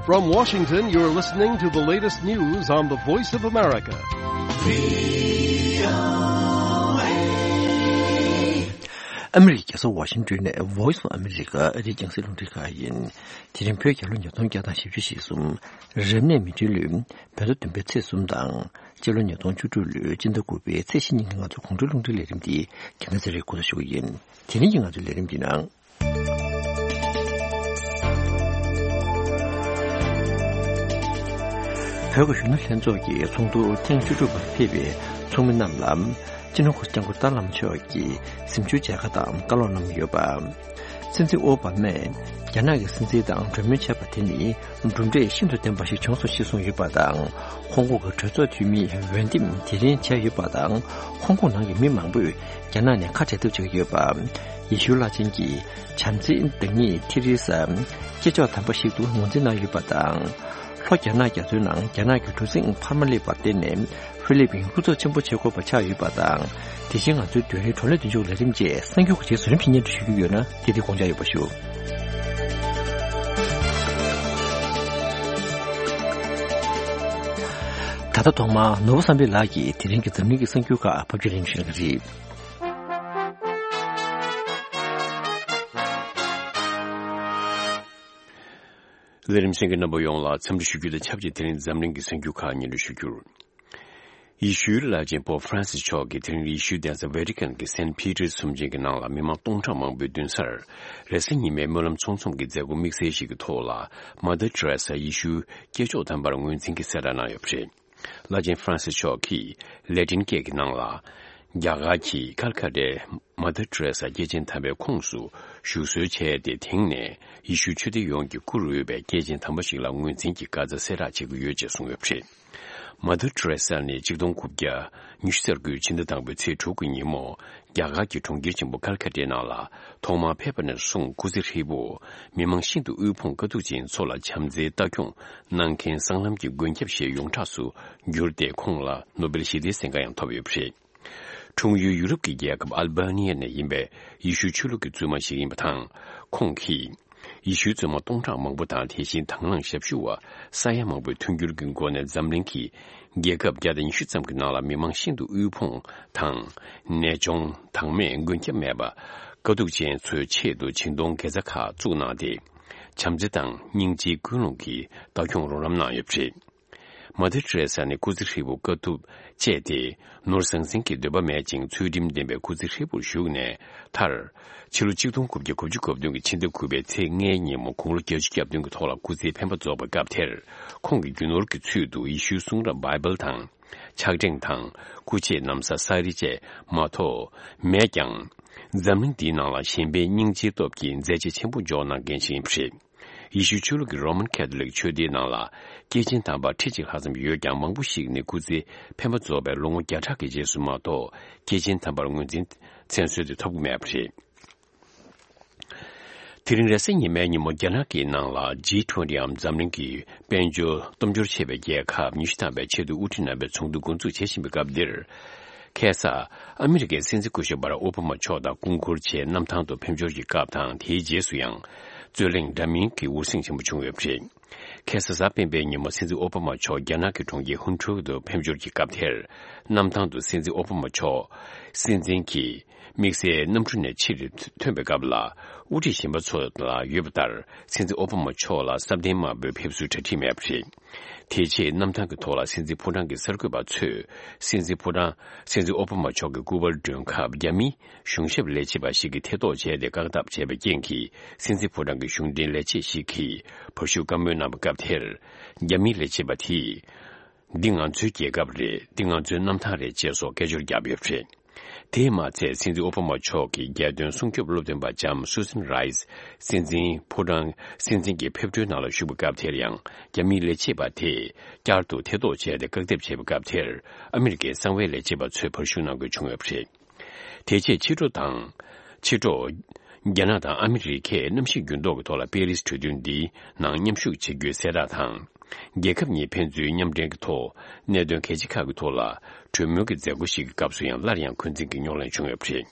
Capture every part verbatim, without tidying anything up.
From Washington, you're listening to the latest news on the Voice of America. ཨ་མི་རི་ཀའི་རྒྱལ་ས་ཝ་ཤིང་ཏོན་ནས་Voice of America ཨ་རིའི་རྒྱང་སྲིང་རླུང་འཕྲིན་ཁང་ཡིན། དེ་རིང་བོད་རྒྱལ་ལོ་ཉིས་སྟོང་བརྒྱ་དང་བཞི་བཅུ་ཞེ་གསུམ། རབ་གནས་མེ་སྤྲེལ་ལོའི་བོད་ཟླ་བདུན་པའི་ཚེས་གསུམ་དང་། སྤྱི་ལོ་ཉིས་སྟོང་བཅུ་དྲུག་ལོའི་སྤྱི་ཟླ་དགུ་པའི་ཚེས་བཞི་ཉིན་གྱི་ང་ཚོའི་དགོང་དྲོའི་རླུང་འཕྲིན་ལས་རིམ་འདི་རྒྱལ་ཁ་ཚེ་རིང་འགོ་འཛུགས་ཞུ་གི་ཡིན། དེ་རིང་གི་ང་ཚོའི་ལས་རིམ་འདི་ནང་། བོད་ཀྱི་གཞོན་ནུ་ལྷན་ཚོགས་ཀྱི་ཚོགས་འདུ་ཐེངས་བཅུ་དྲུག་པར་ཕེབས་པའི་ཚོགས་མི་རྣམས་ལ། སྤྱི་ནོར་གོང་ས་སྐྱབས་མགོན་ཏཱ་ལའི་བླ་མ་མཆོག་གིས་གཟིམ་ཆུང་མཇལ་ཁ་དང་བཀའ་སློབ་གནང་ཡོད་པ། སྲིད་འཛིན་ཨོ་བྷ་མས་རྒྱ་ནག་གི་སྲིད་འཛིན་དང་གྲོས་མོལ་བྱས་པ་དེ་ནི་གྲུབ་འབྲས་ཤིན་ཏུ་ལྡན་པ་ཞིག་བྱུང་སོང་ཞེས་གསུངས་ཡོད་པ་དང་། ཧོང་ཀོང་གི་གྲོས་ཚོགས་འཐུས་མིའི་འོས་འདེམས་དེ་རིང་བྱས་ཡོད་པ་དང་། ཧོང་ཀོང་ནང་གི་མི་མང་པོས་རྒྱ་ནག་ནས་ཁ་བྲལ་ཐབས་བྱེད་ཀྱི་ཡོད་པ། ཡེ་ཤུའི་བླ་ཆེན་གྱི་བྱམས་བརྩེའི་བདག་ཉིད་ཐེ་རེ་ས་སྐྱེས་མཆོག་དམ་པ་ཞིག་ཏུ་ངོས་འཛིན་གནང་ཡོད་པ་དང་། ལྷོ་རྒྱ་ནག་རྒྱ་མཚོའི་ནང་རྒྱ་ནག་གི་གྲུ་གཟིངས་འཕར་མ་སླེབས་པར་བརྟེན་ནས་ཧྥི་ལི་པིན་ཧུར་ཐག་ཆེན་པོ་བྱེད་དགོས་པ་ཆགས་ཡོད་པ་དང་། དེ་བཞིན་ང་ཚོའི་དུས་རིང་བགྲོ་གླེང་མདུན་ལྕོག་ལས་རིམ་བཅས་གསར་འགྱུར་གྱི་རྗེས་སུ་རིམ་བཞིན་སྙན་སྒྲོན་ཞུ་རྒྱུ་ཡོད་ན་དེ་དེ་དགོངས་འཇགས་ཡོད་པ་ཞུ། ད་ལྟ་ཐོག་མར་ནོར་བུ་བསམ་འཕེལ་ལགས་ཀྱིས་དེ་རིང་གི་འཛམ་གླིང་གི་གསར་འགྱུར་ཁག་ཕབ་སྒྱུར་རིན་ཆེན་གྱིས་རེད། ལས་རིམ་གསན་མཁན་རྣམ་པ་ཡོངས་ལ་འཚམས་འདྲི་ཞུ་རྒྱུ་དང་ཆབས་ཅིག་དེ་རིང་འཛམ་གླིང་གི་གསར་འགྱུར་ཁག་སྙན་སྒྲོན་ཞུ་རྒྱུར། ཡེ་ཤུའི་བླ་ཆེན་པོབ་ཧྥ་རན་སིས་མཆོག་གིས་དེ་རིང་ཡེ་ཤུའི་གདན་ས་ཝེ་ཏི་ཀན་གྱི་སེན་ཕི་ཏེར་གསུམ་ཆེན་གྱི་ནང་ལ་མི་མང་སྟོང་ཕྲག་མང་པོའི་མདུན་སར། རེས་གཟའ་ཉི་མའི་སྨོན་ལམ་ཚོགས་འཛོམས་ཀྱི་མཛད་སྒོ་དམིགས་བསལ་ཞིག་གི་ཐོག་ལ། མ་དར་ཏེ་རེ་ས་ཡེ་ཤུའི་སྐྱེས་མཆོག་དམ་པར་ངོས་འཛིན་གྱི་གསལ་བསྒྲགས་གནང་ཡོད་པ་རེད། བླ་ཆེན་ཧྥ་རན་སིས་མཆོག་གིས་ལེ་ཏིན་སྐད་ཀྱི་ནང་ལ། རྒྱ་གར་གྱི་ཀལ་ཀ་ཏའི་མ་དར་ཏེ་རེ་ས་སྐྱེས་ཆེན་དམ་པའི་ཁོངས་སུ་བཞུགས་གསོལ་བྱས་ཏེ། དེང་ནས་ཡེ་ཤུའི་ཆོས་སྡེ་ཡོངས་ཀྱིས་བཀུར་འོས་པའི་སྐྱེས་ཆེན་དམ་པ་ཞིག་ལ་ངོས་འཛིན་གྱི་བཀའ་རྩ་གསལ་བསྒྲགས་བྱེད་ཀྱི་ཡོད་ཅེས་གསུངས་ཡོད་པ་རེད། མ་དར་ཏེ་རེ་ས་ནི་ཆིག་སྟོང་དགུ་བརྒྱ་ཉི་ཤུ་རྩ་དགུའི་ཕྱི་ཟླ་དང་པོའི་ཚེས་དྲུག་གི་ཉིན་མོ། རྒྱ་གར་གྱི་གྲོང་ཁྱེར་ཆེན་པོ་ཀལ་ཀ་ཏའི་ནང་ལ་ཐོག་མར་ཕེབས་པ་ནས་བཟུང་སྐུ་ཚེ་ཧྲིལ་པོ། མི་མང་ཤིན་ཏུ་དབུལ་ཕོངས་དཀའ་སྡུག་ཅན་ཚོ་ལ་བྱམས་བརྩེའི་ལྟ་སྐྱོང་གནང་མཁན་སྲང་ལམ་གྱི་མགོན་སྐྱབས་ཞེས་ཡོངས་གྲགས་སུ་གྱུར་ཏེ། ཁོང་ལ་ནོ་བེལ་ཞི་བདེའི་གཟེངས་རྟགས་ཡང་ཐོབ་ཡོད་པ་རེད། འཁྲུངས་ཡུལ་ཡུ་རོབ་ཀྱི་རྒྱལ་ཁབ་ཨལ་བྷ་ནི་ཡ་ནས་ཡིན་པའི་ཡེ་ཤུའི་ཆོས་ལུགས་ཀྱི་བཙུན་མ་ཞིག་ཡིན་པ་དང་། ཁོང་གིས་ཡེ་ཤུའི་བཙུན་མ་སྟོང་ཕྲག་མང་པོ་དང་། དེ་བཞིན་དང་བླངས་ཞབས་ཞུ་བ་ས་ཡ་མང་པོའི་མཐུན་འགྱུར་གྱི་སྒོ་ནས་འཛམ་གླིང་གི་རྒྱལ་ཁབ་བརྒྱ་དང་ཉི་ཤུ་ཙམ་གྱི་ནང་ལ་མི་མང་ཤིན་ཏུ་དབུལ་ཕོངས་དང་། ནད་གཅོང་། དྭངས་མེད། མགོན་སྐྱབས་མེད་པ། དཀའ་སྡུག་ཅན་ཚོའི་ཆེད་དུ་བྱིངས་གཏོང་དགེ་རྩ་ཁག་བཙུགས་གནང་སྟེ། བྱམས་བརྩེ་དང་སྙིང་རྗེའི་ཀུན་སློང་གིས་ལྟ་སྐྱོང་རོགས་རམ་གནང་ཡོད་པ་རེད། མ་དར་ཏེ་རེ་ས་ནི་སྐུ་ཚེ་ཧྲིལ་པོ་དཀའ་ཐུབ་སྤྱད་དེ། ནོར་ཟང་ཟིང་གི་འདོད་པ་མེད་ཅིང་། ཚུལ་ཁྲིམས་ལྡན་པའི་སྐུ་ཚེ་ཧྲིལ་པོར་བཞུགས་ནས་མཐར། ཕྱི་ལོ་ཆིག་སྟོང་དགུ་བརྒྱ་དགུ་བཅུ་གོ་བདུན་གྱི་ཕྱི་ཟླ་དགུ་པའི་ཚེས་ལྔའི་ཉིན་མོ་དགུང་ལོ་བརྒྱད་ཅུ་གྱ་བདུན་གྱི་ཐོག་ལ་སྐུ་ཚེའི་འཕེན་པ་རྫོགས་པའི་སྐབས་དེར། ཁོང་གིས་རྒྱུ་ནོར་གྱི་ཚུལ་དུ་ཡེ་ཤུའི་གསུང་རབ་བྷའི་བལ་དང་། ཕྱག་ཕྲེང་དང་། སྐུ་མཆེད་ན་བཟའ་ས་རིལ་བཅས་མ་གཏོགས་མེད་ཀྱང་། འཛམ་གླིང་འདིའི་ནང་ལ་གཞན་ཕན་སྙིང་རྗེའི་སྟོབས་ཀྱིས་མཛད་རྗེས་ཆེན་པོ་འཇོག་གནང་མཁན་ཞིག་ཡིན་པ་རེད། ཡེ་ཤུའི་ཆོས་ལུགས་ཀྱི་རོ་མན་ཁེ་ཐོ་ལིག་ཆོས་སྡེའི་ནང་ལ་སྐྱེས་ཆེན་དམ་པ་ཁྲི་གཅིག་ལྷག་ཙམ་ཡོད་ཀྱང་། མང་པོ་ཞིག་ནི་སྐུ་ཚེ་འཕེན་པ་རྫོགས་པའི་ལོ་ངོ་བརྒྱ་ཕྲག་གི་རྗེས་སུ་མ་གཏོགས། སྐྱེས་ཆེན་དམ་པར་ངོས་འཛིན་མཚན་གསོལ་དེ་ཐོབ་ཀྱི་མེད་པ་རེད། དེ་རིང་རེས་གཟའ་ཉི་མའི་ཉིན་མོ་རྒྱ་ནག་གི་ནང་ལ་ཇི་ཊུ་ཝེན་ཊི་འམ་འཛམ་གླིང་གི་དཔལ་འབྱོར་སྟོབས་འབྱོར་ཆེ་བའི་རྒྱལ་ཁབ་ཉི་ཤུ་ཐམ་པའི་ཆེས་མཐོའི་དབུ་ཁྲིད་རྣམ་པའི་ཚོགས་འདུ་འགོ་འཛུགས་བྱེད་བཞིན་པའི་སྐབས་འདིར། ཁ་སང་ཨ་མི་རི་ཀའི་སྲིད་འཛིན་སྐུ་ཞབས་བྷ་རག་ཨོ་བྷ་མ་མཆོག་དང་སྐུ་འཁོར་བཅས་གནམ་ཐང་དུ་ཕེབས་འབྱོར་གྱི་སྐབས་དང་། དེའི་རྗེས་སུ་ཡང་རྩོད་གླེང་འདྲ་མིན་གྱི་འུར་ཟིང་ཆེན་པོ་བྱུང་ཡོད་པ་རེད། ཁ་སང་གཟའ་སྤེན་པའི་ཉིན་མོ་སྲིད་འཛིན་ཨོ་བྷ་མ་མཆོག་རྒྱ་ནག་གི་གྲོང་ཁྱེར་ཧུན་ཁྲུའུ་དུ་ཕེབས་འབྱོར་གྱི་སྐབས་དེར། གནམ་ཐང་དུ་སྲིད་འཛིན་ཨོ་བྷ་མ་མཆོག་སྲིད་འཛིན་གྱི་དམིགས་བསལ་གནམ་གྲུ་ནས་ཕྱིར་ཐོན་པའི་སྐབས་ལ། དབུ་ཁྲིད་གཞན་པ་ཚོ་ལ་ཡོད་པ་ལྟར། སྲིད་འཛིན་ཨོ་བྷ་མ་མཆོག་ལ་སྲབ་གདན་དམར་པོའི་ཕེབས་བསུའི་གྲ་སྒྲིག་མེད་པ་རེད། དེ་རྗེས་གནམ་ཐང་གི་ཐོག་ལ་སྲིད་འཛིན་ཕོ་བྲང་གི་གསར་འགོད་པ་ཚོས་སྲིད་འཛིན་ཕོ་བྲང་། སྲིད་འཛིན་ཨོ་བྷ་མ་མཆོག་གི་སྐུ་པར་སྒྲོན་སྐབས། རྒྱ་མིའི་གཞུང་ཞབས་ལས་བྱེད་པ་ཞིག་གིས་ཐེ་གཏོགས་བྱས་ཏེ། བཀག་སྡོམ་བྱས་པའི་རྐྱེན་གྱིས། སྲིད་འཛིན་ཕོ་བྲང་གི་གཞུང་འབྲེལ་ལས་བྱེད་ཞིག་གིས་བར་ཞུགས་བཀའ་མོལ་གནང་བའི་སྐབས་དེར། རྒྱ་མིའི་ལས་བྱེད་པ་དེས། འདི་ང་ཚོའི་རྒྱལ་ཁབ་རེད། འདི་ང་ཚོའི་གནམ་ཐང་རེད་ཅེས་སོགས་སྐད་ཅོར་བརྒྱབ་ཡོད་པ་རེད། དེས་མ་ཚད། སྲིད་འཛིན་ཨོ་བྷ་མ་མཆོག་གི་རྒྱལ་དོན་སྲུང་སྐྱོབ་སློབ་སྟོན་པ་ལྕམ་Susan Rice སྲིད་འཛིན་ཕོ་བྲང་། སྲིད་འཛིན་གྱི་ཕེབས་འཁྲུལ་ནང་ལ་ཞུགས་པའི་སྐབས་དེར་ཡང་། རྒྱ་མིའི་ལས་བྱེད་པ་དེས་བསྐྱར་དུ་ཐེ་གཏོགས་བྱས་ཏེ། བཀག་སྡོམ་བྱས་པའི་སྐབས་དེར། ཨ་མི་རི་ཀའི་གསང་བའི་ལས་བྱེད་པ་ཚོས་བར་ཞུགས་གནང་དགོས་བྱུང་ཡོད་པ་རེད། དེ་རྗེས་ཕྱི་དྲོ་དང་། ཕྱི་དྲོ། རྒྱ་ནག་དང་ཨ་མི་རི་ཀས་གནམ་གཤིས་འགྱུར་ལྡོག་གི་ཐོག་ལ་པེ་རིས་གྲོས་མཐུན་འདིའི་ནང་མཉམ་ཞུགས་བྱེད་རྒྱུའི་གསལ་བསྒྲགས་དང་། རྒྱལ་ཁབ་གཉིས་ཕན་ཚུན་མཉམ་འབྲེལ་གྱི་ཐོག་གནད་དོན་གལ་ཆེ་ཁག་གི་ཐོག་ལ་གྲོས་མོལ་གྱི་མཛད་སྒོ་ཞིག་གི་སྐབས་སུ་ཡང་སླར་ཡང་འཁོན་འཛིན་གྱི་རྙོག་གླེང་བྱུང་ཡོད་པ་རེད།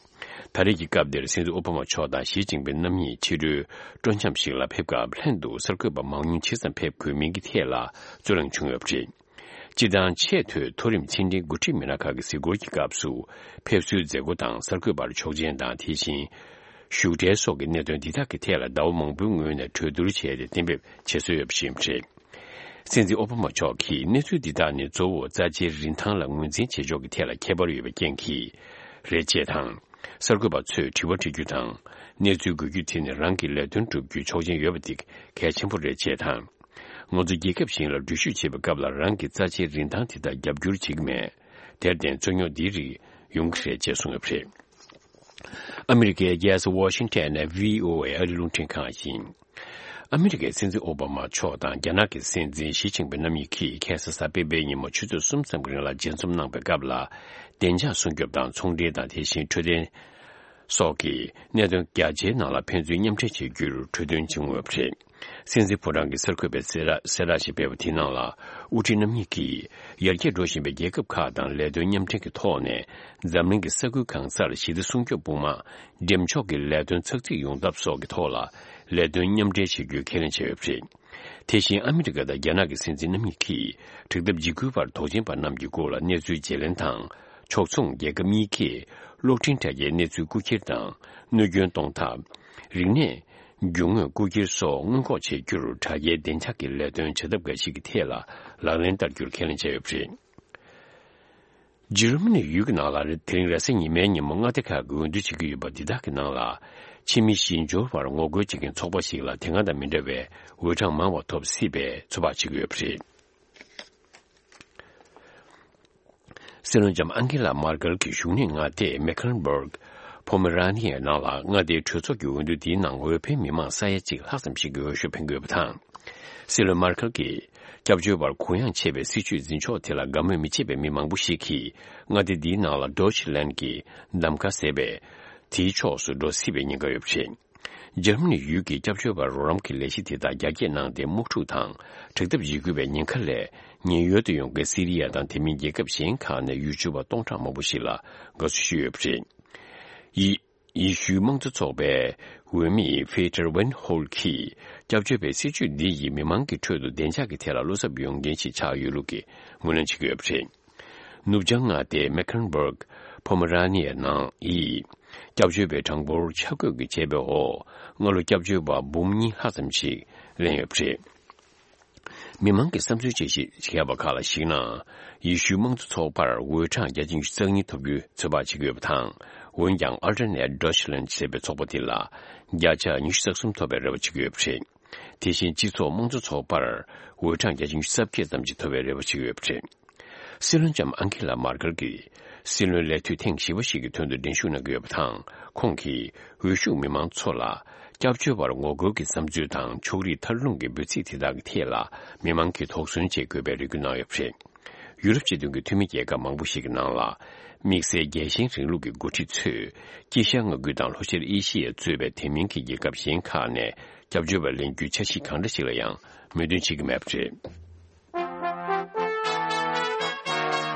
ད་རེས་ཀྱི་སྐབས་འདིར་སྲིད་འཛིན་ཨོ་བྷ་མ་མཆོག་དང་ཞི་ཅིན་ཕིང་རྣམ་གཉིས་ཕྱི་དྲོའི་སྤྲོ་འཆམ་ཞིག་ལ་ཕེབས་སྐབས། ལྷན་དུ་གསར་འགོད་པ་མང་ཉུང་ཇི་ཙམ་ཕེབས་དགོས་མིན་གྱི་ཐད་ལ་རྩོད་གླེང་བྱུང་ཡོད་པ་རེད། སྤྱིར་བཏང་ཆེས་མཐོའི་མཐོ་རིམ་ཕྱི་འབྲེལ་འགོ་ཁྲིད་མི་སྣ་ཁག་གི་གཟིགས་སྐོར་གྱི་སྐབས་སུ། ཕེབས་བསུའི་མཛད་སྒོ་དང་གསར་འགོད་པར་ཆོག་མཆན་དང་། དེ་བཞིན་བཞུགས་གྲལ་སོགས་ཀྱི་གནད་དོན་འདི་དག་གི་ཐད་ལ་ཟླ་བ་མང་པོའི་སྔོན་ནས་གྲོས་བསྡུར་བྱས་ཏེ་གཏན་འབེབས་བྱེད་སྲོལ་ཡོད་པ་ཞིག་རེད། སྲིད་འཛིན་ཨོ་བྷ་མ་མཆོག་གིས་གནས་ཚུལ་འདི་དག་ནི་གཙོ་བོ་རྩ་ཆེའི་རིན་ཐང་ལ་ངོས་འཛིན་བྱེད་ཕྱོགས་ཀྱི་ཐད་ལ་ཁྱད་པར་ཡོད་པའི་རྐྱེན་གྱིས་རེད་ཅེས་དང་། གསར་འགོད་པ་ཚོས་དྲི་བ་འདྲི་རྒྱུ་དང་། གནས་ཚུལ་འགོད་རྒྱུ་དེ་ནི་རང་གི་ལས་དོན་སྒྲུབ་རྒྱུའི་ཆོག་མཆན་ཡོད་པ་དེ་གལ་ཆེན་པོ་རེད་ཅེས་དང་། ང་ཚོ་རྒྱལ་ཁབ་གཞན་ལ་འགྲུལ་བཞུད་བྱེད་པའི་སྐབས་ལ་རང་གི་རྩ་ཆེའི་རིན་ཐང་དེ་དག་རྒྱབ་སྐྱོར་བྱེད་ཀྱི་མེད། དེར་བརྟེན་རྩོད་རྙོག་འདི་རིགས་ཡོང་གི་རེད་ཅེས་གསུངས་ཡོད་པ་རེད། ཨ་མི་རི་ཀའི་རྒྱལ་ས་ཝ་ཤིང་ཊོན་ནས་བྷི་ཨོ་ཨེ་ཨ་རིའི་རླུང་འཕྲིན་ཁང་ཡིན། ཨ་མི་རི་ཀའི་སྲིད་འཛིན་ཨོ་བྷ་མ་མཆོག་དང་རྒྱ་ནག་གི་སྲིད་འཛིན་ཞི་ཅིན་ཕིང་རྣམ་གཉིས་ཀྱིས་ཁ་སང་གཟའ་སྤེན་པའི་ཉིན་མོ་ཆུ་ཚོད་གསུམ་ཙམ་གྱི་རིང་ལ་མཇལ་འཛོམས་གནང་པའི་སྐབས་ལ། བདེ་འཇགས་སྲུང་སྐྱོབ་དང་ཚོང་འབྲེལ་དང་། དེ་བཞིན་འཕྲོད་བསྟེན་སོགས་ཀྱི་གནད་དོན་རྒྱ་ཆེའི་ནང་ལ་ཕན་ཚུན་མཉམ་འབྲེལ་བྱེད་རྒྱུར་གྲོས་མཐུན་བྱུང་ཡོད་པ་རེད། སྲིད་འཛིན་ཕོ་བྲང་གི་གསར་འགོད་པས་གསལ་བསྒྲགས་གསལ་བསྒྲགས་ཤིག་སྤེལ་བ་དེའི་ནང་ལ། དབུ་ཁྲིད་རྣམ་གཉིས་ཀྱིས་ཡར་རྒྱས་འགྲོ་བཞིན་པའི་རྒྱལ་ཁབ་ཁག་དང་ལས་དོན་མཉམ་འབྲེལ་གྱི་ཐོག་ནས། འཛམ་གླིང་གི་ས་ཁུལ་གང་སར་ཞི་བདེ་སྲུང་སྐྱོབ་དཔུང་དམག་འགྲེམས་འཇོག་གི་ལས་དོན་ཚགས་ཚུད་ཡོང་ཐབས་སོགས་ཀྱི་ཐོག་ལ་ལས་དོན་མཉམ་འབྲེལ་བྱེད་རྒྱུའི་ཁས་ལེན་བྱས་ཡོད་པ་རེད། དེ་བཞིན་ཨ་མི་རི་ཀ་དང་རྒྱ་ནག་གི་སྲིད་འཛིན་རྣམ་གཉིས་ཀྱིས་དྲུག་སྟབས་འཇིགས་སྐུལ་བར་དོགས་ཅན་པ་རྣམས་ཀྱི་སྐོར་ལ་གནས་ཚུལ་བརྗེ་ལེན་དང་། ཕྱོགས་མཚུངས་རྒྱལ་ཁབ་གཉིས་ཀས་གློག་འཕྲིན་དྲ་རྒྱའི་གནས་ཚུལ་རྐུ་འཁྱེར་དང་གནོད་སྐྱོན་གཏོང་ཐབས། རིག་གནས་རྒྱུ་དངོས་རྐུ་འཁྱེར་སོགས་སྔོན་འགོག་བྱེད་རྒྱུར་དྲ་རྒྱའི་བདེ་འཇགས་ཀྱི་ལས་དོན་བྱ་ཐབས་འགའ་ཞིག་གི་ཐད་ལ་ལག་ལེན་བསྟར་རྒྱུར་ཁས་ལེན་བྱས་ཡོད་པ་རེད། འཇར་མ་ནི་ཡུལ་གྱི་ནང་ལ་དེ་རིང་རེས་གཟའ་ཉི་མའི་ཉིན་མོ་མངའ་སྡེ་ཁག་གི་འོས་བསྡུ་བྱེད་ཀྱི་ཡོད་པ་འདི་དག་གི་ནང་ལ། ཕྱི་མི་ཞི་འབྱོར་བར་ངོ་རྒོལ་བྱེད་མཁན་ཚོགས་པ་ཞིག་ལ་དེ་སྔ་དང་མི་འདྲ་བའི་འོས་གྲངས་མང་བ་ཐོབ་སྲིད་པའི་ཚོད་དཔག་བྱེད་ཀྱི་ཡོད་པ་རེད། སྲིད་བློན་ལྕམ་ཨན་ཀེ་ལ་མར་ཀེལ་གྱི་བཞུགས་གནས་མངའ་སྡེ་མེ་ཁན་སྦུག་པོ་མེ་ར་ནི་ཡའི་ནང་ལ་མངའ་སྡེའི་གྲོས་ཚོགས་ཀྱི་འོས་བསྡུ་འདིའི་ནང་འོས་འཕེན་མི་མང་ས་ཡ་གཅིག་ལྷག་ཙམ་ཞིག་གིས་འོས་ཤོག་འཕེན་དགོས་པ་དང་། སྲིད་བློན་མར་ཀེལ་གྱིས་སྐྱབས་བཅོལ་བར་གུ་ཡངས་ཆེ་བའི་སྲིད་བྱུས་འཛིན་ཕྱོགས་དེ་ལ་དགའ་མོས་མི་བྱེད་པའི་མི་མང་པོ་ཞིག་གིས་མངའ་སྡེ་འདིའི་ནང་ལ་ཌོ་ཆི་ལན་གྱི་གདམ་ག་ཟེར་བའི་དེའི་ཕྱོགས་སུ་འགྲོ་སྲིད་པའི་ཉེན་ཁ་ཡོད་པ་རེད། འཇར་མ་ནི་ཡུལ་གྱི་སྐྱབས་བཅོལ་བར་རོགས་རམ་གྱི་ལས་གཞི་དེ་དག་རྒྱ་སྐྱེད་གནང་སྟེ། དམག་འཁྲུག་དང་དྲག་འཐབ་འཇིགས་སྐུལ་བའི་ཉེན་ཁ་ལས་ཉེན་གཡོལ་དུ་ཡོང་མཁན་སི་རི་ཡ་དང་དེ་མིན་རྒྱལ་ཁབ་གཞན་ཁག་ནས་ཡུལ་གྲུ་པ་སྟོང་ཕྲག་མང་པོ་ཞིག་ལ་དགའ་བསུ་ཞུས་ཡོད་པ་རེད། ཡི་ཡེ་ཤུའི་དམངས་གཙོ་ཚོགས་པའི་འོས་མི་ཕེ་ཏར་ཝན་ཧོལ་གྱིས་སྐྱབས་བཅོལ་བའི་སྲིད་བྱུས་འདི་ཡིས་མི་མང་གི་ཁྲོད་དུ་བདེ་འཇགས་ཀྱི་ཐད་ལ་བློ་འཚབ་ཡོང་མཁན་ཞིག་ཆགས་ཡོད་ལུགས་ཀྱི་ངོས་ལེན་བྱེད་ཀྱི་ཡོད་པ་རེད། ནུབ་བྱང་མངའ་སྡེ་མེ་ཁན་སྦུག་པོ་མེ་ར་ནི་ཡའི་ནང་ཡི་སྐྱབས་བཅོལ་བའི་གྲངས་འབོར་ཆ་བགོས་ཀྱི་བྱས་པའི་འོག་སྔ་ལོ་སྐྱབས་བཅོལ་བ་འབུམ་གཉིས་ལྷག་ཙམ་ཞིག་ལེན་ཡོད་པ་རེད། མི་མང་གི་བསམ་ཚུལ་དཔྱད་ཞིབ་བྱས་པ་ཁག་ལ་གཞིགས་ན། ཡེ་ཤུའི་དམངས་གཙོ་ཚོགས་པར་འོས་གྲངས་བརྒྱ་ཆ་ཉི་ཤུ་རྩ་གཉིས་ཐོབ་རྒྱུའི་ཚོད་དཔག་བྱེད་ཀྱི་ཡོད་པ་དང་། འོན་ཀྱང་ཨལ་ཊར་ནེཊ་ཌོ་ཆི་ལན་ཟེར་བའི་ཚོགས་པ་དེ་ལ་བརྒྱ་ཆ་ཉི་ཤུ་རྩ་གསུམ་ཐོབ་པའི་རེ་བ་བྱེད་ཀྱི་ཡོད་པ་རེད། དེ་བཞིན་སྤྱི་ཚོགས་དམངས་གཙོ་ཚོགས་པར་འོས་གྲངས་བརྒྱ་ཆ་ཉི་ཤུ་རྩ་བརྒྱད་ཙམ་ཞིག་ཐོབ་པའི་རེ་བ་བྱེད་ཀྱི་ཡོད་པ་རེད། སྲིད་བློན་ལྕམ་ཨན་ཁེ་ལ་མར་ཀེལ་གྱིས་སྲིད་བློན་ལས་དུས་ཐེངས་བཞི་པ་ཞིག་གི་དོན་དུ་འགྲན་ཞུགས་གནང་གི་ཡོད་པ་དང་། ཁོང་གིས་འོས་ཤོག་མི་མང་ཚོ་ལ་སྐྱབས་བཅོལ་བར་ངོ་རྒོལ་གྱི་བསམ་ཚུལ་དང་། ཕྱོགས་རིས་ཐར་ལུང་གི་འབོད་ཚིག་དེ་དག་གི་ཐད་ལ་མི་མང་གིས་དོགས་ཟོན་བྱེད་དགོས་པའི་རེ་སྐུལ་གནང་ཡོད་པ་རེད། ཡུ་རོབ་སྤྱི་མཐུན་གྱི་འཐུས་མི་རྒྱལ་ཁབ་མང་པོ་ཞིག་གི་ནང་ལ། དམིགས་བསལ་རྒྱལ་ཞེན་རིང་ལུགས་ཀྱི་འགོ་ཁྲིད་ཚོས་དཀྱིལ་ཤར་མངའ་ཁུལ་དང་ལྷོ་ཤར་ཨེ་ཤི་ཡ་གཙོས་པའི་དེ་མིན་གྱི་རྒྱལ་ཁབ་གཞན་ཁག་ནས་སྐྱབས་བཅོལ་བ་ལེན་རྒྱུའི་འཆར་གཞི་གང་འདྲ་ཞིག་ལ་ཡང་མོས་མཐུན་བྱེད་ཀྱི་མེད་པ་རེད།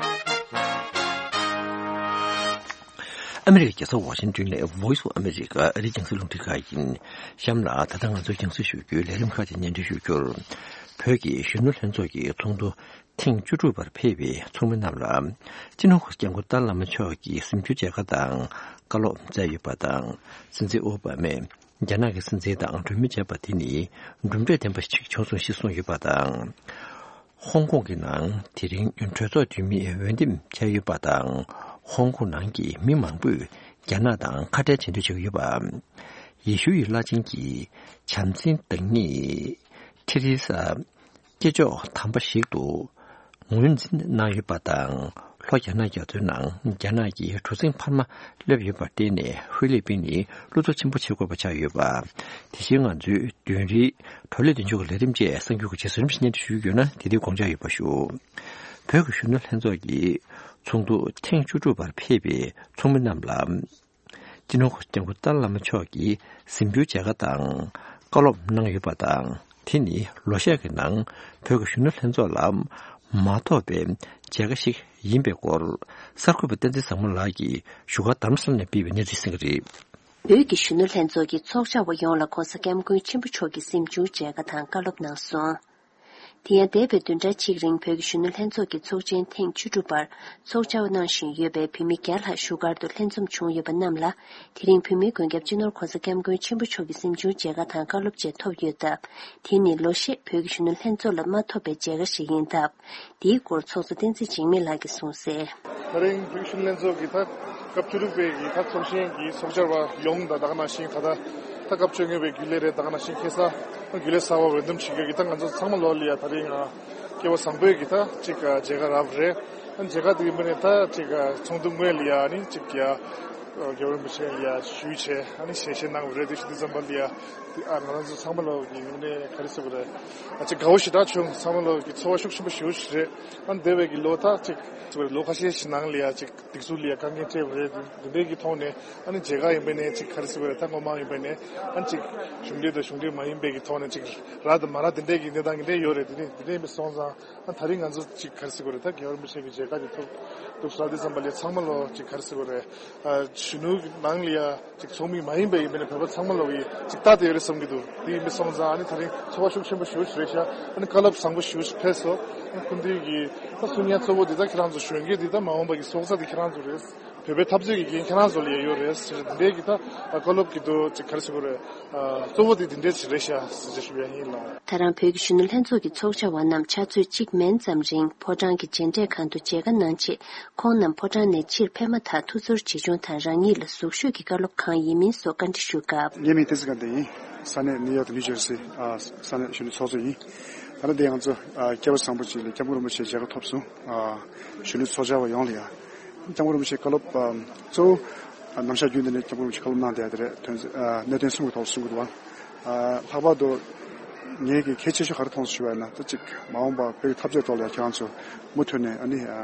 ཨ་མི་རི་ཀའི་རྒྱལ་ས་ཝ་ཤིང་ཏོན་ནས་Voice of America ཨ་རིའི་རྒྱང་སྲིང་རླུང་འཕྲིན་ཁང་ཡིན། གཤམ་ལ་ད་ལྟ་ང་ཚོའི་རྒྱང་སྲིང་ཞུ་རྒྱུའི་ལས་རིམ་ཁག་ཅིག་སྙན་སྒྲོན་ཞུ་རྒྱུར། བོད་ཀྱི་གཞོན་ནུ་ལྷན་ཚོགས་ཀྱི་ཚོགས་འདུ་ཐེངས་བཅུ་དྲུག་པར་ཕེབས་པའི་ཚོགས་མི་རྣམས་ལ། སྤྱི་ནོར་༧གོང་ས་༧སྐྱབས་མགོན་ཏཱ་ལའི་བླ་མ་མཆོག་གིས་གཟིམ་རྒྱུའི་མཇལ་ཁ་དང་བཀའ་སློབ་སྩལ་ཡོད་པ་དང་། སྲིད་འཛིན་ཨོ་བྷ་མས་རྒྱ་ནག་གི་སྲིད་འཛིན་དང་གྲོས་མོལ་བྱས་པ་དེ་ནི་གྲུབ་འབྲས་ལྡན་པ་ཞིག་བྱུང་སོང་ཞེས་གསུངས་ཡོད་པ་དང་། ཧོང་ཀོང་གི་ནང་དེ་རིང་གྲོས་ཚོགས་འཐུས་མིས་འོས་འདེམས་བྱས་ཡོད་པ་དང་། ཧོང་ཀོང་ནང་གི་མི་མང་པོས་རྒྱ་ནག་དང་ཁ་བྲལ་བྱེད་འདོད་བྱེད་ཀྱི་ཡོད་པ། ཡེ་ཤུའི་བླ་ཆེན་གྱི་བྱམས་བརྩེའི་བདག་ཉིད་ཐེ་རེ་ས་སྐྱེས་མཆོག་དམ་པ་ཞིག་ཏུ་ངོས་འཛིན་གནང་ཡོད་པ་དང་། ལྷོ་རྒྱ་ནག་རྒྱ་མཚོའི་ནང་རྒྱ་ནག་གི་གྲུ་གཟིངས་འཕར་མ་སླེབས་ཡོད་པར་བརྟེན་ནས་ཧྥི་ལི་པིན་ནི་བློ་འཚབ་ཆེན་པོ་བྱེད་དགོས་པ་ཆགས་ཡོད་པ། དེ་བཞིན་ང་ཚོའི་བདུན་རེའི་བགྲོ་གླེང་མདུན་ལྕོག་གི་ལས་རིམ་བཅས་གསར་འགྱུར་གྱི་རྗེས་སུ་རིམ་བཞིན་སྙན་སྒྲོན་ཞུ་རྒྱུ་ཡོད་ན། དེ་དུས་དགོངས་འཇགས་ཡོད་པ་ཞུ། བོད་ཀྱི་གཞོན་ནུ་ལྷན་ཚོགས་ཀྱི་ཚོགས་འདུ་ཐེངས་བཅུ་དྲུག་པར་ཕེབས་པའི་ཚོགས་མི་རྣམས་ལ། སྤྱི་ནོར་༧གོང་ས་༧སྐྱབས་མགོན་ཏཱ་ལའི་བླ་མ་མཆོག་གིས་གཟིམ་རྒྱུའི་མཇལ་ཁ་དང་བཀའ་སློབ་གནང་ཡོད་པ་དང་། དེ་ནི་ལོ་ཤས་ཀྱི་ནང་བོད་ཀྱི་གཞོན་ནུ་ལྷན་ཚོགས་ལ་ མ་ཐོབ་པའི་མཇལ་ཁ་ཞིག་ཡིན་པའི་སྐོར། གསར་འགོད་པ་བསྟན་འཛིན་བཟང་མོ་ལགས་ཀྱིས་བཞུགས་སྒར་རྡ་རམ་ས་ལ་ནས་སྤེལ་བའི་གནས་ཚུལ་གསན་གྱི་རེད། བོད་ཀྱི་གཞོན་ནུ་ལྷན་ཚོགས་ཀྱི་ཚོགས་བཅར་བ་ཡོངས་ལ་༸གོང་ས་༸སྐྱབས་མགོན་ཆེན་པོ་མཆོག་གིས་གཟིམ་ཆུང་མཇལ་ཁ་དང་བཀའ་སློབ་གནང་སོང་། དེ་ཡང་འདས་པའི་བདུན་ཕྲག་གཅིག་རིང་བོད་ཀྱི་གཞོན་ནུ་ལྷན་ཚོགས་ཀྱི་ཚོགས་ཆེན་ཐེངས་བཅུ་དྲུག་པར་ཚོགས་བཅར་གནང་བཞིན་ཡོད་པའི་བོད་མི་བརྒྱ་ལྷག་བཞུགས་སྒར་དུ་ལྷན་འཛོམས་བྱུང་ཡོད་པ་རྣམས་ལ། དེ་རིང་བོད་མིའི་མགོན་སྐྱབས་སྤྱི་ནོར་༸གོང་ས་༸སྐྱབས་མགོན་ཆེན་པོ་མཆོག་གི་གཟིམ་ཆུང་མཇལ་ཁ་དང་བཀའ་སློབ་བཅས་ཐོབ་ཡོད་སྟབས། དེ་ནི་ལོ་ཤས་བོད་ཀྱི་གཞོན་ནུ་ལྷན་ཚོགས་ལ་མ་ཐོབ་པའི་མཇལ་ཁ་ཞིག་ཡིན་སྟབས། དེའི་སྐོར་ཚོགས་གཙོ་བསྟན་འཛིན་འཇིགས་མེད་ལགས་ཀྱིས་གསུངས་གསལ། ད་རིང་བོད་ཀྱི་གཞོན་ནུ་ལྷན་ཚོགས་ཀྱི་ད་སྐབས་བཅུ་དྲུག་པའི་གི་ད་ཚོགས་ཆེན་གྱི་ཚོགས་བཅར་བ་ཡོངས་དང་ད་ག་ནང་བཞིན་ད་ལྟ་ད་སྐབས་བཅོ་ལྔ་པའི་རྒྱུན་ལས་རེད། ད་ག་ནང་བཞིན་ཁ་སང་རྒྱུན་ལས་གསར་པ་འོས་འདེམས་བྱེད་མཁན་གྱི་ད་ང་ཚོ་ཚང་མ་ལོག་ལ་ཡ་ད་རིང་ཨ་སྐལ་བ་བཟང་པོས་ཀྱི་ད་ཅིག་ཨ་མཇལ་ཁ་རག་པ་རེད། ཨ་མཇལ་ཁ་དེ་ཡིན་པ་ནས་ད་ཅིག་ཨ་ཚོགས་འདུ་སྔོན་ལ་ཡ་ཨ་ནི་ཅིག་ཡ་ཨ་རྒྱལ་བ་རིན་པོ་ཆེ་ལ་ཡ་ཞུས་བྱས་ཨ་ནི་ཞལ་བཞེས་གནང་བ་རེད། དེ་བཞིན་དུ་འཛོམས་པ་ལ་ཡ་ཨ་ང་རང་ཚོ་ཚང་མ་ལོག་གི་ངོས་ནས་ག་རེ་ཟེར་དགོས་རེད། ཨ་ཅིག་དགའ་བོ་ཞེ་དྲག་བྱུང་། ཚང་མ་ལོག་གི་ཚོར་བ་ཤུགས་ཆེན་པོ་ཞེ་པོ་ཞིག་རེད། ཨ་འདས་པའི་གི་ལོ་ད་ཅིག་ལོ་ཁ་ཤས་ཤིག་ནང་ལ་ཡ་ཅིག་སྒྲིག་འཛུགས་ལ་ཡ་དཀའ་ངལ་འཕྲད་པ་རེད། འདི་འདྲའི་གི་ཐོག་ནས་ཨ་ནི་མཇལ་ཁ་ཡིན་པ་ནས་ཅིག་ག་རེ་ཟེར་བ་རེད། ད་སྔོན་མ་ཡིན་པ་ནས་ཨ་ནི་ཅིག་གཞུང་འབྲེལ་དང་གཞུང་འབྲེལ་མ་ཡིན་པའི་གི་ཐོག་ནས་ཅིག་རག་དང་མ་རག་དེ་འདྲའི་གི་གནས་སྟངས་དེ་འདྲ་ཡོད་རེད། དེ་འདྲ་དེ་འདྲ་ཡིན་པ་སོང་ཙང་ཨ་ད་རིང་ང་ཚོ་ཅིག་ག་རེ་ཟེར་དགོས་རེད། ད་རྒྱལ་བ་རིན་པོ་ཆེ་གི་མཇལ་ཁ་ཅིག་ཐོབ་འདུག་ཟེར་དུས་ཙམ་པ་ལ་ཚང་མ་ལོག་ཅིག་ག་རེ་ཟེར་དགོས་རེད། ཨ་གཞོན་ནུ་གི་ནང་ལ་ཡ་ཅིག་ཚོགས་མི་མ་ཡིན་པ་ཡིན་པ་ནས་བོད་པ་ཚང་མ་ལོག་གི་ཅིག་ལྟ་དེ་ཡོད་རེད་བསམ་གྱི་འདུག་དེ་ཡིན་པ་སོང་ཙང་ཨ་ནི་ད་རིང་ཚོར་བ་ཤུགས་ཆེན་པོ་ཞེ་པོ་ཞིག་རེད་ཤག་ཨ་ནི་བཀའ་སློབ་བཟང་པོ་ཞེ་པོ་ཞིག་ཕེབས་སོང་། ཨ་ནི་སྐུ་མདུན་གྱི་ད་གསུང་ཡ་གཙོ་བོ་འདི་ད་ཁྱེད་རང་ཚོ་གཞོན་སྐྱེས་འདི་ད་མ་འོངས་པ་གི་སྲོག་རྩ་འདི་ཁྱེད་རང་ཚོ་རེད། བོད་པའི་འཐབ་རྩོད་ཀྱི་འགན་ཁྱེད་རང་ཚོ་ལ་ཡ་ཡོད་རེད་ཟེར། འདི་འདྲའི་གི་ད་བཀའ་སློབ་ཀྱི་འདུག་ཅིག་ག་རེ་ཟེར་དགོས་རེད། ཨ་གཙོ་བོ་དེ་འདི་འདྲས་ཞིག་རེད་ཤག་ཟེར་ཞུ་ཡ་ཡིན་ལགས། ད་རང་བོད་ཀྱི་གཞོན་ནུ་ལྷན་ཚོགས་ཀྱི་ཚོགས་བཅར་བ་རྣམས་ཕྱག་ཚོད་གཅིག་མན་ཙམ་རིང་ཕོ་བྲང་གི་མཇལ་འཕྲད་ཁང་དུ་མཇལ་ཁ་གནང་རྗེས། ཁོང་རྣམས་ཕོ་བྲང་ནས་ཕྱིར་ཕེབས་མ་ཐག་ཐུགས་ཚོར་ཇི་བྱུང་དང་རང་ཉིད་ལ་ཟུག་ཤུགས་ཀྱི་བཀའ་སློབ་གང་ཡིན་མིན་སོགས་བཀའ་འདྲི་ཞུས་སྐབས། ངའི་མིང་བསྟན་འཛིན་དགའ་ལྡན་ཡིན། ས་གནས་ནིའུ་ཡོག་དང་ནིའུ་ཇར་སི། ཨ་ས་གནས་གཞོན་ནུ་ཚོགས་གཙོ་ཡིན། ད་ལྟ་འདི་ང་ཚོ་ཨ་སྐལ་བ་བཟང་པོ་ཅིག་ལ་སྐྱབས་མགོན་རིན་པོ་ཆེའི་མཇལ་ཁ་ཐོབ་སོང་། ཨ་གཞོན་ནུ་ཚོགས་བཅར་བ་ཡོངས་ལ་ཡ། སྐྱབས་མགོན་རིན་པོ་ཆེའི་བཀའ་སློབ་ཨ་གཙོ་བོ་ཨ་ནམ་ཞག་རྒྱུན་དུ་ནས་སྐྱབས་མགོན་རིན་པོ་ཆེས་བཀའ་སློབ་གནང་བསྡད་དེ་རེད། དོན་ཚན་ཨ་གནད་དོན་གསུམ་གྱི་ཐོག་ལ་གསུང་གི་འདུག་བ། ཨ་ལྷག་པར་དུ་ངས་ཀྱི་གལ་ཆེ་ཤོས་ག་རེ་མཐོང་སོང་ཞུ་བ་ཡིན་ན། ད་ཅིག་མ་འོངས་པ་བོད་ཀྱི་འཐབ་རྩོད་ཐོག་ལ་ཡ་ཁྱེད་རང་ཚོ་མུ་མཐུད་ནས་ཨ་ནི་ཨ་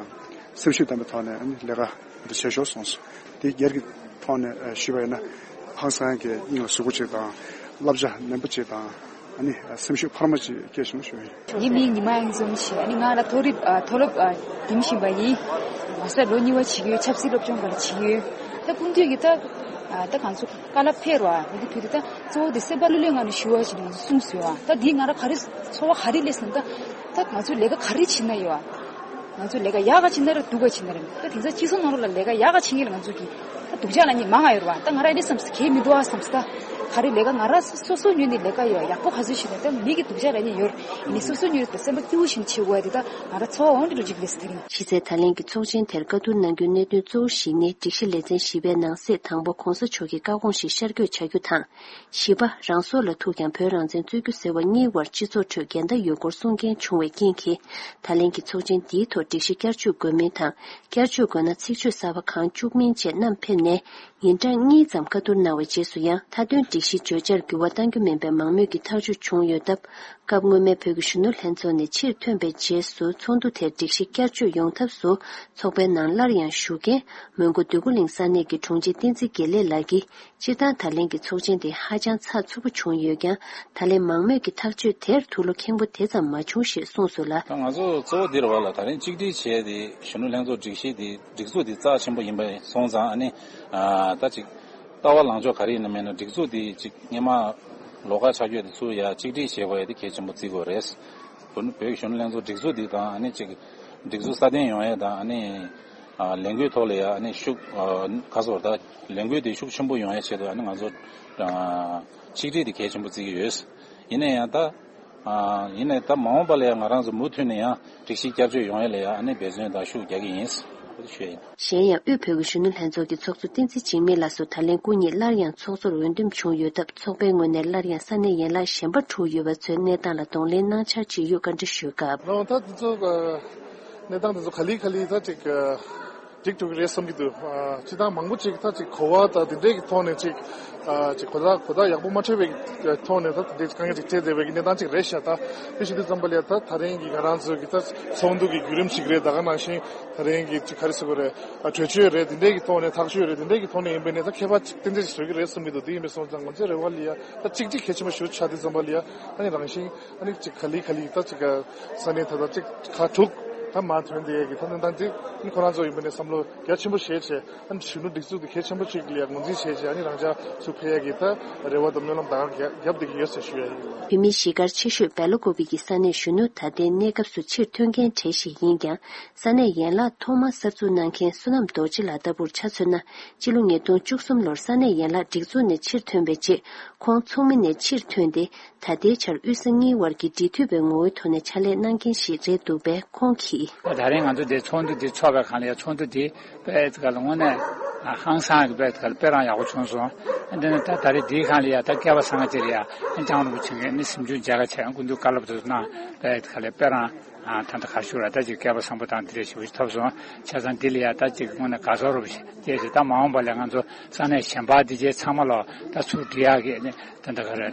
སེམས་ཤུགས་ལྡན་པའི་ཐོག་ནས་ཨ་ནི་ལས་ཀ་འདི་བྱེད་ཤོག་གསུངས་སོང་། དེ་སྒེར་གྱི་ཐོག་ནས་ཨ་ཞུས་པ་ཡིན་ན། ཧང་སང་གི་སྙིང་ལ་ཟུག་པོ་ཅིག་དང་། བསླབ་བྱ་ནན་པོ་ཅིག་དང་། ཨ་ནི་སེམས་ཤུགས་འཕར་མ་ཅིག་སྐྱེས་བྱུང་ཞུ་ཡིན། ངའི་མིང་ཉི་མ་དབྱངས་འཛོམས་ཞེས། ཨ་ནི་ང་ལ་མཐོ་རིམ་ཨ་མཐོ་སློབ་ཨ་འགྲིམ་བཞིན་པ་ཡིན། མ་ཟད་ལོ་གཉིས་པ་བྱེད་ཀྱི་ཡོད། ཆབ་སྲིད་སློབ་སྦྱོང་སྒང་ལ་བྱེད་ཀྱི་ཡོད། ད་སྐུ་མདུན་གྱིས་ད་ཨ་ད་གང་ཚོ་བཀའ་སློབ་ཕེབས་རོགས་ཨ་འདི་དུས་དེ་ད་གཙོ་བོ་དེ་སེམས་པ་ལྷོད་ལྷོད་ངང་ནས་ཞུ་བ་ཞིག་ང་ཚོ་གསུངས་སོང་ཨ། ད་འདིས་ང་ལ་ག་རེ་ཚོར་བ་ག་རེ་སླེབས་སོང་། ད་ད་ང་ཚོས་ལས་ཀ་ག་རེ་བྱེད་ན་ཡོད་ཨ། ང་ཚོ་ལས་ཀ་ཡག་ག་བྱེད་ན་རེད། སྡུག་ག་བྱེད་ན་རེད། ད་དེང་སང་སྤྱི་ཚོགས་ནང་ལོགས་ལ་ལས་ཀ་ཡག་ག་བྱེད་མཁན་ལ་ང་ཚོ་གི་ད་སྡུག་ཅག་ལབ་མཁན་མང་ང་ཡོད་རེད་བ། ད་ང་རང་འདི་བསམ་སོང་། གལ་མི་འདུག་ཨ་བསམ་སོང་། ད་ག་རེ་ལས་ཀ་ང་རང་སོ་སོ་ཉོས་ནས་ལས་ཀ་ཡོད་ཡག་པོ་ག་ཚོད་བྱེད་ན། ད་མི་གི་སྡུག་ཅག་ལབ་མཁན་ཡོད་རེད། ཡིན་ནའི་སོ་སོ་ཉོས་ནས་ད་སེམས་པ་སྐྱིད་པོ་ཞིག་བྱེད་དགོས་ཡ་དེ་ད་ང་རང་ཚོར་བ་འོང་དུ་འགྲོ་གཅིག་ལས་ཟེར་ཡིན། གཞི་རྩའི་ད་ལན་གྱི་ཚོགས་ཆེན་དེར་བཀའ་བསྡུར་གནང་རྒྱུའི་གནད་དོན་གཙོ་བོ་བཞི་ནི། སྒྲིག་གཞི་ལེ་ཚན་བཞི་པའི་ནང་གསེས་དང་པོ་༸གོང་ས་མཆོག་གི་བཀའ་དགོངས་ཤིག་ཤར་བསྐྱོད་བྱ་རྒྱུ་དང་། བཞི་པ། རང་སྲོག་ལ་ཐུག་ཀྱང་བོད་རང་བཙན་རྩོད་རྒྱུ་ཟེར་བ་གཉིས་དབར་སྤྱི་ཚོགས་ཁྲོད་འགལ་ཟླ་ཡོད་སྐོར་གསུང་མཁན་བྱུང་བའི་རྐྱེན་གྱིས། ད་ལན་གྱི་ཚོགས་ཆེན་འདིའི་ཐོག་སྒྲིག་གཞི་བསྐྱར་བཅོས་དགོས་མིན་དང་། བསྐྱར་བཅོས་དགོས་ན་ཚིག་བརྗོད་གསར་པ་གང་བཅུག་མིན་བཅས་བསྣམས་ཕེབས་ནས། ཉིན་གྲངས་གཉིས་ཙམ་བཀའ་བསྡུར་གནང་བའི་རྗེས་སུ་ཡང་། མཐའ་དོན་སྒྲིག་གཞི་བརྗོད་བྱར་འགྱུར་བ་གཏང་རྒྱུ་མིན་པའི་མང་མོས་ཀྱི་ཐག་གཅོད་བྱུང་ཡོད་སྟབས། སྐབས་སྔོན་མའི་བོད་ཀྱི་གཞོན་ནུ་ལྷན་ཚོགས་ནས་ཕྱིར་ཐོན་པའི་རྗེས་སུ། ཚོགས་འདུ་དེར་སྒྲིག་གཞི་བསྐྱར་བཅོས་ཡོང་ཐབས་སུ། ཚོགས་པའི་ནང་སླར་ཡང་ཞུགས་མཁན་མོན་གྷོ་འདོད་རྒུ་གླིང་ས་གནས་ཀྱི་དྲུང་ཆེ་བསྟན་འཛིན་དགེ་ལེགས་ལགས་ཀྱིས། སྤྱིར་བཏང་ད་ལན་གྱི་ཚོགས་ཆེན་དེ་ཧ་ཅང་ཚགས་ཚུད་པོ་བྱུང་ཡོད་ཀྱང་། ད་ལན་མང་མོས་ཀྱི་ཐག་གཅོད་དེར་དུག་སློག་ཁེངས་པོ་དེ་ཙམ་མ་བྱུང་ཞེས་གསུངས་སོང་ལ། ད་ང་ཚོ་གཙོ་བོ་འདི་རེད་བ་ལ། ད་རིང་གཅིག་སྒྲིལ་བྱས་ཏེ་གཞོན་ནུ་ལྷན་ཚོགས་སྒྲིག་གཞི་འདི་སྒྲིག་འཛུགས་འདི་རྩ་ཆེན་པོ་ཡིན་པ་སོང་ཙང་། ཨ་ནི་ཨ་ད་ཅིག་ལྟ་བ་ལངས་ཕྱོགས་ག་རེ་ཡིན་ན་མེད་ན། སྒྲིག་འཛུགས་འདི་ཅིག་སྔས་མ་ལོགས་ཀ་ཆགས་རྒྱུ་དེ་ཚུར་ཡ་གཅིག་སྒྲིལ་བྱེད་དགོས་ཡ་དེ་གལ་ཆེན་པོ་བརྩི་དགོས་རེད། བོད་བོད་ཀྱི་གཞོན་ནུ་ལྷན་ཚོགས་སྒྲིག་འཛུགས་འདི་དང་། ཨ་ནི་ཅིག་སྒྲིག་འཛུགས་སྲ་བརྟན་ཡོང་ཡ་དང་། ཨ་ནི་ཨ་ལས་འགུལ་ཐོག་ལ་ཡ་ཨ་ནི་ཤུགས་ཨ་ག་ཟེར་ད་ལས་འགུལ་དེ་ཤུགས་ཆེན་པོ་ཡོང་ཡ་ཆེད་དུ། ཨ་ནི་ང་ཚོ་ཨ་ཆིག་སྒྲིལ་དེ་གལ་ཆེན་པོ་བརྩི་གི་ཡོད། ཡིན་ན་ཡང་ད་ཨ་ཡིན་ནའི་ད་མ་འོངས་པ་ལ་ཡང་ང་རང་ཚོ་མུ་མཐུད་ནས་ཡང་སྒྲིག་གཞི་བསྐྱར་བཅོས་ཡོང་ཡ་ལ་ཡང་ཨ་ནི་འབད་བརྩོན་དང་ཤུགས་རྒྱག་གི་ཡིན། ཨོ་དེ་ཞུ་ཡ་ཡིན། གཞན་ཡང་དབུས་བོད་ཀྱི་གཞོན་ནུ་ལྷན་ཚོགས་ཀྱི་ཚོགས་གཙོ་བསྟན་འཛིན་འཇིགས་མེད་ལགས་སུ་ད་ལན་སྐུ་ཉིད་སླར་ཡང་ཚོགས་གཙོར་འོས་འདེམས་བྱུང་ཡོད་སྟབས། ཚོགས་པའི་ངོས་ནས་སླར་ཡང་ས་གནས་ཡན་ལག་གཞན་པར་འཁྲུག་ཡོད་པ་ཚོའི་གནས་སྟངས་ལ་གདོང་ལེན་གནང་འཆར་ཇི་ཡོད་བཀའ་འདྲི་ཞུས་སྐབས། ཨོ་ད་དེ་ཚོ་གནས་སྟངས་དེ་ཚོ་ག་ལེ་ག་ལེ་ད་ཅིག་འགྲིག་འགྲོ་གི་རེད་བསམ་གྱི་འདུག་ཨ་སྤྱིར་བཏང་མང་པོ་ཅིག་ད་ཅིག་གོ་བ་དང་དེ་འདྲས་ཀྱི་ཐོག་ནས་ཅིག་ཨ་ཅིག་གོ་བརྡ་གོ་བརྡ་ཡག་པོ་མ་འཕྲོད་པའི་ཐོག་ནས་ད་དེ་འདྲས་དཀའ་ངལ་ཅིག་འཕྲད་བསྡད་པའི་གནས་སྟངས་ཅིག་རེད་ཤག་ད་དེ་བཞིན་དུ་ཙམ་པ་ལ་ད་ད་རིང་གི་ང་རང་ཚོའི་གི་ད་ཚོགས་འདུ་གི་བརྒྱུད་རིམ་ཞིག་རེད། ད་ག་ནང་བཞིན་ད་རིང་གི་ཅིག་ག་རེ་ཟེར་དགོས་རེད། ཨ་གྲོས་ཆོད་རེད། དེ་འདྲས་ཀྱི་ཐོག་ནས་ཐག་གཅོད་རེད། དེ་འདྲས་ཀྱི་ཐོག་ནས་ཡིན་པའི་ནས་ད་ཁྱད་པར་ཅིག་ཏན་ཏན་ཞིག་བཟོ་གི་རེད་བསམ་གྱི་འདུག་དེ་ཡིན་པའི་སོང་ཙང་ང་ཚོའི་རེ་བ་ལ་ཡ་ད་གཅིག་སྒྲིལ་གལ་ཆེན་པོ་ཞིག་ཆགས་དུས་ཙམ་པ་ལ་ཡ། ཨ་ནི་རང་བཞིན་ཨ་ནི་ཅིག་ག་ལེ་ག་ལེ་ད་ཅིག་ས་གནས་ད་ད་ཅིག་ཁག་དྲུག་ ད་མར་ཐོན་བསྡད་ཡས་ཀྱི་ཐབས་ལམ་དང་དེ་ནི་ཁོ་རང་ཚོ་ཡིན་པ་ནས་བསམ་བློ་རྒྱ་ཆེན་པོ་བཞེས་བྱས། ཨ་ནི་གཞོན་ནུ་སྒྲིག་འཛུགས་དེ་གལ་ཆེན་པོ་གཅིག་ལ་ཡང་ངོས་འཛིན་བྱས་བྱས། ཨ་ནི་རང་ཅག་ཚུར་ཕེབས་ཡས་ཀྱི་ད་རེ་བ་དང་སྨོན་ལམ་ད་ག་རྒྱབ་བསྡད་ཀྱི་ཡོད་ཟེར་ཞུ་ཡས་ཡིན། བོད་མིའི་གཞིས་སྒར་ཆེ་ཤོས་སྦེ་ལ་ཀོ་བི་གི་ས་གནས་གཞོན་ནུ་ད་ལྟའི་གནས་སྐབས་སུ་ཕྱིར་ཐོན་མཁན་གྲས་ཤིག་ཡིན་ཀྱང་། ས་གནས་ཡན་ལག་ཐོག་མར་གསར་འཛུགས་གནང་མཁན་བསོད་ནམས་རྡོ་རྗེ་ལགས་ལྟ་བུར་ཆ་མཚོན་ན། སྤྱི་ལོ་ཉིས་སྟོང་བཅུ་གསུམ་ལོར་ས་གནས་ཡན་ལག་སྒྲིག་འཛུགས་ནས་ཕྱིར་ཐོན་པའི་རྗེས། ཁོང་ཚོགས་མི་ནས་ཕྱིར་ཐོན་ཏེ། ད་ལྟའི་ཆར་དབུས་ས་གཉིས་དབར་གྱི་འབྲེལ་མཐུད་པའི་ངོ་བོའི་ཐོག་ནས་ཕྱག་ལས་གནང་མཁན་ཞིག་རེད་འདུག་པས། ཁོང་གིས། ད་རིང་ང་ཚོ་འདིར་ཚོགས་འདུ་འདི་ཚོགས་པའི་སྒང་ལ་ཡ། ཚོགས་འདུ་འདི་དཔེ་དེ་ག་ལ་དངོས་གནས་ཧང་སང་གི་དཔེ་དེ་ག་ལ་དཔེ་རང་ཡག་པོ་བྱུང་སོང་། འདི་ནི་ད་ད་རེས་འདིའི་སྒང་ལ་ཡ། ད་སྐལ་པ་བཟང་ཅིག་ལ་ཡ། ཨ་ནི་ལྕམ་རིན་པོ་ཆེ་གིས་ནི་གཟིམ་ཆུང་མཇལ་ཁ་བྱས། སྐུ་མདུན་བཀའ་སློབ་དེ་ཚོ་གནང་། དཔེ་དེ་ག་ལ་དཔེ་རང་ད་ལྟ་ག་རེ་ཞུ་ར། ད་ཅིག་སྐལ་པ་བཟང་པོ་དང་འདི་འདྲ་ཞེ་པོ་ཞིག་ཐོབ་སོང་། བྱས་ཙང་འདི་ལ་ཡ་ད་ཅིག་དངོས་གནས་དགའ་ཚོར་རབ་སྐྱེས་ཤིང་། ད་མ་འོངས་པ་ལ་ང་ཚོ་ས་གནས་གཞན་པ་འདི་གའི་ཚང་མ་ལ་ད་ཚུར་འགྲོ་ཡག་གི་ནི་ད་ལྟ་ག་རེ་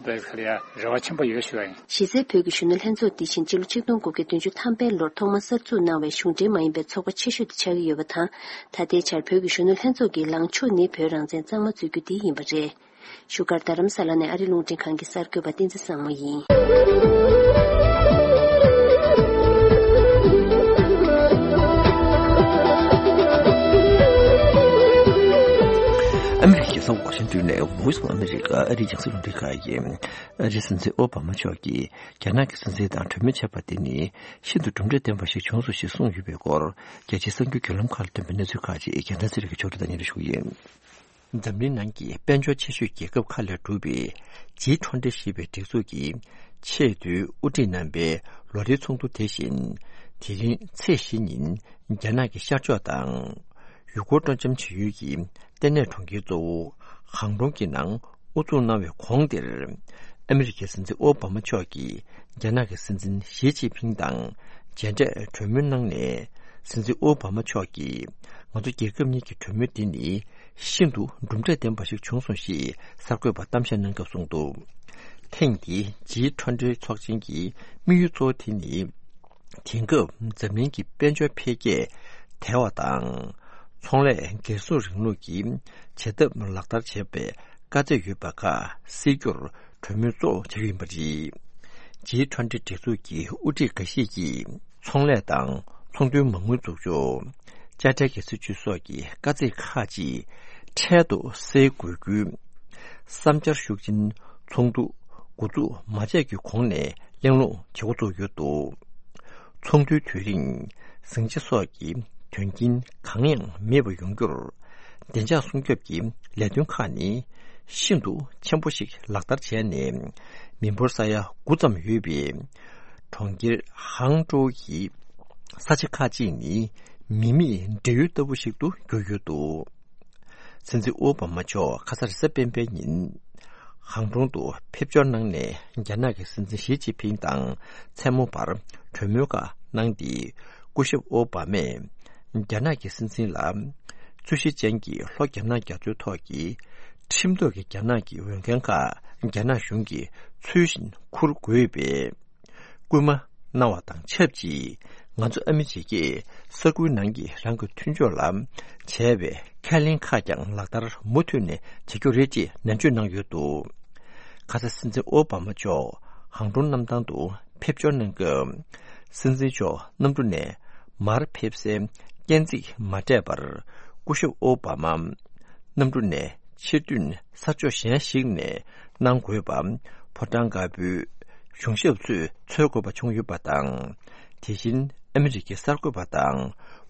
བོད་ཁ་ལ་ཡ་རེ་བ་ཆེན་པོ་ཡོད་ཞུ་བ་ཡིན། གཞི་རྩའི་བོད་ཀྱི་གཞོན་ནུ་ལྷན་ཚོགས་འདི་བཞིན་སྤྱི་ལོ་ཆིག་སྟོང་དགུ་བརྒྱ་བདུན་ཅུ་ཐམ་པའི་ལོར་ཐོག་མར་གསར་འཛུགས་གནང་བའི་གཞུང་འབྲེལ་མ་ཡིན་པའི་ཚོགས་པ་ཆེ་ཤོས་དེ་ཆགས་ཀྱི་ཡོད་པ་དང་། ད་ལྟའི་ཆར་བོད་ཀྱི་གཞོན་ནུ་ལྷན་ཚོགས་ཀྱི་ལངས་ཕྱོགས་ནི་བོད་རང་བཙན་གཙང་མ་འཛུགས་རྒྱུ་འདི་ཡིན་པ་རེད། བཞུགས་སྒར་རྡ་རམ་ས་ལ་ནས་ཨ་རི་རླུང་འཕྲིན་ཁང་གི་གསར་འགོད་པ་བསྟན་འཛིན་བཟང་མོ་ཡིན། ཨ་མི་རི་ཀའི་རྒྱལ་ས་ཝ་ཤིང་ཏོན་ནས་Voice of America ཨ་རིའི་རྒྱང་སྲིང་རླུང་འཕྲིན་ཁང་ཡིན། ཨ་རིའི་སྲིད་འཛིན་ཨོ་བྷ་མ་མཆོག་གིས་རྒྱ་ནག་གི་སྲིད་འཛིན་དང་གྲོས་མོལ་བྱས་པ་དེ་ནི་ཤིན་ཏུ་གྲུབ་འབྲས་ལྡན་པ་ཞིག་བྱུང་སོང་ཞེས་གསུངས་ཡོད་པའི་སྐོར། རྒྱལ་སྤྱིའི་གསར་འགྱུར་བརྒྱུད་ལམ་ཁག་ལ་ཐོན་པའི་གནས་ཚུལ་ཁག་ཅིག་རྒྱལ་མཚན་ཚེ་རིང་གིས་ཕྱོགས་སྒྲིག་དང་སྙན་སྒྲོན་ཞུ་གི་ཡིན། འཛམ་གླིང་ནང་གི་དཔལ་འབྱོར་ཆེ་ཤོས་རྒྱལ་ཁབ་ཁག་ལས་གྲུབ་པའི་ཇི་ཁྲོན་ཊི་ཞེས་པའི་སྒྲིག་འཛུགས་ཀྱིས་ཆེས་མཐོའི་དབུ་ཁྲིད་རྣམ་པའི་ལོ་རེའི་ཚོགས་འདུ་དེ་བཞིན་དེ་རིང་ཚེས་བཞི་ཉིན་རྒྱ་ནག་གི་ཤར་ཕྱོགས་དང་། ཡུ་གུར་སྤྲོ་འཆམ་བྱེད་ཡུལ་གྱི་ལྟེ་གནས་གྲོང་ཁྱེར་གཙོ་བོ་ཧང་ཀྲུང་གི་ནང་དབུ་འཛུགས་གནང་བའི་གོང་དེར། ཨ་མི་རི་ཀའི་སྲིད་འཛིན་ཨོ་བྷ་མ་མཆོག་གིས་རྒྱ་ནག་གི་སྲིད་འཛིན་ཞི་ཅིན་ཕིང་དང་མཇལ་འཕྲད་གྲོས་མོལ་གནང་ནས། སྲིད་འཛིན་ཨོ་བྷ་མ་མཆོག་གིས། ང་ཚོ་རྒྱལ་ཁབ་གཉིས་ཀྱི་གྲོས་མོལ་འདི་ནི་ཤིན་ཏུ་གྲུབ་འབྲས་ལྡན་པ་ཞིག་བྱུང་སོང་ཞེས་གསར་འགོད་པར་གཏམ་བཤད་གནང་སྐབས་གསུངས་འདུག། ཐེངས་འདིའི་ཇི་ཁྲོན་ཊི་ཚོགས་ཆེན་གྱི་དམིགས་ཡུལ་གཙོ་བོ་དེ་ནི། དེང་སྐབས་འཛམ་གླིང་གི་དཔལ་འབྱོར་འཕེལ་རྒྱས་དལ་བ་དང་། ཚོང་ལས་སྒེར་སྲུང་རིང་ལུགས་ཀྱི་བྱེད་ཐབས་ལག་བསྟར་བྱེད་པའི་དཀའ་ཚེགས་ཡོད་པ་ཁག་སེལ་རྒྱུར་གྲོས་མོལ་གཙོ་བོ་བྱ་རྒྱུ་ཡིན་པ་རེད། ཇི་ཁྲོན་ཊི་སྒྲིག་འཛུགས་ཀྱི་དབུ་ཁྲིད་འགའ་ཤས་ཀྱིས་ཚོང་ལས་དང་ཚོང་དོན་མ་དངུལ་འཛུགས་ཕྱོགས། དཔྱ་ཁྲལ་གྱི་སྲིད་ཇུས་སོགས་ཀྱི་དཀའ་ཚེགས་ཁག་ཅིག་འཕྲལ་དུ་སེལ་དགོས་རྒྱུའི་བསམ་འཆར་ཤུགས་ཆེན་ཚོགས་འདུ་འགོ་འཛུགས་མ་བྱས་ཀྱི་གོང་ནས་གླེང་སློང་བྱེད་འགོ་བཙུགས་ཡོད་འདུག། ཚོགས་འདུའི་དུས་རིང་། ཟིང་ཆ་སོགས་ཀྱི་དོན་རྐྱེན་གང་ཡང་མེད་པ་ཡོང་རྒྱུར། བདེ་འཇགས་སྲུང་སྐྱོབ་ཀྱི་ལས་དོན་ཁག་ནི་ཤིན་ཏུ་ཆེན་པོ་ཞིག་ལག་བསྟར་བྱས་ནས། མི་འབོར་ས་ཡ་དགུ་ཙམ་ཡོད་པའི་གྲོང་ཁྱེར་ཧང་ཀྲོའུ་ཡི་ས་ཆ་ཁག་ཅིག་ནི་མི་མེད་འབྲེལ་ཡོད་ལྟ་བུ་ཞིག་ཏུ་གྱུར་ཡོད་འདུག། སྲིད་འཛིན་ཨོ་བྷ་མ་མཆོག་ཁ་ས་རེས་གཟའ་སྤེན་པའི་ཉིན། ཧང་ཀྲུང་དུ་ཕེབས་འབྱོར་གནང་ནས། རྒྱ་ནག་གི་སྲིད་འཛིན་ཞི་ཅིན་ཕིང་དང་མཚན་མོ་བར་གྲོས་མོལ་ཁག་གནང་སྟེ། སྐུ་ཞབས་ཨོ་བྷ་མས་རྒྱ་ནག་གི་སྲིད་འཛིན་ལ། རྩོད་གཞི་ཅན་གྱི་ལྷོ་རྒྱ་ནག་རྒྱ་མཚོའི་ཐོག་གི་ཁྲིམས་ཐོག་གི་རྒྱ་ནག་གི་འོས་འགན་ཁག་རྒྱ་ནག་གཞུང་གིས་ཚུལ་བཞིན་འཁུར་དགོས་པའི་སྐུལ་མ་གནང་བ་དང་ཆབས་ཅིག། ང་ཚོ་ཨ་མི་རི་ཀས་ས་ཁུལ་ནང་གི་རང་གི་མཐུན་ཕྱོགས་ལ་བྱས་པའི་ཁས་ལེན་ཁག་ཀྱང་ལག་བསྟར་མུ་མཐུད་ནས་བྱེད་རྒྱུ་རེད་ཅེས་ནན་བརྗོད་གནང་ཡོད་འདུག། ཁ་ས་སྲིད་འཛིན་ཨོ་བྷ་མ་མཆོག་ཧང་ཀྲུང་གནམ་ཐང་དུ་ཕེབས་འབྱོར་གནང་སྐབས། སྲིད་འཛིན་མཆོག་གནམ་གྲུ་ནས་མར་ཕེབས་སའི་སྐས་འཛེག་མ་སྤྲད་པར། སྐུ་ཞབས་ཨོ་བྷ་མ་གནམ་གྲུ་ནས་ཕྱིར་ཐོན་ས་ཕྱོགས་གཞན་ཞིག་ནས་གནང་དགོས་པ། ཕོ་བྲང་དཀར་པོའི་གཞུང་ཞབས་ཚོས་འཚོལ་དགོས་པ་བྱུང་ཡོད་པ་དང་། དེ་བཞིན་ཨ་མི་རི་ཀའི་གསར་འགོད་པ་དང་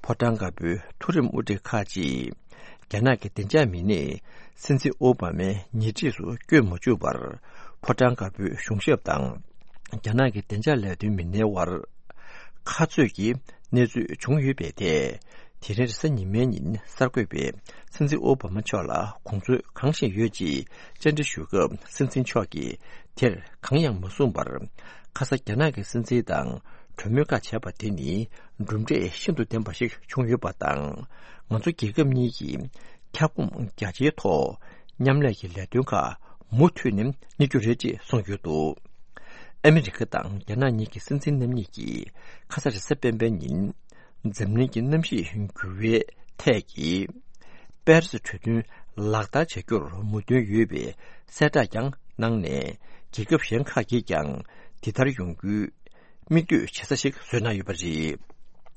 ཕོ་བྲང་དཀར་པོའི་མཐོ་རིམ་དབུ་ཁྲིད་ཁག་ཅིག། རྒྱ་ནག་གི་བདེ་འཇགས་མི་སྣས་སྲིད་འཛིན་ཨོ་བྷ་མའི་ཉེ་འཁྲིས་སུ་བསྐྱོད་མ་བཅུག་པར། ཕོ་བྲང་དཀར་པོའི་གཞུང་ཞབས་དང་རྒྱ་ནག་གི་བདེ་འཇགས་ལས་དོན་མི་སྣའི་དབར་ཁ་རྩོད་ཀྱི་གནས་ཚུལ་བྱུང་ཡོད་པའི་ཐད། དེ་རིང་རེས་གཟའ་ཉི་མའི་ཉིན་གསར་འགོད་པས་སྲིད་འཛིན་ཨོ་བྷ་མ་མཆོག་ལ་དགོངས་ཚུལ་གང་ཞིག་ཡོད་ཅེས་བཅར་འདྲི་ཞུས་སྐབས། སྲིད་འཛིན་མཆོག་གིས་དེར་གང་ཡང་མ་གསུངས་པར། ཁ་ས་རྒྱ་ནག་གི་སྲིད་འཛིན་དང་གྲོས་མོལ་ཁག་བྱས་པ་དེ་ནི་གྲུབ་འབྲས་ཤིན་ཏུ་ལྡན་པ་ཞིག་བྱུང་ཡོད་པ་དང་། ང་ཚོ་རྒྱལ་ཁབ་གཉིས་ཀྱིས་ཁྱབ་ཁོངས་རྒྱ་ཆེའི་ཐོག་མཉམ་ལས་ཀྱི་ལས་དོན་ཁག་མུ་མཐུད་ནས་གཉེར་རྒྱུ་རེད་ཅེས་གསུངས་ཡོད་འདུག། ཨ་མི་རི་ཀ་དང་རྒྱ་ནག་གཉིས་ཀྱི་སྲིད་འཛིན་རྣམ་གཉིས་ཀྱིས་ཁ་ས་རེས་གཟའ་སྤེན་པའི་ཉིན། འཛམ་གླིང་གི་གནམ་གཤིས་འགྱུར་བའི་ཐད་ཀྱི་པེ་རི་སི་གྲོས་མཐུན་ལག་བསྟར་བྱ་རྒྱུར་མོས་མཐུན་ཡོད་པའི་གསལ་བསྒྲགས་ཀྱང་གནང་ནས། རྒྱལ་ཁབ་གཞན་ཁག་གིས་ཀྱང་དེ་ལྟར་ཡོང་རྒྱུའི་མིག་ལྟོས་བྱེད་ས་ཞིག་བཟོས་གནང་ཡོད་པ་རེད།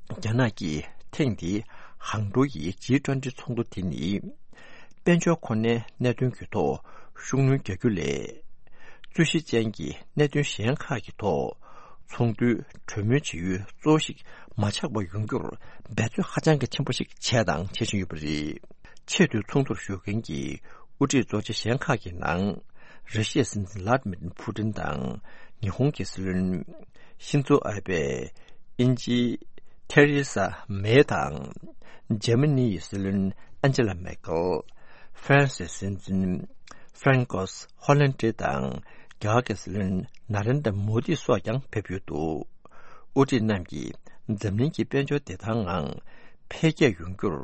རྒྱ་ནག་གིས་ཐེངས་འདིའི་ཧང་ཀྲོའུ་ཡི་ཇི་ཊུ་ཝེན་ཊི་ཚོགས་འདུ་དེ་ནི། དཔལ་འབྱོར་ཁོ་ནའི་གནད་དོན་གྱི་ཐོག་ཤུགས་སྣོན་རྒྱག་རྒྱུ་ལས། རྩོད་གཞི་ཅན་གྱི་གནད་དོན་གཞན་ཁག་གི་ཐོག་ཚོགས་འདུའི་གྲོས་མོལ་བྱེད་ཡུལ་གཙོ་བོ་ཞིག་མ་ཆགས་པ་ཡོང་རྒྱུར་འབད་རྩོལ་ཧ་ཅང་གི་ཆེན་པོ་ཞིག་བྱས་དང་བྱེད་བཞིན་ཡོད་པ་རེད། ཆེས་མཐོའི་ཚོགས་འདུར་ཞུགས་མཁན་གྱི་དབུ་ཁྲིད་གཙོ་ཆེ་གཞན་ཁག་གི་ནང་། ར་ཤི་ཡའི་སྲིད་འཛིན་ལྷ་ཌི་མིར་ཕུ་ཏིན་དང་། ཉི་ཧོང་གི་སྲིད་བློན་ཤིན་ཛོ་ཨ་བྷེ། དབྱིན་ཇིའི་ཐེ་རེ་ས་མེ་དང་། འཇར་མ་ནི་ཡི་སྲིད་བློན་ཨན་ཇེ་ལ་མེར་ཀེལ། ཧྥ་རན་སིའི་སྲིད་འཛིན་ཧྥ་རན་ཀོས་ཧོ་ལན་ཏྲེ་དང་རྒྱ་གར་གྱི་སྲིད་བློན་ན་རེན་དྲ་མོ་དི་སོགས་ཀྱང་ཕེབས་ཡོད་འདུག་དབུ་ཁྲིད་རྣམས་ཀྱིས་འཛམ་གླིང་གི་དཔལ་འབྱོར་བདེ་ཐང་ངང་འཕེལ་རྒྱས་ཡོང་རྒྱུར་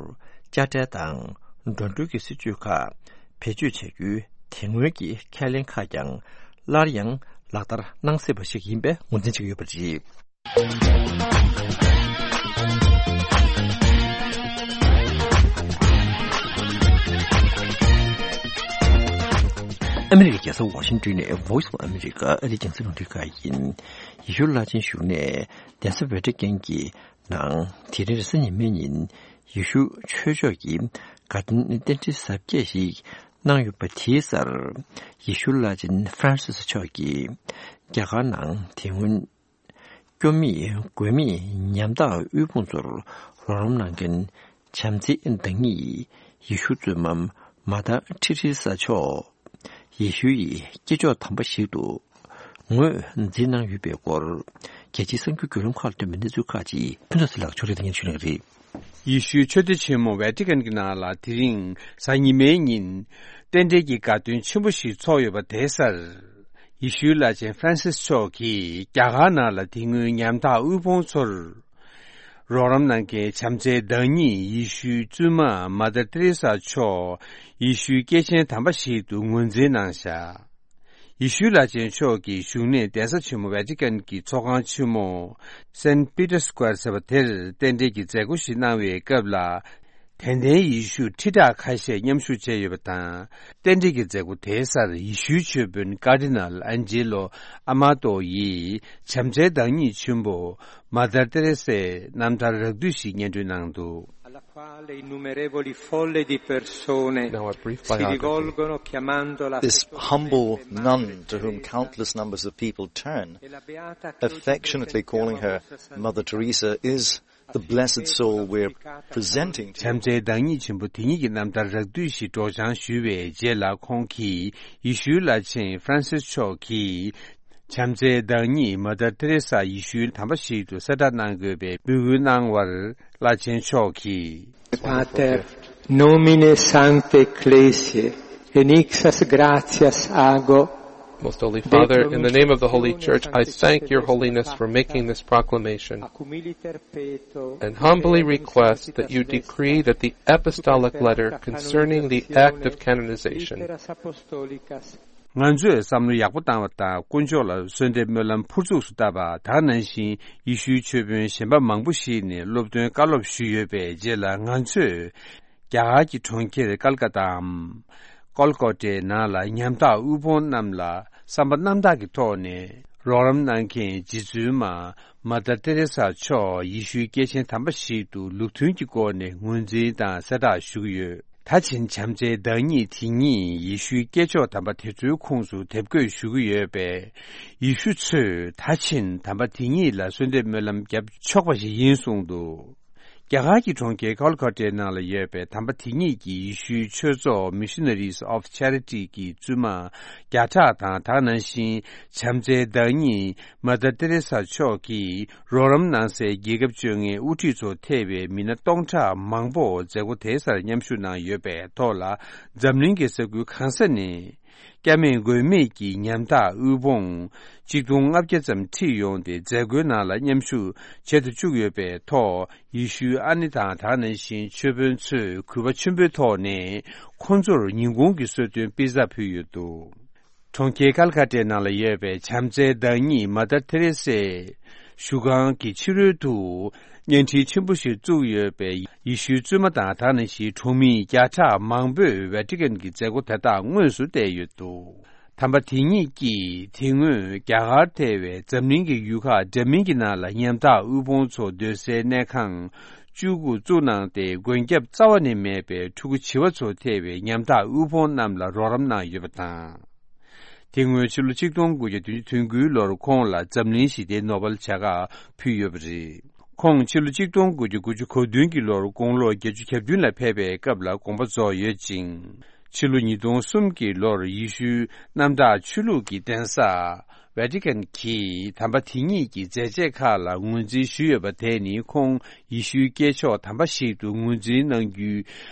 དཔྱ་ཁྲལ་དང་འགྲོ་གྲོན་གྱི་སྲིད་ཇུས་ཁག་བེད་སྤྱོད་བྱ་རྒྱུའི་དེ་སྔོན་གྱི་ཁས་ལེན་ཁག་ཀྱང་སླར་ཡང་ལག་བསྟར་གནང་སྲིད་པ་ཞིག་ཡིན་པའི་ངོས་འཛིན་བྱེད་ཀྱི་ཡོད་པ་རེད། ཨ་མི་རི་ཀའི་རྒྱལ་ས་ཝ་ཤིང་ཏོན་ནས་Voice of America ཨ་རིའི་རྒྱང་སྲིང་རླུང་འཕྲིན་ཁང་ཡིན། ཡེ་ཤུ་བླ་ཆེན་བཞུགས་གནས་གདན་ས་ཝེ་ཏི་ཀན་གྱི་ནང་དེ་རིང་རེས་གཟའ་ཉི་མའི་ཉིན་ཡེ་ཤུ་ཆོས་ཕྱོགས་ཀྱི་དགའ་སྟོན་རྟེན་འབྲེལ་གཟབ་རྒྱས་ཤིག་གནང་ཡོད་པ་དེའི་སར་ཡེ་ཤུ་བླ་ཆེན་ཧྥ་རན་སིས་མཆོག་གིས་རྒྱ་གར་ནང་དེ་སྔོན་སྐྱོ་མེད་མགོན་མེད་ཉམ་ཐག་དབུལ་ཕོངས་ཚོར་རོགས་རམ་གནང་མཁན་བྱམས་བརྩེའི་བདག་ཉིད་ཡེ་ཤུ་གཙོས་མ་མ་དར་ཏྲི་རི་ས་མཆོག་ཡེ་ཤུ་ཡི་སྐྱེས་མཆོག་དམ་པ་ཞིག་ཏུ་ངོས་འཛིན་གནང་ཡོད་པའི་སྐོར། རྒྱལ་སྤྱིའི་གསར་འགྱུར་བརྒྱུད་ལམ་ཁག་ལ་ཐོན་པའི་གནས་ཚུལ་ཁག་ཅིག་ཕུན་ཚོགས་ཚེ་ལགས་ཕྱོགས་སྒྲིག་གནང་མཁན་ཞུ་གནང་གི་རེད། ཡེ་ཤུའི་ཆོས་སྡེ་ཆེན་མོ་ཝེ་ཏི་ཀན་གྱི་ནང་ལ་དེ་རིང་གཟའ་ཉི་མའི་ཉིན་རྟེན་འབྲེལ་གྱི་དགའ་སྟོན་ཆེན་པོ་ཞིག་ཚོགས་ཡོད་པ་དེའི་སར། ཡེ་ཤུའི་བླ་ཆེན་ཧྥ་རན་སིས་མཆོག་གིས་རྒྱ་གར་ནང་ལ་དེ་སྔོན་ཉམ་ཐག་དབུལ་ཕོངས་ཚོར་རོགས་རམ་གནང་མཁན་བྱམས་བརྩེའི་བདག་ཉིད་ཡེ་ཤུའི་བཙུན་མ་མ་དར་ཏེ་རེ་ས་མཆོག་ཡེ་ཤུའི་སྐྱེས་ཆེན་དམ་པ་ཞིག་ཏུ་ངོས་འཛིན་གནང་བཞག་ཡེ་ཤུའི་བླ་ཆེན་མཆོག་གི་བཞུགས་གནས་གདན་ས་ཆེན་མོ་ཝེ་ཏི་ཀན་གྱི་ཚོགས་ཁང་ཆེན་མོ་སན་པི་ཏར་སི་ཀོ་ཝེར་ཟེར་བ་དེར་རྟེན་འབྲེལ་གྱི་མཛད་སྒོ་ཞིག་གནང་བའི་སྐབས་ལ། དད་ལྡན་ཡེ་ཤུ་ཁྲི་ཕྲག་ཁ་ཤས་མཉམ་ཞུགས་བྱས་ཡོད་པ་དང་། རྟེན་འབྲེལ་གྱི་མཛད་སྒོ་དེའི་སར་ཡེ་ཤུའི་ཆོས་དཔོན་ཀར་ཌི་ནལ་ཨན་ཇེ་ལོ་ཨ་མ་ཏོ་ཡིས་བྱམས་བརྩེའི་བདག་ཉིད་ཆེན་པོ་མ་དར་ཏེ་རེ་སའི་རྣམ་ཐར་རགས་བསྡུས་ཤིག་སྙན་སྒྲོན་གནང་འདུག Alla quale innumerevoli folle di persone Now a brief si biography. Rivolgono chiamandola This humble nun to whom countless numbers of people turn, affectionately calling her Mother Teresa, is the blessed soul we're presenting to you. བྱམས་བརྩེའི་བདག་ཉིད་ཆེན་པོ་དེ་ཉིད་ཀྱི་རྣམ་ཐར་རགས་བསྡུས་ཤིག་སྒྲོག་སྦྱང་ཞུས་པའི་རྗེས་ལ་ཁོང་གིས་ཡེ་ཤུའི་བླ་ཆེན་ཧྥ་རན་སིས་མཆོག་གིས་བྱམས་བརྩེའི་བདག་ཉིད་མ་དར་ཏེ་རེ་ས་ཡེ་ཤུའི་དམ་པ་ཞིག་ཏུ་གསལ་བསྒྲགས་གནང་དགོས་པའི་འབོད་སྐུལ་གནང་བར་བླ་ཆེན་མཆོག་གིས། Pater, nomine sanctae ecclesiae, in exousis gratias ago. Most Holy Father, in the name of the Holy Church, I thank Your Holiness for making this proclamation and humbly request that you decree that the apostolic letter concerning the act of canonization ང་ཚོས་བསམ་བློ་ཡག་པོ་བཏང་བ་དང་དཀོན་མཆོག་ལ་གསོལ་འདེབས་སྨོན་ལམ་ཕུར་ཚུགས་སུ་བཏབ་པ་དེ་ནང་བཞིན་ཡེ་ཤུའི་ཆོས་དཔོན་གཞན་པ་མང་པོ་ཞིག་ནས་སློབ་སྟོན་བཀའ་སློབ་ཞུས་ཡོད་པའི་རྗེས་ལ་ང་ཚོས། རྒྱ་གར་གྱི་གྲོང་ཁྱེར་ཀལ་ཀ་ཏའམ། ཀོལ་ཀོ་ཏའི་ནང་ལ་ཉམ་ཐག་དབུལ་ཕོངས་རྣམས་ལ་བསམ་པ་རྣམ་དག་གི་ཐོག་ནས་རོགས་རམ་གནང་མཁན་རྗེ་བཙུན་མ་མ་དར་ཏེ་རེ་ས་མཆོག་ཡེ་ཤུའི་སྐྱེས་ཆེན་དམ་པ་ཞིག་ཏུ་ལུགས་མཐུན་གྱི་སྒོ་ནས་ངོས་འཛིན་དང་གསལ་བསྒྲགས་ཞུ་གི་ཡོད། ད་ཕྱིན་བྱམས་བརྩེའི་བདག་ཉིད་དེ་ཉིད་ཡེ་ཤུའི་སྐྱེས་མཆོག་དམ་པ་དེ་ཚོའི་ཁོངས་སུ་དེབ་འགོད་ཞུ་གི་ཡོད་པས། ཡེ་ཤུ་ཚོས་ད་ཕྱིན་དམ་པ་དེ་ཉིད་ལ་གསོལ་འདེབས་སྨོན་ལམ་བརྒྱབ་ཆོག་པ་ཞིག་ཡིན་གསུངས་འདུག་རྒྱ་གར་གྱི་གྲོང་ཁྱེར་ཀོལ་ཀོ་ཏའི་ནང་ལ་ཡོད་པའི་དམ་པ་དེ་ཉིད་ཀྱི་ཡེ་ཤུའི་ཆོས་ཚོགས་Missionaries of Charity གི་བཙུན་མ་བརྒྱ་ཕྲག་དང་དེ་ནང་བཞིན་བྱམས་བརྩེའི་བདག་ཉིད་མ་དར་ཏེ་རེ་ས་མཆོག་གིས་རོགས་རམ་གནང་སའི་རྒྱལ་ཁབ་བཅོ་ལྔའི་དབུ་ཁྲིད་ཚོ་ཐེ་བའི་མི་སྣ་སྟོང་ཕྲག་མང་པོ་མཛད་སྒོ་དེའི་སར་མཉམ་ཞུགས་གནང་ཡོད་པའི་ཐོག་ལ་འཛམ་གླིང་གི་ས་ཁུལ་གང་ས་ནས། སྐྱབས་མེད་མགོན་མེད་ཀྱི་ཉམ་ཐག་དབུལ་ཕོངས་ཆིག་སྟོང་ལྔ་བརྒྱ་ཙམ་ཁྲིད་ཡོང་སྟེ་མཛད་སྒོའི་ནང་ལ་མཉམ་ཞུགས་བྱེད་དུ་བཅུག་ཡོད་པའི་ཐོག་ཡེ་ཤུའི་ཨ་ནེ་དང་དེ་ནང་བཞིན་ཆོས་དཔོན་ཚོས་གུས་པ་ཆེན་པོའི་ཐོག་ནས་ཁོང་ཚོར་ཉིན་གུང་གི་གསོལ་སྟོན་པི་ཛ་ཕུལ་ཡོད་འདུག་གྲོང་ཁྱེར་ཀལ་ཀ་ཏའི་ནང་ལ་ཡོད་པའི་བྱམས་བརྩེའི་བདག་ཉིད་མ་དར་ཐེ་རེ་སེ་བཞུགས་ཁང་གི་ཕྱི་རོལ་དུ་བརྙན་འཕྲིན་ཆེན་པོ་ཞིག་བཙུགས་ཡོད་པས། ཡེ་ཤུའི་བཙུན་མ་དང་དེ་ནང་བཞིན་གྲོང་མི་བརྒྱ་ཕྲག་མང་པོས་ཝེ་ཏི་ཀན་གྱི་མཛད་སྒོ་དེ་དག་དངོས་སུ་བལྟས་ཡོད་འདུག་དམ་པ་དེ་ཉིད་ཀྱིས་དེ་སྔོན་རྒྱ་གར་ཐེ་བའི་འཛམ་གླིང་གི་ཡུལ་ཁག་འདྲ་མིན་གྱི་ནང་ལ་ཉམ་ཐག་དབུལ་ཕོངས་ཚོ་སྡོད་སའི་གནས་ཁང་བཅུ་དགུ་བཙུགས་གནང་སྟེ། མགོན་སྐྱབས་རྩ་བ་ནས་མེད་པའི་ཕྲུ་གུ་བྱིས་པ་ཚོ་ཐེ་བའི་ཉམ་ཐག་དབུལ་ཕོངས་རྣམས་ལ་རོགས་རམ་གནང་ཡོད་པ་དང་། དེ་སྔོན་ཕྱི་ལོ་ཆིག་སྟོང་དགུ་བརྒྱ་བདུན་ཅུ་དོན་དགུའི་ལོར་ཁོང་ལ་འཛམ་གླིང་ཞི་བདེའི་ནོ་བེལ་བྱ་དགའ་ཕུལ་ཡོད་པ་རེད། ཁོང་ཕྱི་ལོ་ཆིག་སྟོང་དགུ་བརྒྱ་དགུ་བཅུ་གོ་བདུན་གྱི་ལོར་དགུང་ལོ་བརྒྱད་ཅུ་གྱ་བདུན་ལ་ཕེབས་པའི་སྐབས་ལ་དགོངས་པ་རྫོགས་ཡོད་ཅིང་། ཕྱི་ལོ་ཉིས་སྟོང་གསུམ་གྱི་ལོར་ཡེ་ཤུའི་གནམ་བདག་ཆོས་ལུགས་ཀྱི་གདན་ས་ཝེ་ཏི་ཀན་གྱིས་དམ་པ་དེ་ཉིད་ཀྱི་མཛད་རྗེས་ཁག་ལ་ངོས་འཛིན་ཞུས་ཡོད་པ་དེ་ནི། ཁོང་ཡེ་ཤུའི་སྐྱེས་མཆོག་དམ་པ་ཞིག་ཏུ་ངོས་འཛིན་གནང་རྒྱུའི་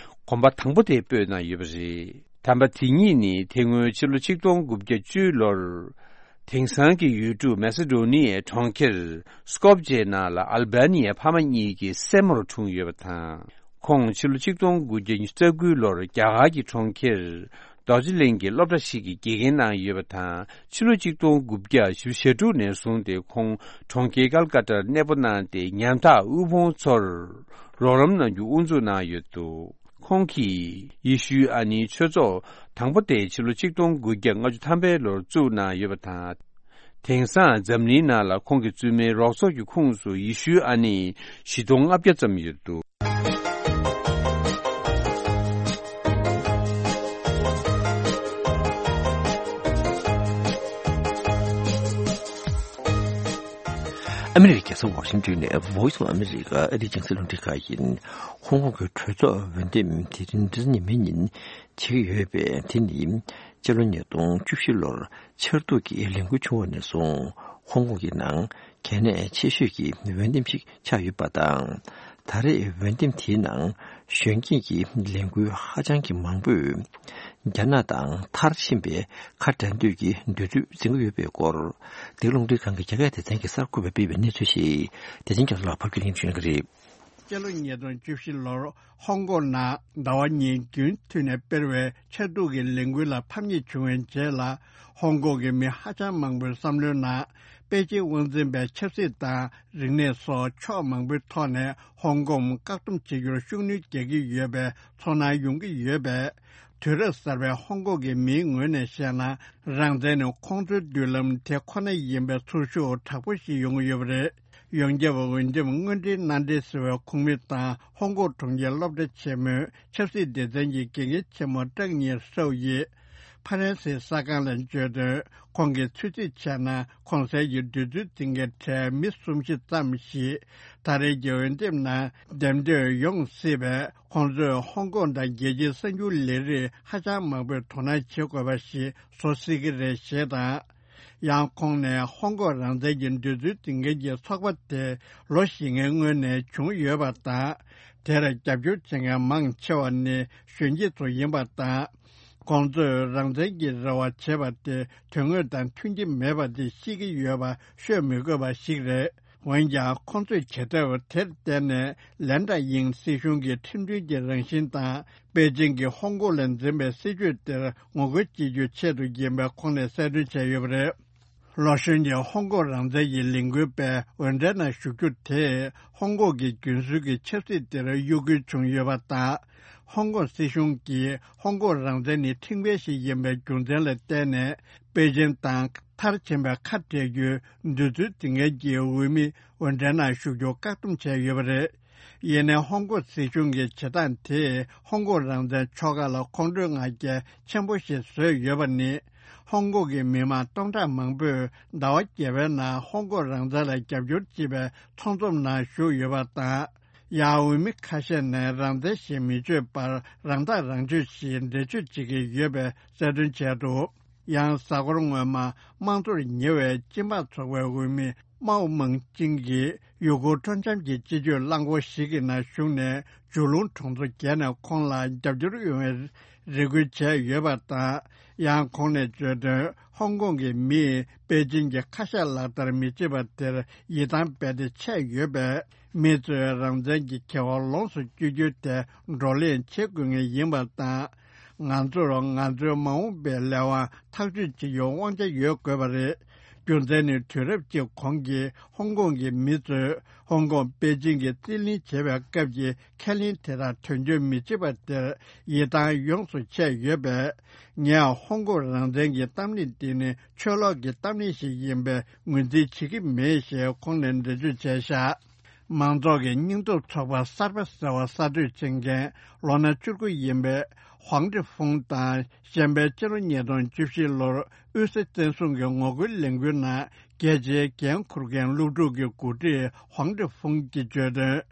གོམ་པ་དང་པོ་དེ་སྤོས་གནང་ཡོད་པ་རེད། དམ་པ་དེ་ཉིད་ནི་དེ་སྔོན་ཕྱི་ལོ་ཆིག་སྟོང་དགུ་བརྒྱ་བཅུ་ལོར། དེང་སང་གི་ཡུལ་གྲུ་མེ་སི་ཌོ་ནི་ཡའི་གྲོང་ཁྱེར་སྐོབ་ཇེ་ནང་ལ་ཨལ་བྷ་ནི་ཡའི་ཕ་མ་གཉིས་ཀྱི་སྲས་མོར་འཁྲུངས་ཡོད་པ་དང་། ཁོང་ཕྱི་ལོ་ཆིག་སྟོང་དགུ་བརྒྱ་ཉི་ཤུ་རྩ་དགུའི་ལོར་རྒྱ་གར་གྱི་གྲོང་ཁྱེར་རྡོ་རྗེ་གླིང་གི་སློབ་གྲྭ་ཞིག་གི་དགེ་རྒན་གནང་ཡོད་པ་དང་། ཕྱི་ལོ་ཆིག་སྟོང་དགུ་བརྒྱ་བཞི་བཅུ་ཞེ་དྲུག་ནས་བཟུང་སྟེ་ཁོང་གྲོང་ཁྱེར་ཀལ་ཀ་ཏར་གནས་སྤོ་གནང་སྟེ། ཉམ་ཐག་དབུལ་ཕོངས་ཚོར་རོགས་རམ་གནང་རྒྱུ་དབུ་འཛུགས་གནང་ཡོད་འདུག་ཁོང་གིས་ཡེ་ཤུའི་ཨ་ནེའི་ཆོས་ཚོགས་དང་པོ་དེ་ཕྱི་ལོ་ཆིག་སྟོང་དགུ་བརྒྱ་ལྔ་བཅུ་ཐམ་པའི་ལོར་བཙུགས་གནང་ཡོད་པ་དང་། དེང་སང་འཛམ་གླིང་ནང་ལ་ཁོང་གིས་བཙུགས་མིའི་རོགས་ཚོགས་ཀྱི་ཁོངས་སུ་ཡེ་ཤུའི་ཨ་ནེ་བཞི་སྟོང་ལྔ་བརྒྱ་ཙམ་ཡོད་འདུག་ཨ་མི་རི་ཀའི་རྒྱལ་ས་ཝ་ཤིང་ཏོན་ནས་Voice of America ཨ་རིའི་རྒྱང་སྲིང་རླུང་འཕྲིན་ཁང་ཡིན། ཧོང་ཀོང་གི་གྲོས་ཚོགས་འོས་འདེམས་དེ་རིང་འདིར་ཉི་མའི་ཉིན་བྱེད་ཀྱི་ཡོད་པས། དེ་ནི་སྤྱི་ལོ་ཉིས་སྟོང་བཅུ་བཞི་ལོར་ཆར་གདུགས་ཀྱི་ལས་འགུལ་བྱུང་བ་ནས་བཟུང་ཧོང་ཀོང་གི་ནང་གལ་གནད་ཆེ་ཤོས་ཀྱི་འོས་འདེམས་ཤིག་ཆགས་ཡོད་པ་དང་། ད་རེས་འོས་འདེམས་དེའི་ནང་གཞོན་སྐྱེས་ཀྱི་ལས་འགུལ་ཧ་ཅང་གི་མང་པོས་རྒྱ་ནག་དང་མཐར་ཕྱིན་པའི་ཁ་བྲལ་འདོད་ཀྱི་འདོད་ཚུལ་འཛིན་གྱི་ཡོད་པའི་སྐོར། འདི་རླུང་འཕྲིན་ཁང་གི་རྒྱ་སྐད་སྡེ་ཚན་གྱིས་གསར་འགོད་པས་སྤེལ་བའི་གནས་ཚུལ་ཞིག་བདེ་ཆེན་རྒྱ་མཚོ་ལགས་ཕབ་སྒྱུར་ལེན་ཞུ་གནང་གི་རེད། སྤྱི་ལོ་ཉིས་སྟོང་བཅུ་བཞི་ལོར་ཧོང་ཀོང་ནང་ཟླ་བ་གཉིས་རྒྱུན་མཐུད་ནས་སྤེལ་བའི་ཆར་གདུགས་ཀྱི་ལས་འགུལ་ལ་ཕམ་ཉེས་བྱུང་བའི་རྗེས་ལ། ཧོང་ཀོང་གི་མི་ཧ་ཅང་མང་པོའི་བསམ་བློའི་ནང་པེ་ཅིང་དབང་འཛིན་པའི་ཆབ་སྲིད་དང་རིག་གནས་སོགས་ཕྱོགས་མང་པོའི་ཐོག་ནས་ཧོང་ཀོང་བཀག་སྡོམ་བྱེད་རྒྱུར་ཤུགས་སྣོན་རྒྱག་གི་ཡོད་པའི་ཚོར་སྣང་ཡོང་གི་ཡོད་པས། དུས་རབས་གསར་པའི་ཧོང་ཀོང་གི་མིའི་ངོས་ནས་བཤད་ན། རང་བཙན་ནི་ཁོང་ཚོའི་མདུན་ལམ་དེ་ཁོ་ན་ཡིན་པའི་ཚོར་ཤུགས་དྲག་པོ་ཞིག་ཡོང་གི་ཡོད་པ་རེད། ཡོངས་ཁྱབ་འོས་འདེམས་དངོས་འབྲེལ་མནའ་འབྲེལ་ཟེར་བའི་ཁོངས་མི་དང་ཧོང་ཀོང་གྲོང་ཁྱེར་སློབ་གྲྭ་ཆེན་མོའི་ཆབ་སྲིད་སྡེ་ཚན་གྱི་དགེ་རྒན་ཆེན་མོ་ཀྲང་ཉི་ཧྲའོ་ཡིས་ཕ་རན་སིའི་གསར་ཁང་ལ་བརྗོད་དོན། ཁོང་གིས་ཚོད་རྩིས་བྱས་ན། གོང་གསལ་གྱི་འདོད་ཚུལ་འཛིན་མཁན་གྲས་མི་གསུམ་བཞི་ཙམ་ཞིག་ད་རེས་ཀྱི་འོས་འདེམས་ནང་འདེམས་ཐོན་ཡོང་སྲིད་པས། ཁོང་ཚོས་ཧོང་ཀོང་དང་རྒྱལ་སྤྱིའི་གསར་འགྱུར་ལས་རིགས་ཧ་ཅང་མང་པོས་དོ་སྣང་བྱེད་དགོས་པ་ཞིག་བཟོ་སྲིད་ཀྱི་རེད་ཞེས་དང་། ཡང་ཁོང་ནས་ཧོང་ཀོང་རང་བཙན་གྱི་འདོད་ཚུལ་འཛིན་མཁན་གྱི་ཚོགས་པ་དེ་ལོ་བཞི་ལྔའི་སྔོན་ནས་བྱུང་ཡོད་པ་དང་། དེར་རྒྱབ་སྐྱོར་བྱེད་མཁན་མང་ཆེ་བ་ནི་གཞོན་སྐྱེས་ཚོ་ཡིན་པ་དང་། ཁོང་ཚོས་རང་བཙན་གྱི་རེ་བ་བྱེད་པ་དེ་དོན་དངོས་དང་མཐུན་གྱི་མེད་པ་དེ་ཤེས་ཀྱི་ཡོད་པ་ཤོད་མི་དགོས་པ་ཞིག་རེད། འོན་ཀྱང་ཁོང་ཚོས་བྱེད་ཐབས་དེར་བརྟེན་ནས་ལན་ཀྲ་ཡིང་སྲིད་གཞུང་གི་ཁྲིམས་མཐུན་གྱི་རང་བཞིན་དང་པེ་ཅིང་གིས་ཧོང་ཀོང་ལ་འཛིན་པའི་སྲིད་བྱུས་དེར་ངོ་རྒོལ་བྱེད་རྒྱུའི་ཆེད་དུ་ཡིན་པའི་ཁོང་ནས་གསལ་སྟོན་བྱས་ཡོད་པ་རེད། ལོ་གཞོན་གྱི་ཧོང་ཀོང་རང་བཙན་གྱི་ལས་འགུལ་པས་འོས་འགྲན་ནང་ཞུགས་རྒྱུ་དེས་ཧོང་ཀོང་གི་རྒྱུན་སྲོལ་གྱི་ཆབ་སྲིད་དེར་གཡོ་འགུལ་བྱུང་ཡོད་པ་དང་། ཧོང་ཀོང་སྲིད་གཞུང་གིས་ཧོང་ཀོང་རང་བཙན་ནི་ཁྲིམས་འགལ་ཞིག་ཡིན་པའི་རྒྱུ་མཚན་ལ་བརྟེན་ནས་པེ་ཅིང་དང་མཐར་ཕྱིན་པའི་ཁ་བྲལ་རྒྱུའི་འདོད་ཚུལ་འཛིན་མཁན་གྱི་འོས་མི་འོས་འགྲན་ནང་ཞུགས་རྒྱུ་བཀག་སྡོམ་བྱས་ཡོད་པ་རེད། ཡིན་ནའི་ཧོང་ཀོང་སྲིད་གཞུང་གི་བྱེད་སྟངས་དེས་ཧོང་ཀོང་རང་བཙན་ཕྱོགས་ཁག་ལ་ཁོང་ཁྲོའི་ང་རྒྱལ་ཆེན་པོ་ཞིག་བཟོས་ཡོད་པ་ནི། ཧོང་ཀོང་གི་མི་མང་སྟོང་ཕྲག་མང་པོས་ཟླ་བ་བརྒྱད་པའི་ནང་ཧོང་ཀོང་རང་བཙན་ལ་རྒྱབ་སྐྱོར་བྱེད་པའི་ཚོགས་འཛོམས་ནང་ཞུགས་ཡོད་པ་དང་། ཡང་འོས་མི་ཁ་ཤས་ནས་རང་བཙན་ཞེས་མི་བརྗོད་པར་རང་ཐག་རང་གཅོད་ཞེས་འགྲེལ་བརྗོད་བྱེད་ཀྱི་ཡོད་པའི་གསལ་སྟོན་བྱས་འདུག་ཡང་གཟའ་འཁོར་སྔོན་མ་དམངས་གཙོར་ཉེ་བའི་སྤྱི་འབངས་ཚོགས་པའི་འོས་མི་མའོ་མང་ཅིང་གིས་ཡུ་གུར་སྤྲོ་འཆམ་གྱི་སྤྱི་སྤྱོད་རླངས་འཁོར་ཞིག་གི་ནང་ཞུགས་ནས་ཇུ་ལུང་གྲོང་ཚོ་བརྒྱད་ནས་ཁོང་ལ་རྒྱབ་སྐྱོར་ཡོང་བའི་རེ་སྐུལ་བྱས་ཡོད་པ་དང་། ཡང་ཁོང་ནས་བརྗོད་དོན། ཧོང་ཀོང་གི་མིས་པེ་ཅིང་གི་ཁ་ཤས་ལག་བསྟར་མི་བྱེད་པ་དེར་ཡིད་ཐང་རྦད་དེ་ཆད་ཡོད་པས། མི་ཚོས་རང་བཙན་གྱི་ཁེ་དབང་ལོངས་སུ་སྤྱོད་རྒྱུ་དེ་བགྲོ་གླེང་བྱེད་དགོས་ངེས་ཡིན་པ་དང་། ང་ཚོར་ང་ཚོའི་མ་འོངས་པའི་ལས་དབང་ཐག་གཅོད་བྱེད་རྒྱུའི་དབང་ཆ་ཡོད་དགོས་པ་རེད། རྒྱུ་མཚན་ནི་དུས་རབས་གཅིག་གོང་གི་ཧོང་ཀོང་གི་མི་ཚོས་ཧོང་ཀོང་པེ་ཅིང་གིས་རྩིས་ལེན་བྱེད་པའི་སྐབས་ཀྱི་ཁས་ལེན་དེ་དག་དོན་འཁྱོལ་མི་བྱེད་པ་དེར་ཡིད་ཐང་ཡོངས་སུ་ཆད་ཡོད་པས། ངས་ཧོང་ཀོང་རང་བཙན་གྱི་གཏམ་གླེང་འདི་ནི་ཆོས་ལོག་གི་གཏམ་གླེང་ཞིག་ཡིན་པའི་ངོས་འཛིན་བྱེད་ཀྱི་མེད་ཞེས་ཁོང་ནས་འགྲེལ་བརྗོད་བྱས་བཞག་མང་ཚོགས་ཀྱི་སྙིང་སྟོབས་ཚོགས་པ་གསར་པ་ཟེར་བ་གསར་གཏོད་བྱེད་མཁན་ལོ་ན་བཅུ་དགུ་ཡིན་པའི་ཧུང་ཀྲི་ཧྥུང་དང་། གཞན་པའི་ཕྱི་ལོ་ཉིས་སྟོང་བཅུ་བཞི་ལོར་དབུས་སའི་བཙན་བཟུང་གི་ངོ་རྒོལ་ལས་འགུལ་ནང་རྒྱལ་སྤྱིའི་འགན་འཁུར་མཁན་སློབ་ཕྲུག་གི་འགོ་ཁྲིད་ཧུང་ཀྲི་ཧྥུང་གིས་བརྗོད་དོན།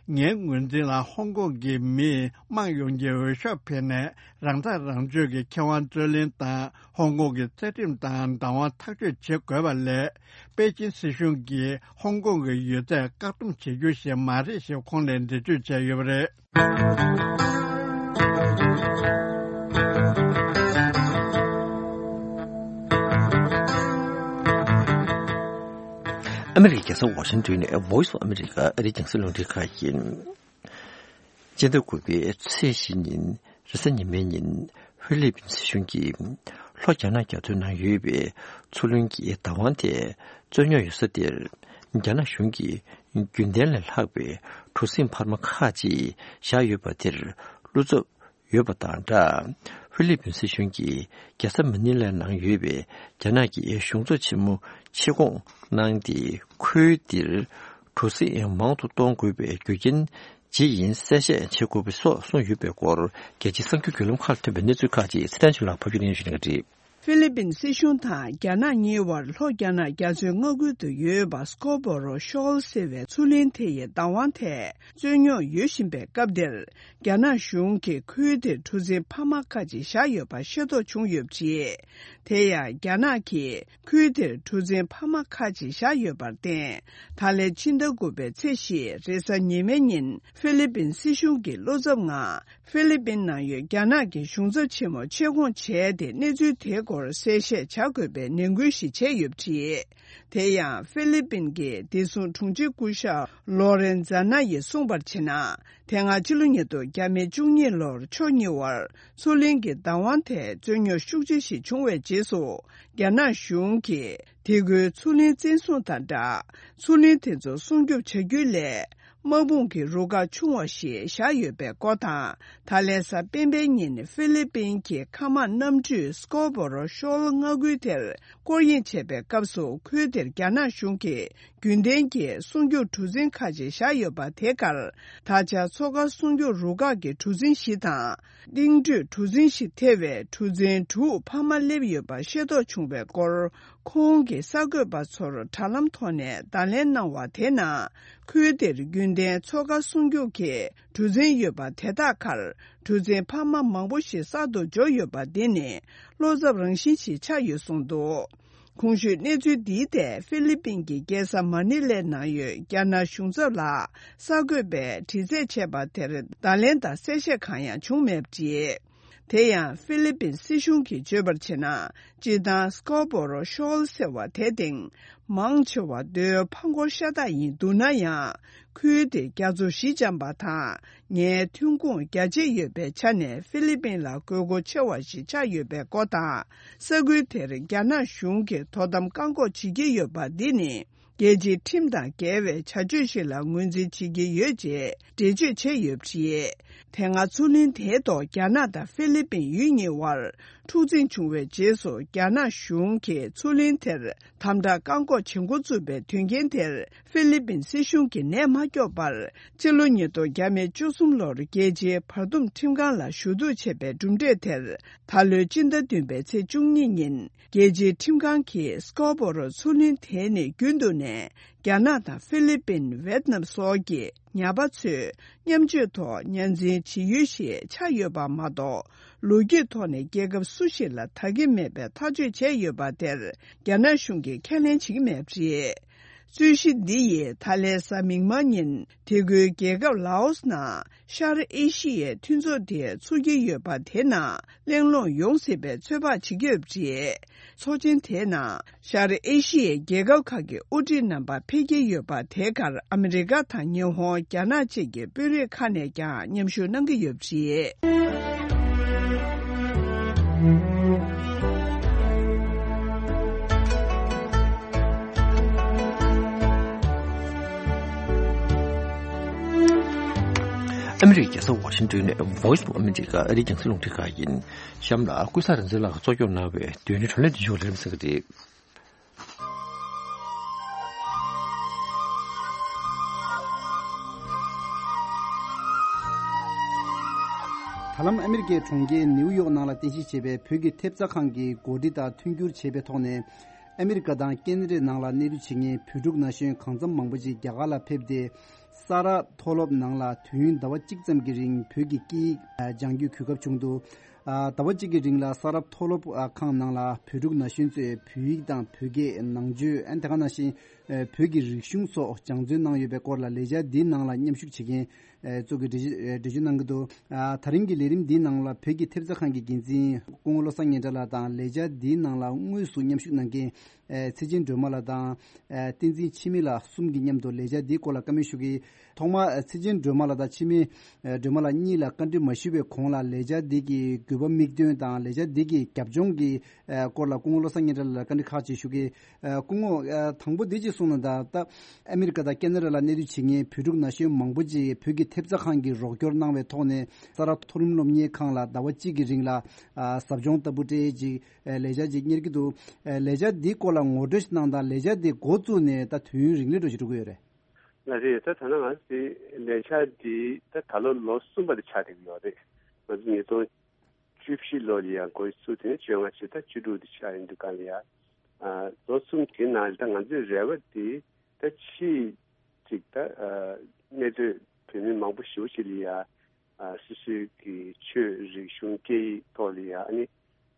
ངའི་ངོས་འཛིན་ལ་ཧོང་ཀོང་གི་མིས་དམངས་ཡོངས་ཀྱི་འོས་ཤོག་འཕེན་ནས་རང་ཐག་རང་གཅོད་ཀྱི་ཁེ་དབང་རྩོད་ལེན་དང་། ཧོང་ཀོང་གི་རྩ་ཁྲིམས་དང་བདག་དབང་ཐག་གཅོད་བྱེད་དགོས་པ་ལས། པེ་ཅིན་སྲིད་གཞུང་གིས་ཧོང་ཀོང་གི་ཡོད་ཚད་བཀག་སྡོམ་བྱེད་རྒྱུ་ཞིག་མ་རེད་ཞེས་ཁོང་ནས་འགྲེལ་བརྗོད་བྱས་ཡོད་པ་རེད། ཨ་མི་རི་ཀའི་རྒྱལ་ས་ཝ་ཤིང་ཏོན་ནས་Voice of America ཨ་རིའི་རྒྱང་སྲིང་རླུང་འཕྲིན་ཁང་ཡིན། སྤྱི་ཟླ་དགུ་པའི་ཚེས་བཞི་ཉིན་རེས་གཟའ་ཉི་མའི་ཉིན་ཧྥི་ལི་པིན་སྲིད་གཞུང་གིས་ལྷོ་རྒྱ་ནག་རྒྱ་མཚོའི་ནང་ཡོད་པའི་མཚོ་གླིང་གི་བདག་དབང་དེ་རྩོད་རྙོག་ཡོད་ས་དེར་རྒྱ་ནག་གཞུང་གིས་རྒྱུན་ལྡན་ལས་ལྷག་པའི་གྲུ་གཟིངས་འཕར་མ་ཁག་ཅིག་བཞག་ཡོད་པ་དེར་བློ་འཚབ་ཡོད་པ་དང་སྦྲགས། ཧྥི་ལི་པིན་སྲིད་གཞུང་གིས་རྒྱལ་ས་མ་ནི་ལའི་ནང་ཡོད་པའི་རྒྱ་ནག་གི་གཞུང་ཚབ་ཆེན་མོ་ཆེད་བསྐོང་གནང་སྟེ། ཁུལ་འདིར་གྲུ་གཟིངས་མང་དུ་གཏོང་དགོས་པའི་རྒྱུ་རྐྱེན་ཇི་ཡིན་གསལ་བཤད་བྱེད་དགོས་པ་སོགས་གསུངས་ཡོད་པའི་སྐོར། རྒྱལ་སྤྱིའི་གསར་འགྱུར་བརྒྱུད་ལམ་ཁག་ལ་ཐོན་པའི་གནས་ཚུལ་ཁག་ཅིག་ཚེ་བརྟན་ཆོས་ལགས་ཕབ་སྒྱུར་གནང་ཞུ་གནང་གི་རེད། ཧྥི་ལི་པིན་སྲིད་གཞུང་དང་རྒྱ་ནག་གཉིས་བར་ལྷོ་རྒྱ་ནག་རྒྱ་མཚོའི་མངའ་ཁུལ་དུ་ཡོད་པ་སྐོར་བོ་རོ་ཤོལ་ཟེར་བའི་མཚོ་གླིང་དེ་ཡི་བདག་དབང་ཐད་རྩོད་རྙོག་ཡོད་བཞིན་པའི་སྐབས་འདིར། རྒྱ་ནག་གཞུང་གིས་ཁུལ་དེར་གྲུ་གཟིངས་འཕར་མ་ཁག་ཅིག་བཞག་ཡོད་པ་ཤེས་རྟོགས་བྱུང་ཡོད་པ་རེད། དེ་ཡང་རྒྱ་ནག་གིས་ཁུལ་དེར་གྲུ་གཟིངས་འཕར་མ་ཁག་ཅིག་བཞག་ཡོད་པར་བརྟེན། ད་ལན་ཕྱི་ཟླ་དགུ་པའི་ཚེས་བཞི་རེས་གཟའ་ཉི་མའི་ཉིན་ཧྥི་ལི་པིན་སྲིད་གཞུང་གི་བློ་འཚབ་ངང་། ཧྥི་ལི་པིན་ནང་ཡོད་རྒྱ་ནག་གི་གཞུང་ཚབ་ཆེན་མོ་ཆེད་བསྐོང་བྱས་ཏེ། གནས་ཚུལ་དེའི་སྐོར་གསལ་བཤད་བྱ་དགོས་པའི་ནན་སྐུལ་ཞིག་བྱས་ཡོད་པ་རེད། དེ་ཡང་ཧྥི་ལི་པིན་གྱི་བདེ་སྲུང་དྲུང་ཆེ་སྐུ་ཞབས་ལོ་རེན་ཛ་ན་ཡིས་གསུངས་པར་བྱས་ན། དེ་སྔ་ཕྱི་ལོ་ཉིས་སྟོང་བརྒྱ་མེད་བཅུ་གཉིས་ལོར་ཕྱོགས་གཉིས་བར་མཚོ་གླིང་གི་བདག་དབང་ཐད་རྩོད་རྙོག་ཤུགས་ཆེ་ཞིག་བྱུང་བའི་རྗེས་སུ། རྒྱ་ནག་གཞུང་གིས་དེ་ཁུལ་མཚོ་གླིང་བཙན་བཟུང་དང་སྦྲགས། མཚོ་གླིང་དེ་ཚོ་སྲུང་སྐྱོབ་བྱ་རྒྱུའི་སླད། དམག་དཔུང་གི་རུ་ཁག་ཆུང་བ་ཞིག་བཞག་ཡོད་པའི་སྐོར་དང་། ད་ལན་གཟའ་སྤེན་པའི་ཉིན་ཧྥི་ལི་པིན་གྱི་མཁའ་དམག་གནམ་གྲུས་སྐོར་བོ་རོ་ཤོལ་མངའ་ཁུལ་དེར་སྐོར་གཡེང་བྱེད་པའི་སྐབས་སུ། ཁུལ་དེར་རྒྱ་ནག་གཞུང་གིས་རྒྱུན་ལྡན་གྱི་སྲུང་སྐྱོབ་གྲུ་གཟིངས་ཁག་ཅིག་བཞག་ཡོད་པ་དེ་གར། ད་ཆ་མཚོ་ཁ་སྲུང་སྐྱོབ་རུ་ཁག་གི་གྲུ་གཟིངས་བཞི་དང་། གླིང་ཁྲོད་གྲུ་གཟིངས་བཞི་ཐེ་བའི་གྲུ་གཟིངས་དྲུག་འཕར་མ་སླེབས་ཡོད་པ་ཤེས་རྟོགས་བྱུང་བའི་སྐོར། ཁོང་གིས་གསར་འགོད་པ་ཚོར་དྲ་ལམ་ཐོག་ནས་བརྡ་ལན་གནང་བ་དེ་ནང་། ཁུལ་དེར་རྒྱུན་ལྡན་མཚོ་ཁ་སྲུང་སྐྱོབ་ཀྱི་གྲུ་གཟིངས་ཡོད་པ་དེ་དག་གར། གྲུ་གཟིངས་འཕར་མ་མང་པོ་ཞིག་གསར་དུ་འབྱོར་ཡོད་པ་འདི་ནི་བློ་འཚབ་རང་བཞིན་ཞིག་ཆགས་ཡོད་གསུངས་འདུག་གོང་ཞུས་གནས་ཚུལ་འདིའི་ཐད་ཧྥི་ལི་པིན་གྱི་རྒྱལ་ས་མ་ནི་ལའི་ནང་ཡོད་རྒྱ་ནག་གཞུང་ཚབ་ལ་གསར་འགོད་པས་དྲི་རྩད་བྱས་པ་དེར་བརྡ་ལན་དང་གསལ་བཤད་གང་ཡང་བྱུང་མེད་པ་རེད། དེ་ཡང་ཧྥི་ལི་པིན་སྲིད་གཞུང་གིས་བརྗོད་པར་བྱས་ན། སྤྱིར་བཏང་སྐོར་བོ་རོ་ཤོལ་ཟེར་བ་དེ་སྟེང་མང་ཆེ་བ་རྡོའི་ཕ་འཁོར་ཤ་སྟག་ཡིན་འདུག་ན་ཡང་། ཁུལ་དེ་རྒྱ་མཚོ་བཞི་འཇམ་པ་དང་ངའི་ཐོན་ཁུངས་རྒྱ་ཆེ་ཡོད་པའི་ཆ་ནས་ཧྥི་ལི་པིན་ལ་དགོས་མཁོ་ཆེ་བ་ཞིག་ཆགས་ཡོད་པའི་སྐོར་དང་། ས་ཁུལ་དེར་རྒྱ་ནག་གཞུང་གིས་དོ་དམ་བཀག་འགོག་བྱེད་ཀྱི་ཡོད་པ་འདི་ནི། རྒྱལ་སྤྱིའི་ཁྲིམས་དང་འགལ་བའི་བྱ་སྤྱོད་ཞིག་ལ་ངོས་འཛིན་བྱེད་ཀྱི་ཡོད་ཅེས་འགྲེལ་བརྗོད་བྱས་ཡོད་པ་རེད། དེ་སྔ་མཚོ་གླིང་དེའི་ཐོག་རྒྱ་ནག་དང་ཧྥི་ལི་པིན་ཡུལ་གཉིས་བར་འཁྲུག་འཛིང་བྱུང་བའི་རྗེས་སུ། རྒྱ་ནག་གཞུང་གིས་མཚོ་གླིང་དེར་དམ་དྲག་བཀག་འགོག་བྱེད་འགོ་བཙུགས་པའི་དོན་རྐྱེན་དེར། ཧྥི་ལི་པིན་སྲིད་གཞུང་གིས་ནད་མ་སྐྱོབ་པར། སྤྱི་ལོ་ཉིས་སྟོང་བརྒྱ་མེད་བཅུ་གསུམ་ལོར་རྒྱལ་སྤྱིའི་བར་འདུམ་ཁྲིམས་ཁང་ལ་ཞུ་གཏུག་བྱས་པའི་གྲུབ་འབྲས་དེར། ད་ལོའི་སྤྱི་ཟླ་བདུན་པའི་ཚེས་བཅུ་གཉིས་ཉིན། རྒྱལ་སྤྱིའི་ཁྲིམས་ཁང་གིས་སྐོར་བོ་རོ་མཚོ་གླིང་དེ་ནི་རྒྱུན་དུ་ནས་རྒྱ་ནག་དང་ཧྥི་ལི་པིན། ཝེད་ནམ་སོགས་ཀྱི་ཉ་པ་ཚོས་མཉམ་སྤྱོད་ཐོག་ཉར་འཛིན་བྱེད་ཡུལ་ཞིག་ཆགས་ཡོད་པ་མ་གཏོགས། ལོ་རྒྱུས་ཐོག་ནས་རྒྱལ་ཁབ་སུ་ཞིག་ལ་ད་གིན་མེད་པའི་ཐག་གཅོད་བྱས་ཡོད་པ་དེར། རྒྱ་ནག་གཞུང་གིས་ཁས་ལེན་བྱེད་ཀྱི་མེད་པ་རེད། རྩོད་གཞི་འདི་ཡིས་ད་ལན་གཟའ་མིག་དམར་ཉིན། དེ་ཁུལ་རྒྱལ་ཁབ་ལའོ་སི་ནང་ཤར་ཨེ་ཤི་ཡའི་མཐུན་ཚོགས་དེ་ཚུགས་ཀྱི་ཡོད་པ་དེ་ནང་གླེང་སློང་ཡོང་སྲིད་པའི་ཚོད་དཔག་བྱེད་ཀྱི་ཡོད་པ་རེད། ཚོགས་ཆེན་དེའི་ནང་ཤར་ཨེ་ཤི་ཡའི་རྒྱལ་ཁབ་ཁག་གི་དབུ་ཁྲིད་རྣམ་པ་ཕེབས་ཀྱི་ཡོད་པ་དེ་གར་ཨ་མི་རི་ཀ་དང་ཉི་ཧོང་། རྒྱ་ནག་བཅས་ཀྱི་དཔོན་རིགས་ཁག་ནས་ཀྱང་མཉམ་ཞུགས་གནང་གི་ཡོད་པ་རེད། ཨ་མི་རི་ཀའི་རྒྱལ་ས་ཝ་ཤིང་ཏོན་ནས་Voice of America ཨ་རིའི་རྒྱང་སྲིང་རླུང་འཕྲིན་ཁང་ཡིན། གཤམ་ལ་ཀུན་བཟང་རིག་འཛིན་ལགས་ཀྱིས་གཙོ་སྐྱོང་གནང་བའི་དུས་ཡུན་གྲོས་ལན་དེ་མཇུག་ལེགས་གསལ་གྱི་རེད། ད་ལམ་ཨ་མི་རི་ཀའི་གྲོང་ཁྱེར་ནེའུ་ཡོག་ནང་ལ་རྟེན་གཞི་བྱས་པའི་བོད་ཀྱི་ཐེབས་རྩ་ཁང་གིས་གོ་སྒྲིག་དང་མཐུན་འགྱུར་བྱས་པའི་ཐོག་ནས། ཨ་མི་རི་ཀ་དང་ཁེ་ན་ཌའི་ནང་ལ་གནས་སྡོད་བྱེད་མཁན་བོད་ཕྲུག་ན་གཞོན་གང་འཚམ་མང་པོ་ཅིག་རྒྱ་གར་ལ་ཕེབས་ཏེ། ས་རཱ་མཐོ་སློབ་ནང་ལ་དུས་ཡུན་ཟླ་བ་གཅིག་ཙམ་གྱི་རིང་བོད་ཀྱི་སྐད་ཡིག་སྦྱང་རྒྱུའི་གོ་སྐབས་བྱུང་འདུག་ཨ། ཟླ་བ་གཅིག་གི་རིང་ལ་ས་རཱ་མཐོ་སློབ་ཨ། ཁང་ནང་ལ་བོད་ཕྲུག་ན་གཞོན་ཚོས་བོད་ཡིག་དང་བོད་སྐད་ནང་ཆོས། ཨ། དེ་ག་ནང་བཞིན་ཨ། བོད་ཀྱི་རིག་གཞུང་སོགས་སྦྱང་བརྩོན་གནང་ཡོད་པའི་སྐོར་ལ་ལས་འཆར་འདིའི་ནང་ལ་མཉམ་ཞུགས་བྱེད་མཁན་ཨ། ཚོ་གིས་འགྲེལ་བརྗོད་འགྲེལ་བརྗོད་གནང་གི་འདུག་ཨ། ད་རིང་གི་ལས་རིམ་འདིའི་ནང་ལ་བོད་ཀྱི་ཐེབས་རྩ་ཁང་གི་འགན་འཛིན་སྐུ་ངོ་བློ་བཟང་སྙན་གྲགས་ལགས་དང་། ལས་འཆར་འདིའི་ནང་ལ་དངོས་སུ་མཉམ་ཞུགས་གནང་མཁན་ཨ། ཚེ་ཆེན་སྒྲོལ་མ་ལགས་དང་། ཨ། བསྟན་འཛིན་འཆི་མེད་ལགས་གསུམ་གྱིས་མཉམ་དུ་ལས་འཆར་འདིའི་སྐོར་ལ་བཀའ་མོལ་ཞུ་གི། ཐོག་མར་ཨ། ཚེ་ཆེན་སྒྲོལ་མ་ལགས་དང་འཆི་མེད་ཨ། སྒྲོལ་མ་ལགས་གཉིས་ལ་བཀའ་འདྲི་མ་ཞུས་པའི་གོང་ལ་ལས་འཆར་འདི་གི་དགོས་པ་དམིགས་དོན་དང་ལས་འཆར་འདི་གི་རྒྱབ་ལྗོངས་ཀྱི་ཨ། སྐོར་ལ་སྐུ་ངོ་བློ་བཟང་སྙན་གྲགས་ལགས་ལ་བཀའ་འདྲི་ཁག་ཅིག་ཞུ་གི། ཨ། སྐུ་ངོ། ཨ། དང་པོ་འདི་གཅིག་གསུངས་ན། ད་ལྟ་ཨ་མི་རི་ཀ་དང་ཁེ་ན་ཌ་ལ་གནས་སྡོད་བྱེད་མཁན་བོད་ཕྲུག་ན་གཞོན་མང་པོ་ཅིག་བོད་ཀྱི་ཐེབས་རྩ་ཁང་གིས་རོགས་སྐྱོར་གནང་བའི་ཐོག་ནས་ས་རཱ་མཐོ་རིམ་སློབ་གཉེར་ཁང་ལ་ཟླ་བ་གཅིག་གི་རིང་ལ་ཨ། ཟབ་སྦྱོང་ལྟ་བུ་སྤྲད་ཅིག་ཨ། ལས་འཆར་ཅིག་གཉེར་གྱི་འདུག་ཨ། ལས་འཆར་འདིའི་སྐོར་ལ་ངོ་སྤྲོད་ཞིག་གནང་དང་། ལས་འཆར་འདི་འགོ་བཙུགས་ནས་ད་དུས་ཡུན་རིང་ལས་འགྲོ་ཞིག་འགྲོ་གི་ཡོད་རེད། ལགས་རེད། ད་ད་ལྟ་ང་ཚོའི་ལས་འཆར་འདི་ད་ད་ལོ་ལོ་གསུམ་པ་དེ་ཆགས་བསྡད་ཀྱི་ཡོད་རེད། ང་ཚོ་ཉིས་སྟོང་བཅུ་བཞི་ལོ་ལ་ཡང་འགོ་བཙུགས། དེ་ནས་བཅོ་ལྔ་བྱས། ད་བཅུ་དྲུག་དེ་ཆགས་ཡིན་འདུག་ག་ལ་ཡ། ཨ། ལོ་གསུམ་དེའི་ནང་ལ་ད་ང་ཚོའི་རེ་བ་དེ་ད་ཕྱིའི་ཅིག་ད་ཨ། གནས་སྡོད་བོད་མི་མང་པོ་ཞེ་པོ་ཅིག་ལ་ཡ། ཨ། སོ་སོའི་གི་ཆོས་རིག་གཞུང་སྐད་ཡིག་ཐོག་ལ་ཡ། ཨ་ནི་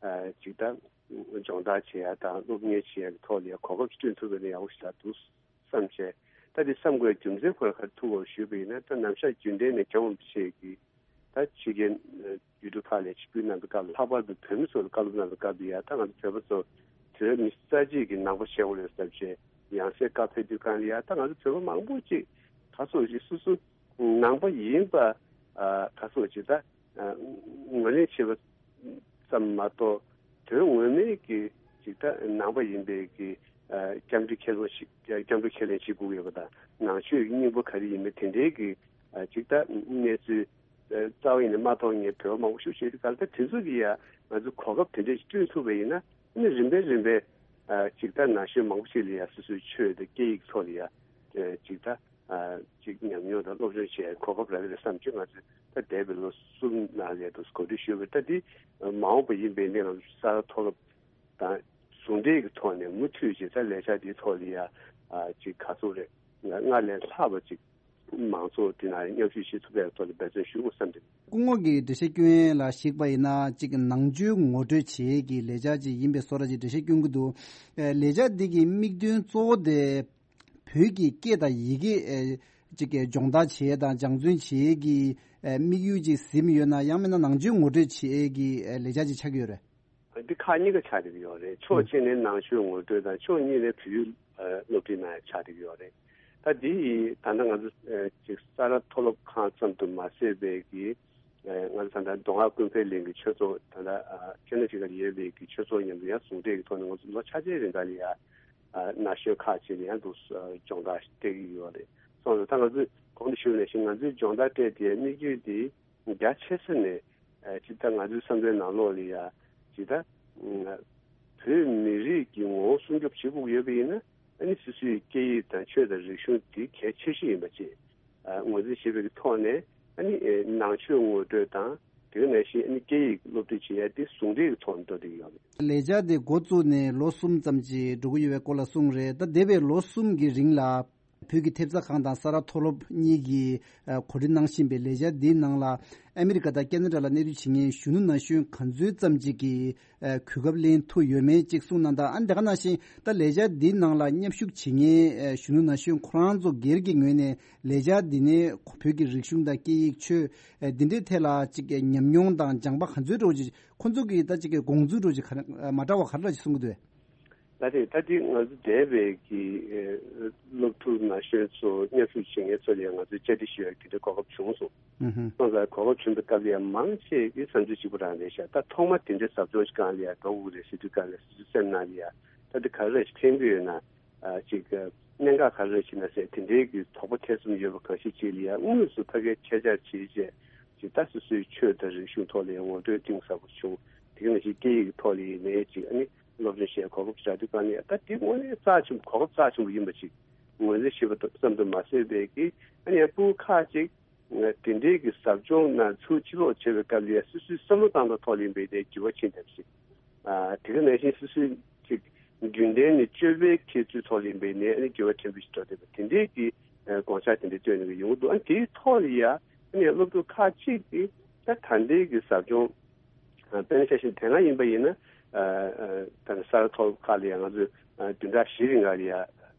ཨ། ཅིག་ད་སྦྱོང་བརྡར་བྱེད་ཡ་དང་སློབ་གཉེར་བྱེད་ཡ་གི་ཐོག་ལ་ཡ་གོ་སྐབས་ཤིག་བསྐྲུན་ཐུབ་པ་ཡིན་ན་ཡག་པོ་ཞིག་ལ་འདུག་བསམ་བྱས། ད་དེ་བསམ་དགོས་རྒྱུ་མཚན་ཁོ་རང་ག་རེ་ཐུག་གོ་ཞུས་པ་ཡིན་ན། ད་ནམ་ཞག་རྒྱུན་ལྡན་ནས་སྦྱོང་བྱེད་ཀྱི་ད་ཕྱི་རྒྱལ་ཡུལ་གྲུ་ཁག་ལ་ཆིབས་བསྒྱུར་གནང་པའི་སྐབས་ལ། ལྷག་པར་དུ་བོད་མི་ཚོ་ལ་བཀའ་སློབ་གནང་པའི་སྐབས་ལ་ཡ། ད་ང་ཚོ་བོད་པ་ཚོ་བོད་མི་རྩ་ཆེ་གི་ནང་པ་ཆེ་བོ་རེད་བསམ་བྱས། ཡང་སེ་བཀའ་ཕེབས་དུས་སྒང་ལ་ཡ། ད་ང་ཚོ་བོད་པ་མང་པོ་ཅིག་ག་ཚོད་ཅིག་སོ་སོ་ནང་པ་ཡིན་པ་ཨ། ག་ཚོད་ཅིག་ད་ཨ། ངོས་ལེན་བྱེད་པ་ཙམ་མ་གཏོགས། དོན་ངོ་མའི་གི་ཅིག་ད་ནང་པ་ཡིན་པའི་གི་ཨ། སྐྱབས་འགྲོ་ཁས་ལེན་ཞིག་སྐྱབས་འགྲོ་ཁས་ལེན་བྱེད་དགོས་ཡོད་པ་དང་། ནང་ཆོས་ཀྱི་སྙིང་པོ་ག་རེ་ཡིན་མིན་དེ་འདྲའི་གི་ཨ། ཅིག་ད་གནས་ཚུལ་རྩ་བ་ཉིད་ནས་མ་མཐོང་མཁན་བོད་པ་མང་པོ་ཞིག་བྱེད་དུས་སྒང་ལ། ད་དེ་ཚོ་གི་ཡ་ང་ཚོ་གོ་སྐབས་དེ་འདྲས་ཤིག་བསྐྲུན་ཐུབ་པ་ཡིན་ན། ཨ་ནི་རིམ་པས་རིམ་པས་ཨ། ཅིག་ད་ན་གཞོན་མང་པོ་ཞིག་ལ་ཡ་སོ་སོའི་ཆོས་དང་སྐད་ཡིག་ཐོག་ལ་ཡ་ཨ། ཅིག་ད་ཨ། ཅིག་ཉམས་མྱོང་དང་སློབ་སྦྱོང་བྱེད་གོ་སྐབས་རག་གི་རེད་བསམ་བྱས། ང་ཚོས་ད་འདས་པའི་ལོ་གསུམ་ནང་ལ་ཡ་འདུག་གོ་སྒྲིག་ཞུས་པ་རེད། ད་འདི་མ་འོངས་པ་ཡིན་པའི་ནས་ང་ཚོ་ས་རཱ་མཐོ་སློབ་དང་ཟུང་འབྲེལ་གྱི་ཐོག་ནས་མུ་མཐུད་ཅིག་ད་ལས་འཆར་འདིའི་ཐོག་ལ་ཡ་ཨ། ཅིག་ག་ཚོད་རེད། ང་སྔར་ལས་ལྷག་པ་ཅིག་མང་ཚོགས་དེ་ནང་མཉམ་ཞུགས་བྱེད་ཐུབ་པའི་ཐོག་ལ་འབད་བརྩོན་ཞུ་དགོས་བསམ་སྟེ། སྐུ་ངོ་གིས་འགྲེལ་བཤད་སྐྱོན་ཡས་ལ་གཞིགས་པ་ཡིན་ན། གཅིག་ནང་ཆོས་ངོ་སྤྲོད་བྱེད་ཡས་ཀྱི་ལས་འཆར་ཅིག་ཡིན་པའི་བཟོ་འདྲ་ཅིག་འགྲེལ་བཤད་སྐྱོན་གྱི་འདུག་ཨ། ལས་འཆར་འདི་གི་དམིགས་དོན་གཙོ་བོ་དེ་བོད་ཀྱི་སྐད་དང་ཡི་གེ་ཨ། ཅིག་གི་སྦྱོང་བརྡར་བྱེད་ཡས་དང་སྦྱང་བརྩོན་བྱེད་ཡས་ཀྱི་ཨ། དམིགས་ཡུལ་ཅིག་ཟིན་ཡོད་ན། ཡང་མིན་ན་ནང་ཆོས་ངོ་སྤྲོད་བྱེད་ཡས་ཀྱི་ཨ། ལས་འཆར་ཅིག་ཆགས་ཀྱི་ཡོད་རེད། འདི་ཁག་གཉིས་ཀ་ཆགས་བསྡད་ཀྱི་ཡོད་རེད། ཕྱོགས་གཅིག་ནས་ནང་ཆོས་ངོ་སྤྲོད་དང་། ཕྱོགས་གཉིས་ནས་བོད་ཡིག་ཨ། སློབ་ཁྲིད་གནང་ཡ་ཆགས་བསྡད་ཀྱི་ཡོད་རེད། ད་འདི་ཡི་ད་ལྟ་ང་ཚོ་ཨ། ཅིག་ས་རཱ་མཐོ་སློབ་ཁང་ཙམ་དུ་མ་ཟད་པའི་གི་ཨ། ང་ཚོ་ད་ལྟ་མདོ་སྔགས་ཀུན་ཕན་གླིང་གི་ཆོས་ཚོགས། ད་ལྟ་ཨ། ཁེ་ན་ཌ་ལ་ཡོད་པའི་གི་ཆོས་ཚོགས་མཉམ་དུ་ཡང་ཟུང་འབྲེལ་གྱི་ཐོག་ནས་ང་ཚོ་ལོ་ཆ་ཆའི་རིང་ག་ལ་ཡ་ཨ། ན་གཞོན་ཁག་ཅིག་ལ་ཡང་འདུག་སྦྱོང་བརྡར་སྤྲད་ཀྱི་ཡོད་རེད། སོང་ཙང་ད་ང་ཚོས་གོང་དུ་ཞུས་ནང་བཞིན་ང་ཚོས་སྦྱོང་བརྡར་སྤྲད་དེ་དམིགས་ཡུལ་དེ་རྒྱ་ཆེ་ས་ནས་ཨ། ཇི་ལྟར་ང་ཚོའི་བསམ་བློའི་ནང་ལོགས་ལ་ཡ་ཇི་ལྟར་བོད་མི་རིགས་ཀྱི་ངོ་བོ་སྲུང་སྐྱོབ་བྱེད་དགོས་ཀྱི་ཡོད་པ་ཡིན་ན། ཨ་ནི་སོ་སོའི་སྐད་ཡིག་དང་ཆོས་དང་རིག་གཞུང་དེ་གལ་ཆེ་ཤོས་ཡིན་པ་བཅས་ཨ། ངོས་འཛིན་བྱེད་པའི་ཐོག་ནས། ཨ་ནི་ཨ། ནང་ཆོས་ངོ་སྤྲོད་དང་། དེ་ག་ནང་བཞིན་ཨ་ནི་སྐད་ཡིག་སློབ་ཁྲིད་བྱེད་ཡ་དེ་ཟུང་འབྲེལ་གྱི་ཐོག་ནས་འགྲོ་བསྡད་ཀྱི་ཡོད་རེད། ལས་འཆར་དེ་འགོ་བཙུགས་ནས་ལོ་གསུམ་ཙམ་ཅིག་འགྲོ་གི་ཡོད་པའི་སྐོར་ལ་གསུངས་རེད། ད་འདས་པའི་ལོ་གསུམ་གྱི་རིང་ལ་བོད་ཀྱི་ཐེབས་རྩ་ཁང་དང་ས་རཱ་མཐོ་སློབ་གཉིས་ཀྱིས་ཨ། གོ་སྒྲིག་གནང་བཞིན་པའི་ལས་འཆར་འདིའི་ནང་ལ་ཨ་མི་རི་ཀ་དང་ཁེ་ན་ཌ་ལ་གནས་སྡོད་བྱེད་མཁན་གཞོན་ནུ་ན་གཞོན་ག་ཚོད་ཙམ་ཅིག་གིས་ཨ། གོ་སྐབས་ལེན་ཐུབ་ཡོད་མེད་ཅིག་གསུངས་གནང་དང་། ཨ་ནི་དེ་ག་ནང་བཞིན་ད་ལས་འཆར་འདིའི་ནང་ལ་མཉམ་ཞུགས་བྱེད་མཁན་ཨ། གཞོན་ནུ་ན་གཞོན་ཁོ་རང་ཚོ་སྒེར་གྱི་ངོས་ནས་ལས་འཆར་འདི་ནས་བོད་ཀྱི་རིག་གཞུང་དང་སྐད་ཡིག་ཆོས་ཨ། འདི་འདྲའི་ཐད་ལ་ཅིག་ཉམས་མྱོང་དང་སྦྱངས་པ་ག་ཚོད་འདྲ་བོ་ཅིག་ཁོ་ཚོ་གིས་ད་ཅིག་དགོངས་ཚུལ་འདྲ་བོ་ཅིག་ག་རེ་མ་འདྲ་བ་ག་རེ་ཅིག་གསུང་གི་འདུག་ད་དེ་ད་དེ་ང་ཚོ་འདས་པའི་གི་ཨ། སློབ་ཕྲུག་ན་གཞོན་ཚོ་མཉམ་ཞུགས་བྱེད་མཁན་ཚོ་ལ་ཡང་ང་ཚོས་བཅར་འདྲི་ཞུ་ཡ་དེ་འདྲའི་གོ་སྐབས་བྱུང་སོང་། ཨུ་ཧུ། སོང་ཙང་གོ་སྐབས་བྱུང་བའི་སྐབས་ལ་ཡང་མང་ཆེ་གི་བསམ་ཚུལ་གཅིག་པ་རང་རེད་ཤག་ད་ཐོག་མ་དེ་འདྲའི་ཟབ་སྦྱོང་ཞིག་སྒང་ལ་ཡང་འགྲོ་དགོས་རེད་ཟེར་དུས་སྒང་ལ་སོ་སོའི་སེམས་ནང་ལ་ཡང་ད་དེ་ག་རེ་ཞིག་ཕན་གྱི་ཡོད་ན། ཅིག་གནད་འགག་ག་རེ་ཞིག་ན་ཟེར་དེ་འདྲའི་གི་དོགས་པ་ཐེ་ཚོམ་ཡོད་པ་གང་ཞིག་ཅིག་ལ་ཡང་དངོས་སུ་ཕ་གིར་ཆེད་བཅར་བྱས་རྗེས་ཅིག་ད་སོ་སོའི་ཆོས་དང་རིག་གཞུང་ཐོག་ལ་ཡང་ངོ་སྤྲོད་གཏིང་ཟབ་པོ་བྱུང་། དེ་ག་ནང་བཞིན་སྐད་ཡིག་ཐོག་ལ་ཡིན་ནའི་ཅིག་ཨ་ནི་སློབ་སྦྱོང་བྱས་གོ་སྐབས་བྱ་དུས་གང་ལ་ཡང་ད་དེ་དངོས་གནས་རྩ་ཆེན་པོ་གོ་སྐབས་རྩ་ཆེན་པོ་ཡིན་པ་ཅིག་ངོས་འཛིན་བྱེད་པ་ཙམ་དུ་མ་ཟད་པའི་གི་ཨ་ནི་ཡང་ཕྲུ་གུ་ཁག་ཅིག་དེ་འདྲའི་གི་ཟབ་སྦྱོང་ནང་ཚུར་ཕྱིར་ལོག་བྱེད་པའི་སྐབས་ལ་ཡང་སོ་སོའི་བསམ་བློ་བཏང་སྟངས་ཐོག་ལ་ཡིན་པའི་དེ་འགྱུར་བ་ཕྱིན་ཐབས་ཤིག་ཨ་དེ་ག་ནང་བཞིན་སོ་སོའི་ཅིག་རྒྱུན་ལྡན་ནས་སྤྱོད་པའི་ཁྱད་ཆོས་ཐོག་ལ་ཡིན་པའི་ནས་ཨ་ནི་འགྱུར་བ་ཕྲན་བུ་ཞིག་འགྲོ་བསྡད་པ་དེ་འདྲའི་གི་དགོངས་འཆར་དེ་འདྲ་བཏོན་ནས་ཡོང་གི་འདུག་ཨ་དེའི་ཐོག་ལ་ཡང་ཨ་ནི་སློབ་ཕྲུག་ཁག་ཅིག་གིས་ད་ད་ལྟའི་གི་ཟབ་སྦྱོང་དཔེར་ན་ཆ་བཞག་དེ་སྔ་ཡིན་པ་ཡིན་ན་ད་ས་རཱ་མཐོ་སློབ་ཁག་ལ་ཡང་ང་ཚོས་བདུན་ཕྲག་བཞི་རིང་ག་ལ་ཡང་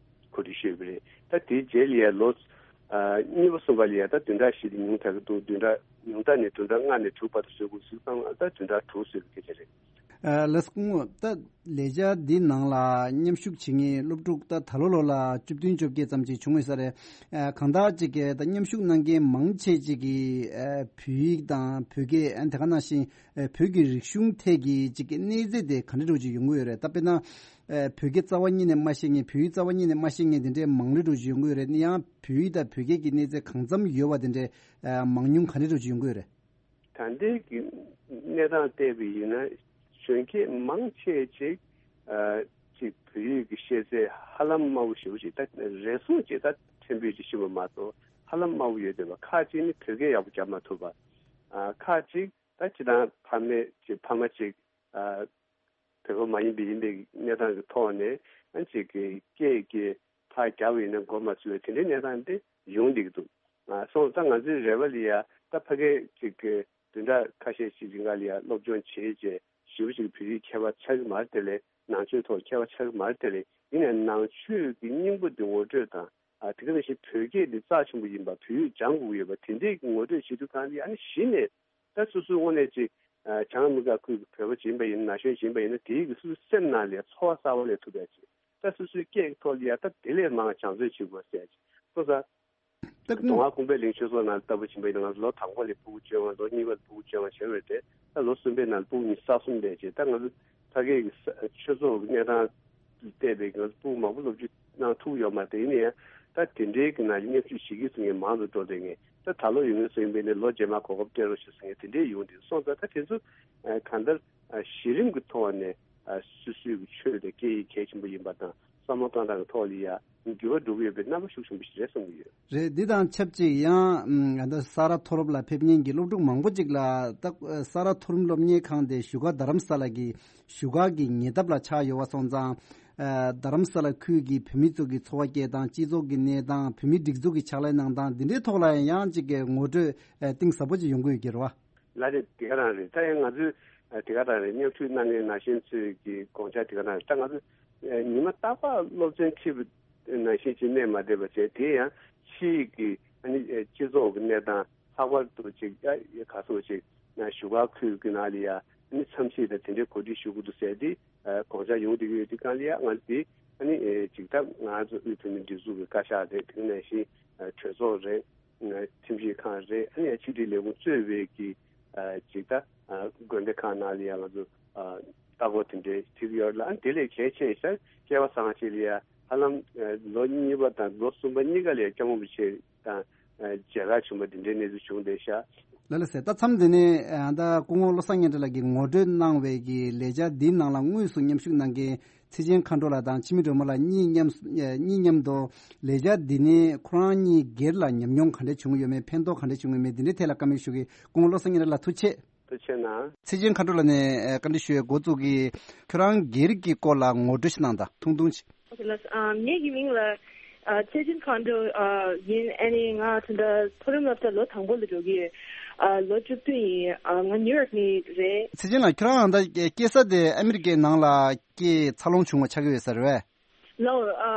གོ་སྒྲིག་ཞུས་པ་རེད། ད་དེའི་རྗེས་ལ་ཡང་ལོ་གཉིས་པ་གསུམ་པ་ལ་ཡང་ད་བདུན་ཕྲག་བཞི་དེ་ཉུང་དྲགས་ཀྱི་འདུག་བདུན་ཕྲག་ཉུང་མཐའ་ནས་བདུན་ཕྲག་ལྔ་ནས་དྲུག་བར་དུ་བཟོ་དགོས་ཟེར་ཙང་ད་བདུན་ཕྲག་དྲུག་བཟོས་པའི་སྐད་ཆ་རེད། ལགས་སོ། སྐུ་ངོ། ད་ལས་འཆར་འདི་ནང་ལ་མཉམ་ཞུགས་བྱེད་མཁན་སློབ་ཕྲུག་ད་ད་ལོ་ལོ་ལ་བཅུ་བདུན་བཅོ་བརྒྱད་ཙམ་ཅིག་བྱུང་ཡོད་ས་རེད། གང་ལྟར་ཅིག་གིས་ད་མཉམ་ཞུགས་གནང་མཁན་མང་ཆེ་ཅིག་གིས་བོད་ཡིག་དང་བོད་སྐད་དེ་ག་ནང་བཞིན་བོད་ཀྱི་རིག་གཞུང་ཐད་ཀྱི་ཅིག་གི་གནས་ཚད་དེ་ག་འདྲ་འདྲ་ཅིག་ཡོང་གི་ཡོད་རེད། ད་དཔེར་ན་བོད་སྐད་རྩ་བ་ཉིད་ནས་མ་ཤེས་མཁན་བོད་ཡིག་རྩ་བ་ཉིད་ནས་མ་ཤེས་མཁན་དེ་འདྲའི་མང་རུ་འདྲ་ཅིག་ཡོང་གི་ཡོད་རེད། ཡང་བོད་ཡིག་དང་བོད་སྐད་ཀྱི་གནས་ཚད་གང་འཚམ་ཡོད་པ་དེ་འདྲའི་མང་ཉུང་ག་འདྲ་འདྲ་ཅིག་ཡོང་གི་ཡོད་རེད། ད་ལྟའི་གི་གནས་སྟངས་བལྟས་པ་ཡིན་ན་གཞོན་སྐྱེས་མང་ཆེ་ཅིག་ཨ་ཅིག་བོད་ཡིག་གི་ཤེས་ཚད་ཧ་ལམ་དམའ་བོ་ཞེ་པོ་ཅིག་ད་རེ་ཟུང་ཅིག་ད་ཕྲན་བུ་ཅིག་ཤེས་པ་མ་གཏོགས་ཧ་ལམ་དམའ་བོ་ཡོད་བསྡད་པ། ཁག་ཅིག་ནི་བོད་སྐད་ཡག་པོ་རྒྱབ་མ་ཐུབ་པ། ཨ་ཁག་ཅིག་ད་སྤྱིར་བཏང་ཕ་མས་ཅིག་ཕ་མ་ཅིག་ཨ་བོད་པ་མ་ཡིན་པའི་ཡིན་པའི་གནས་སྟངས་ཀྱི་ཐོག་ནས་ཨ་ཅིག་གི་སྐད་ཀྱི་ཕར་རྒྱབ་པ་ཡིན་ན་མགོ་མ་ཚོས་པའི་དེ་འདྲའི་གནས་སྟངས་དེ་ཡོང་བསྡད་ཀྱི་འདུག་ཨ་སོང་ཙང་ང་ཚོའི་རེ་བ་ལ་ཡ་ད་ཕ་གི་ཅིག་གི་བདུན་ཕྲག་ཁ་ཤས་ཤིག་རིང་ག་ལ་ཡ་སློབ་སྦྱོང་བྱས་རྗེས་ཞེ་པོ་ཅིག་བོད་ཡིག་མཁས་པ་ཆགས་ཀྱི་མ་རེད་དེ་ལས་ནང་ཆོས་ཐོག་མཁས་པ་ཆགས་ཀྱི་མ་རེད་དེ་ལས་ཡིན་ནའི་ནང་ཆོས་ཀྱི་སྙིང་པོ་འདི་ངོ་སྤྲོད་དང་ཨ་དེ་ག་ནང་བཞིན་བོད་སྐད་འདི་རྩ་ཆེན་པོ་ཡིན་པ་བོད་ཡིག་སྦྱང་དགོས་ཀྱི་ཡོད་པ་དེ་འདྲའི་ངོ་སྤྲོད་བྱེད་དུས་གང་ལ་ཡ་ཨ་ནི་གཞི་ནས་ད་སོ་སོའི་དངོས་གནས་ཅིག་ཨ་བྱང་མི་དགའ་ཁུལ་གྱི་བོད་པ་ཅིག་ཡིན་པ་ཡིན་ན་ན་གཞོན་ཅིག་ཡིན་པ་ཡིན་ན་དེའི་གི་སོ་སོའི་སེམས་ནང་ལ་ཡ་ཚོར་བ་གསར་པ་སླེབས་ཐུབ་པ་ཅིག་ད་སོ་སོའི་སྐད་ཀྱི་ཐོག་ལ་ཡ་ད་དེ་ལས་མང་བ་སྦྱང་བརྩོན་བྱེད་དགོས་ཟེར་ཅིག་སོང་ཙང་། ད་ཀུན་མདོ་སྔགས་ཀུན་པའི་གླིང་ཆོས་ཚོགས་ནང་ལྟ་བུ་ཕྱིན་པ་ཡིན་ན་ང་ཚོ་ལོ་དང་པོ་ལ་ཕྲུ་གུ་བཅོ་ལྔ། ལོ་གཉིས་པ་ལ་ཕྲུ་གུ་བཅོ་ལྔ་བྱས་པ་རེད་དེ། ད་ལོ་གསུམ་པའི་ནང་ལ་ཕྲུ་གུ་ཉི་ཤུ་རྩ་གསུམ་བསྡད་རྗེས་ད་ང་ཚོ་ཕ་གིའི་ཆོས་ཚོགས་ཀྱི་གནས་སྟངས་བལྟས་པའི་ང་ཚོ་ཕྲུ་གུ་མང་པོ་སློབ་ཁྲིད་གནང་ཐུབ་ཡོད་མ་རེད་དེ། ཡིན་ན་ཡང་ད་དེ་འདྲའི་གི་ནང་ལ་མཉམ་ཞུགས་བྱེད་ཀྱི་སོང་ངས་མང་དུ་འགྲོ་བསྡད་ངས་ད་ད་ལོ་ཡོང་གི་སོང་ཡིན་པས་ནས་ལོ་རྗེས་མ་གོ་སྐབས་སྤྲད་རོགས་ཞུ་སོང་ངས་དེ་འདྲའི་ཡོང་དུས་སོང་ཙང་ད་དེ་ཚོ་གང་ལྟར་གཞི་རིམ་གྱི་ཐོག་ནས་སོ་སོའི་གི་ཆོས་དང་སྐད་ཡིག་གལ་ཆེན་པོ་ཡིན་པ་དང་། བསམ་བློ་གཏོང་སྟངས་ཀྱི་ཐོག་ལ་ཡང་འགྱུར་བ་འགྲོ་གི་ཡོད་པའི་རྣམ་པ་ཤུགས་ཆེན་པོ་ཞིག་རེད་བསམ་གྱི་ཡོད། རེད། འདི་དང་ཆབས་ཅིག་ཡང་ཨམ་ད་ས་རཱ་མཐོ་སློབ་ལ་ཕེབས་མཁན་གྱི་སློབ་ཕྲུག་མང་པོ་ཅིག་ལ་ད་ས་རཱ་མཐོ་རིམ་སློབ་གཉེར་ཁང་དེ་བཞུགས་སྒར་རྡ་རམ་ས་ལ་གི་བཞུགས་སྒར་གྱི་ཉེ་འདབས་ལ་ཆགས་ཡོད་པ་སོང་ཙང་། ཨ་རྡ་རམ་ས་ལ་ཁུལ་གྱི་བོད་མི་ཚོ་གི་འཚོ་བ་སྐྱེལ་སྟངས། སྤྱི་ཚོགས་ཀྱི་གནས་སྟངས། བོད་མིའི་སྒྲིག་འཛུགས་ཀྱི་ཕྱག་ལས་གནང་སྟངས་འདི་འདྲའི་ཐོག་ལ་ཡང་ཅིག་གི་ངོ་སྤྲོད་ཨ་གཏིང་ཟབ་པོ་ཅིག་ཡོང་གི་ཡོད་ཀྱི་རེད་བ། ལགས་རེད། དེ་ག་རང་རེད། ད་ཡང་ང་ཚོས་ཨ་དེ་ག་རང་རེད། མཉམ་ཞུགས་གནང་མཁན་ནང་བཞིན་ཚོས་ཀྱི་དགོངས་འཆར་དེ་ག་རང་རེད། ད་ང་ཚོ་ཨ་ཉི་མ་རྟག་པར་སློབ་ཚན་ཁྲིད་པ་ནང་བཞིན་ཅིག་གནས་མ་བསྡད་པ་བྱས། དེ་ཡང་ཕྱིའི་གི་ཨ་ནི་ཨ་སྤྱི་ཚོགས་ཀྱི་གནས་སྟངས། ལྷག་པར་དུ་ཅིག་ཨ་ག་ཚོད་ཅིག་ཨ་བཞུགས་སྒར་ཁུལ་གྱི་ནང་ལ་ཡ་ཨ་ནི་འཚམས་གཟིགས་དང་དེ་འདྲའི་གོ་སྒྲིག་ཞུ་དགོས་འདུག་ཟེར་ཏེ་ཨ་དགོངས་འཆར་ཡོང་བསྡད་ཀྱི་ཡོད། དེ་གང་ལ་ཡ་ང་ཚོ་དེ་ཨ་ནི་ཨ་ཅིག་ད་ང་ཚོ་དབུས་བོད་མིའི་སྒྲིག་འཛུགས་ཀྱི་བཀའ་ཤག་རེད། དེ་ནང་བཞིན་ཨ་གྲོས་ཚོགས་རེད། ཁྲིམས་ཞིབ་ཁང་རེད། ཨ་ནི་ཡང་ཕྱི་དྲིལ་ལས་ཁུངས་གཙོས་པའི་གི་ཨ་ཅིག་ད་ཨ་དགོན་སྡེ་ཁག་ནང་ལ་ཡང་ང་ཚོ་ཨ་ལྟ་སྐོར་དེ་འདྲའི་ཁྲིད་ཀྱི་ཡོད་ལ། ཨ་ནི་དེ་ལས་གལ་ཆེ་ཤོས་སྐལ་བ་བཟང་ཅིག་ལ་ཡང་ཧ་ལམ་ཨ་ལོ་གཉིས་པ་དང་ལོ་གསུམ་པ་གཉིས་ཀ་ལ་ཡང་སྐྱབས་མགོན་རིན་པོ་ཆེ་དང་ཨ་མཇལ་ཁ་བྱུང་བ་དེ་འདྲའི་གནས་ཚུལ་བྱུང་བསྡད་ཤག་ལགས་ལགས་སེ། ད་མཚམས་འདི་ནས་ཨ་ད་སྐུ་ངོ་བློ་བཟང་སྙན་གྲགས་ལགས་ཀྱིས་ངོ་སྤྲོད་གནང་བའི་གི་ལས་འཆར་འདིའི་ནང་ལ་དངོས་སུ་མཉམ་ཞུགས་གནང་མཁན་ཚེ་ཆེན་མཁའ་འགྲོ་ལགས་དང་འཆི་མེད་སྒྲོལ་མ་ལགས་གཉིས་མཉམ་ཨེ་གཉིས་མཉམ་དུ་ལས་འཆར་འདི་ནས་ཁོ་རང་གཉིས་སྒེར་ལ་ཉམས་མྱོང་ག་འདྲ་བྱུང་ཡོད་མེད། ཕན་ཐོགས་ག་འདྲ་བྱུང་ཡོད་མེད། འདི་འདྲའི་ཐད་ལ་བཀའ་མོལ་ཞུ་གི། སྐུ་ངོ་བློ་བཟང་སྙན་གྲགས་ལགས་ཐུགས་རྗེ་ཆེ། ཐུགས་རྗེ་ཆེ་གནང་། ཚེ་ཆེན་མཁའ་འགྲོ་ལགས་ནས་ཨེ་བཀའ་འདྲི་ཞུ་ཡའི་འགོ་བཙུགས་ཀྱི། ཁྱོད་རང་སྒེར་གྱི་སྐོར་ལ་ངོ་སྤྲོད་ཞིག་གནང་དང་། ཐུང་ཐུང་ཞིག་ཨ་ངེད་ཀྱི་མིང་ལ་ཨ་ཚེ་ཆེན་མཁའ་འགྲོ་ཨ་ཡིན། ཨ་ནི་ང་ད་ལྟ་མཐོ་རིམ་སློབ་གྲྭ་ལོ་དང་པོ་ལ་འགྲོ་གི་ཡོད། ཨ་ལོ་བཅུ་བདུན་ཡིན། ཨ་ང་ནིའུ་ཡོག་ནས་རེད། ཚེ་ཆེན་ལགས་ཁྱོད་རང་ད་སྐྱེས་ས་དེ་ཨ་མི་རི་ཀའི་ནང་ལ་སྐྱེས་འཚར་ལོངས་བྱུང་བ་ཆགས་ཀྱི་ཡོད་ས་རེད་པས། ལགས་ཨ་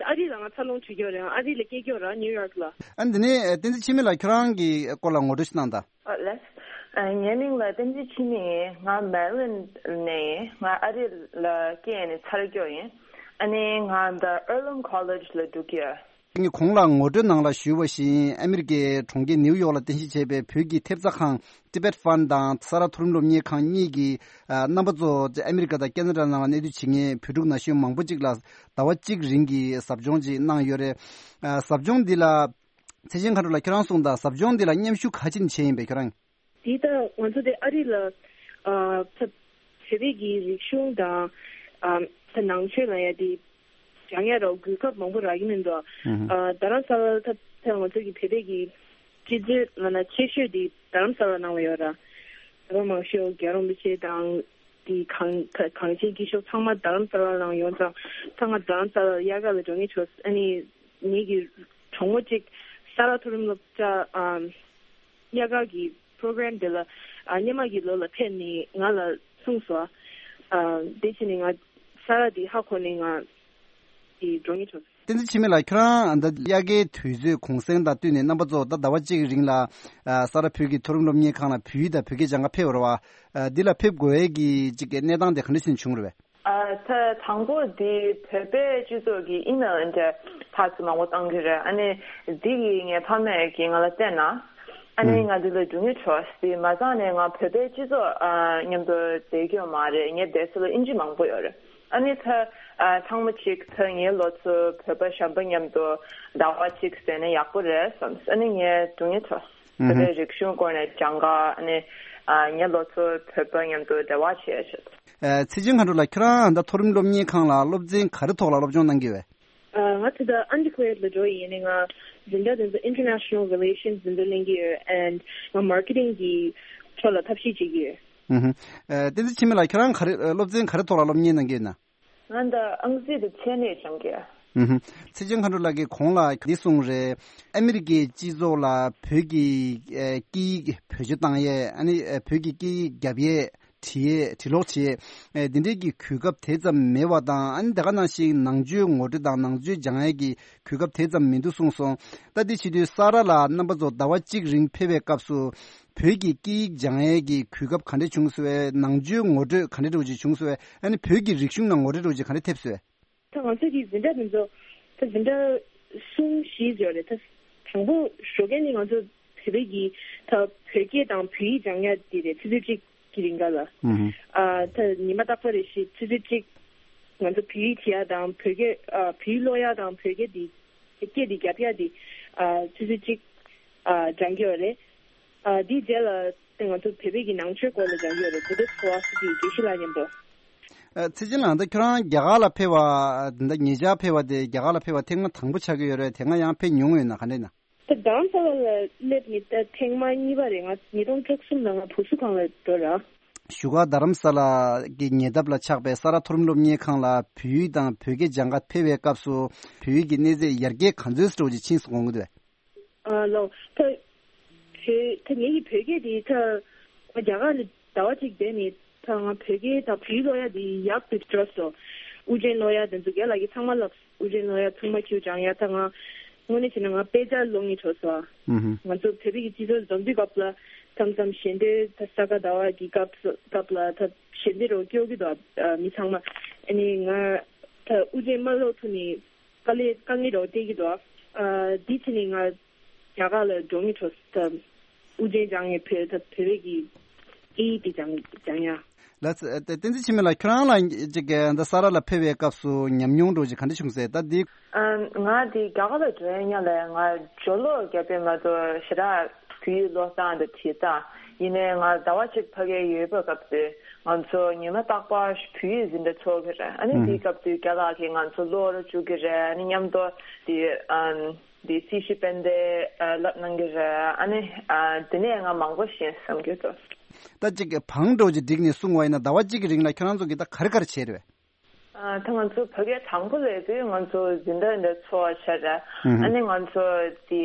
ཨ་རི་ལ་ང་འཚར་ལོངས་བྱེད་ཀྱི་ཡོད་རེད། ཨ་རི་ལ་སྐྱེས་ཀྱི་ཡོད་རེད། ནིའུ་ཡོག་ལ། ཨ་འདི་ནས་བསྟན་འཛིན་འཆི་མེད་ལགས་ཁྱོད་རང་གི་སྐོར་ལ་ངོ་སྤྲོད་ཞིག་གནང་དང་། ཨ་ལགས། ཨ་ངའི་མིང་ལ་བསྟན་འཛིན་འཆི་མེད་ཡིན། ང་མེ་རི་ལེན་ནས་ཡིན། ང་ཨ་རི་ལ་སྐྱེས་ནས་འཚར་ཡོད་ཡིན། ཨ་ནི་ང་ད་ཨར་ལམ་ཁོ་ལེཇ་ལ་འགྲོ་གི་ཡོད། ངས་གོང་ལ་ངོ་སྤྲོད་ནང་ལ་ཞུས་པ་བཞིན། ཨ་མི་རི་ཀའི་གྲོང་ཁྱེར་ནེའུ་ཡོག་ལ་རྟེན་གཞི་བྱས་པའི་བོད་ཀྱི་ཐེབས་རྩ་ཁང་Tibet Fund དང་ས་རཱ་མཐོ་རིམ་སློབ་གཉེར་ཁང་གཉིས་ཀྱི་ཨ་རྣམ་པ་ཚོ་ཨ་མི་རི་ཀ་དང་ཁེ་ན་ཌ་ནང་ལ་གནས་སྡོད་བྱེད་མཁན་བོད་ཕྲུག་ན་གཞོན་མང་པོ་ཅིག་ལ་ཟླ་བ་གཅིག་རིང་གི་ཟབ་སྦྱོང་ཅིག་གནང་ཡོད་རེད། ཨ་ཟབ་སྦྱོང་འདི་ལ་ཚེ་ཆེན་མཁའ་འགྲོ་ལགས། ཁྱེད་རང་གསུངས་དང་། ཟབ་སྦྱོང་འདི་ལ་མཉམ་ཞུགས་ག་ཅིག་བྱས་ཡིན་པས་ཁྱེད་རང་། འདི་ལྟ་ང་ཚོ་དེ་ཨ་རི་ལ་ཨ་ད་བོད་པའི་གི་རིག་གཞུང་དང་ཨ་ད་ནང་ཆོས་ལ་ཡ་དེ་སྦྱང་ཡ་རོགས་གོ་སྐབས་མང་པོ་རག་གི་མི་འདུག་ཨ་རྡ་རམ་ས་ལ་ད་ད་ང་ཚོ་གི་བོད་པའི་གི་སྤྱི་སྤྱོད་ལ་ན་ཆེ་ཤོས་དེ་རྡ་རམ་ས་ལ་ནང་ལ་ཡོད་ར། ད་མང་ཤོས་རྒྱལ་བ་རིན་པོ་ཆེ་དང་དེ་གངས་གངས་ཅན་སྐྱིད་གཤོངས་ཚང་མ་རྡ་རམ་ས་ལ་ནང་ཡོང་ཙང་། ད་ང་རྡ་རམ་ས་ལ་དབྱར་ཁ་ལ་འགྲོ་ངེས་བྱུང་། ཨ་ནི་ངེད་ཀྱི་གྲོགས་མོ་གཅིག་ས་རཱ་མཐོ་རིམ་སློབ་གྲྭ་ཨམ་དབྱར་ཁ་གི་པྲོ་གྷ་རམ་དེ་ལ་ཨ་སྔོན་མ་གི་ལོ་ལ་ཕེབས་ནས་ང་ལ་གསུངས་སོང་། ཨ་དེ་བྱས་ནས་ང་ས་རཱ་དེ་ཧ་གོ་ནས་ང་དེ་འགྲོ་ངེས་བྱུང་། བསྟན་འཛིན་འཆི་མེད་ལགས། ཁྱོད་རང་ད་དབྱར་ཁའི་དུས་ཚོད་གུང་སེང་དང་བསྟུན་ནས་རྣམ་པ་ཚོ་ད་ཟླ་བ་གཅིག་རིང་ལ་ཨ་ས་རཱ་བོད་ཀྱི་མཐོ་རིམ་སློབ་གཉེར་ཁང་ལ་བོད་ཡིག་དང་བོད་སྐད་སྦྱང་ག་ཕེབས་པ་རེད་བ། ཨ་འདི་ལ་ཕེབས་དགོས་ཡས་ཀྱི་ཅིག་གི་གནས་སྟངས་དེ་ག་འདྲ་ཞིག་བྱུང་རེད་བས། ཨ་ད་དང་པོ་འདི་བོད་པའི་སྤྱི་ཚོགས་ཀྱི་ཨི་མེལ་འདྲ་ཕག་ཚོ་མང་པོ་བཏང་གི་རེད། ཨ་ནི་འདི་གི་ངའི་ཕ་མས་ཀྱིས་ང་ལ་བསྟན་ན། ཨ་ནི་ང་འདི་ལ་འགྲོ་ངེས་བྱུང་། འདི་མ་ཚང་ནས་ང་བོད་པའི་སྤྱི་ཚོགས་ཨ་མཉམ་དུ་བསྡད་ཀྱི་ཡོད་མ་རེད། ངའི་བསྡད་ས་ལ་ཨིན་ཇི་མང་པོ་ཡོད་རེད། ཨ་ནི་ད་ཨ་ཚང་མ་གཅིག་ད་ངའི་ལོ་ཚོད་བོད་པ་གཞན་པ་མཉམ་དུ་ཟླ་བ་གཅིག་བསྡད་ན་ཡག་པོ་རེད་བསམས། ཨ་ནི་ངས་འགྲོ་ངེས་བྱུང་། བོད་པའི་རིག་གཞུང་སྐོར་ནས་སྦྱང་ག་ཨ་ནི་ཨ་ངའི་ལོ་ཚོད་བོད་པ་མཉམ་དུ་འབྲེལ་བ་བྱེད་ཆེད། ཨ་ཚེ་ཆེན་མཁའ་འགྲོ་ལགས། ཁྱོད་རང་ད་ལྟ་མཐོ་རིམ་སློབ་གཉེར་ཁང་ལ་སློབ་ཚན་ག་རེ་ཐོག་ལ་སློབ་སྦྱོང་གནང་གི་ཡོད་པས། ཨ་ང་ད་ལྟ་undergrad ལ་འགྲོ་ཡི་ཡིན། ནི་ང་འཛིན་གྲྭ་དེ་ཚོ་International Relations འཛིན་གྲྭ་ལེན་གྱི་ཡོད། And ང་marketing གི་ཕྱོགས་ལ་ཐབས་ཤེས་བྱེད་ཀྱི་ཡོད། ཨུ་ཧུ། ཨ་བསྟན་འཛིན་འཆི་མེད་ལགས། ཁྱོད་རང་ག་རེ་ཨ་སློབ་ཚན་ག་རེ་ཐོག་ལ་སློབ་གཉེར་གནང་གི་ཡོད་ན། ང་ད་ཨང་རྩིས་དང་ཚད་གནས་སྦྱང་གི་ཡོད། ཨུ་ཧུ། ཚེ་ཆེན་མཁའ་འགྲོ་ལགས་ཀྱིས་གོང་ལ་འདི་གསུངས་རེད། ཨ་མི་རི་ཀའི་སྤྱི་ཚོགས་ལ་བོད་ཀྱི་ཨ་སྐད་ཡིག་བེད་སྤྱོད་བཏང་ཡས། ཨ་ནི་ཨ་བོད་ཀྱི་སྐད་ཡིག་རྒྱབ་ཡས། བྲིས་ཡས། བྲིས་ཀློག་བྱེད་ཡས། ཨ་འདི་འདྲའི་གི་གོ་སྐབས་དེ་ཙམ་མེད་པ་དང་། ཨ་ནི་དེ་ག་ནང་བཞིན་ནང་ཆོས་ངོ་སྤྲོད་དང་ནང་ཆོས་སྦྱང་ཡས་ཀྱི་གོ་སྐབས་དེ་ཙམ་མི་འདུག་གསུངས་སོང་། ད་འདི་བྱེད་དུས་ས་རཱ་ལ་རྣམ་པ་ཚོ་ཟླ་བ་གཅིག་རིང་ཕེབས་པའི་སྐབས་སུ། བོད་ཀྱི་སྐད་ཡིག་སྦྱང་ཡས་ཀྱི་གོ་སྐབས་ག་འདྲ་བྱུང་སོང་བས། ནང་ཆོས་ངོ་སྤྲོད་ག་འདྲ་འདྲ་བོ་ཅིག་བྱུང་སོང་བས། ཨ་ནི་བོད་ཀྱི་རིག་གཞུང་ནང་ངོ་སྤྲོད་འདྲ་བོ་ཅིག་ག་འདྲ་ཐེབས་སོང་བས། ད་ང་ཚོ་གི་འཛིན་གྲྭ་འདི་ཚོ་ད་འཛིན་གྲྭ་གསུམ་བཞི་ཡོད་རེད། ད་དང་པོ་ཞོགས་ཀས་ནི་ང་ཚོ་བོད་པའི་གི་ད་བོད་སྐད་དང་བོད་ཡིག་སྦྱང་ཡ་འདི་རེད། ཆུ་ཚོད་གཅིག་གི་རིང་ག་ལ། ཨུ་ཧུ། ཨ་ད་ཉི་མ་རྟག་པ་རེ་བཞིན་ཆུ་ཚོད་གཅིག་ང་ཚོ་བོད་ཡིག་བྲིས་ཡ་དང་བོད་སྐད་ཨ་བོད་ཡིག་ཀློག་ཡ་དང་བོད་སྐད་འདི་སྐད་འདི་རྒྱབ་ཡ་འདི་ཨ་ཆུ་ཚོད་གཅིག་ཨ་སྦྱང་གི་ཡོད་རེད། ཨ་འདིའི་རྗེས་ལ་ང་ཚོ་བོད་པའི་གི་ནང་ཆོས་སྐོར་ལ་སྦྱང་གི་ཡོད་རེད། བུདྡྷ་ཕི་ལོ་ས་ཕི་དགེ་བཤེས་ལགས་མཉམ་དུ། ཨ་ཚེ་ཆེན་ལགས། ད་ཁྱོད་རང་རྒྱ་གར་ལ་ཕེབས་པ་ད་ཉེ་ཆར་ཕེབས་པ་དེ་རྒྱ་གར་ལ་ཕེབས་པ་ཐེངས་མ་དང་པོ་ཆགས་ཀྱི་ཡོད་རེད། དེ་སྔ་ཡང་ཕེབས་མྱོང་ཡོད་ན་ག་འདྲ་ཡིན་ན། ད་རྡ་རམ་ས་ལ་ལ་སླེབས་ནི་ད་ཐེངས་མ་གཉིས་པ་རེད། ང་ཉིས་སྟོང་བཅུ་གསུམ་ལ་ང་བུ་གསོ་ཁང་ལ་འགྲོ་ར། བཞུགས་སྒར་རྡ་རམ་ས་ལ་གི་ཉེ་འདབས་ལ་ཆགས་པའི་ས་རཱ་མཐོ་རིམ་སློབ་གཉེར་ཁང་ལ་བོད་ཡིག་དང་བོད་སྐད་སྦྱང་ག་ཕེབས་པའི་སྐབས་སུ་བོད་ཡིག་གི་གནས་ཚད་ཡར་རྒྱས་ག་ཚོད་ཙམ་ཅིག་ཕྱིན་སོང་དགོངས་ཀྱི་འདུག་གས། ཨ་ལོ། ད་བོད་ད་ངེད་ཀྱི་བོད་སྐད་དེ་ད་ང་རྒྱ་གར་ལ་ཟླ་བ་གཅིག་བསྡད་ནས་ད་ང་བོད་སྐད་དང་བོད་ཡིག་ཀློག་ཡ་དེ་ཡག་ཏུ་འགྲོ་སོང་། དབུ་ཅན་ཀློག་ཡ་དེ་ཚོ་རྒན་ལགས་ཀྱིས་ཚང་མ་ལབ། དབུ་ཅན་ཀློག་ཡ་ཚང་མ་ཁྱེའུ་སྦྱང་ཡ། ད་ང་དངོས་གནས་བྱས་ན་ང་དཔེ་ཆ་ཀློག་སྙིང་བྲོ་སོང་། ཨུ་ཧུ། ང་ཚོ་བོད་པའི་གི་སྤྱི་ཚོགས་འཛོམས་དུས་སྐབས་ལ་མཚམས་མཚམས་ཞལ་འདོན་ད་ས་ག་ཟླ་བ་གི་སྐབས་སུ་སྐབས་ལ་ད་ཞལ་འདོན་རོགས་སྐྱོར་གི་འདུག་ཨ་མི་ཚང་མ། ཨ་ནི་ང་ད་དབུ་ཅན་མ་ཀློག་ཐུབ་ནི། དཀའ་ལས་དཀའ་ངལ་རོགས་སྟེར་གྱི་འདུག་ཨ་འདི་བྱས་ནས་ང་རྒྱ་གར་ལ་འགྲོ་ངེས་བྱུང་། ད་དབུ་ཅན་སྦྱང་ངེས་བོད་ད་བོད་པའི་གི་སྐད་ཡིག་འདི་སྦྱང་སྦྱང་ཡ། ལགས་སོ། ཨ་བསྟན་འཛིན་འཆི་མེད་ལགས། ཁྱོད་རང་ལ་ཅིག་གི་འདི་ས་རཱ་ལ་ཕེབས་པའི་སྐབས་སུ་ཉམས་མྱོང་འདྲ་བོ་ཅིག་ག་འདྲ་བྱུང་ཟེར། ད་འདི། ཨ་ང་འདི་རྒྱ་གར་ལ་འགྲོ་ཡ་སྔོན་ལ་ང་སྦྱོར་ཀློག་བརྒྱབ་པའི་མ་གཏོགས་ཞེ་དྲག་བོད་ཡིག་ཀློག་སྟངས་དང་བྲིས་སྟངས། ཡིན་ནའི་ང་ཟླ་བ་གཅིག་ཕ་གིར་ཡོད་པའི་སྐབས་དེ་ང་ཚོ་ཉི་མ་རྟག་པར་བོད་ཡིག་འཛིན་གྲྭ་ཚོགས་ཀྱི་རེད། ཨ་ནི་ཨུ་དེའི་སྐབས་དུས་རྒྱ་ལགས་ཀྱིས་ང་ཚོ་ཀློག་ར་བཅུག་གི་རེད། ཨ་ནི་མཉམ་དུ་དེ་ཨམ་དེ་སྲི་ཞུ་དཔེ་དེབ་ཨ་བསླབ་གནང་གི་རེད། ཨ་ནི་ཨ་དེ་ནས་ང་མང་པོ་ཤེས་བསམ་གྱི་འདུག་ད་ཅིག་བང་འགྲོ་ཅིག་བསྒྲིགས་ནས་གསུངས་པ་ཡིན་ན་ཟླ་བ་གཅིག་གི་རིང་ལ་ཁྱོད་རང་ཚོ་གིས་ད་ག་རེ་ག་རེ་བྱས་རེད་པས། ཨ་ད་ང་ཚོ་ཕ་གིར་དང་པོ་སླེབས་དུས་ང་ཚོ་འཛིན་གྲྭ་འདི་ཚོགས་བྱས་རེད། ཨུ་ཧུ། ཨ་ནི་ང་ཚོ་དེ་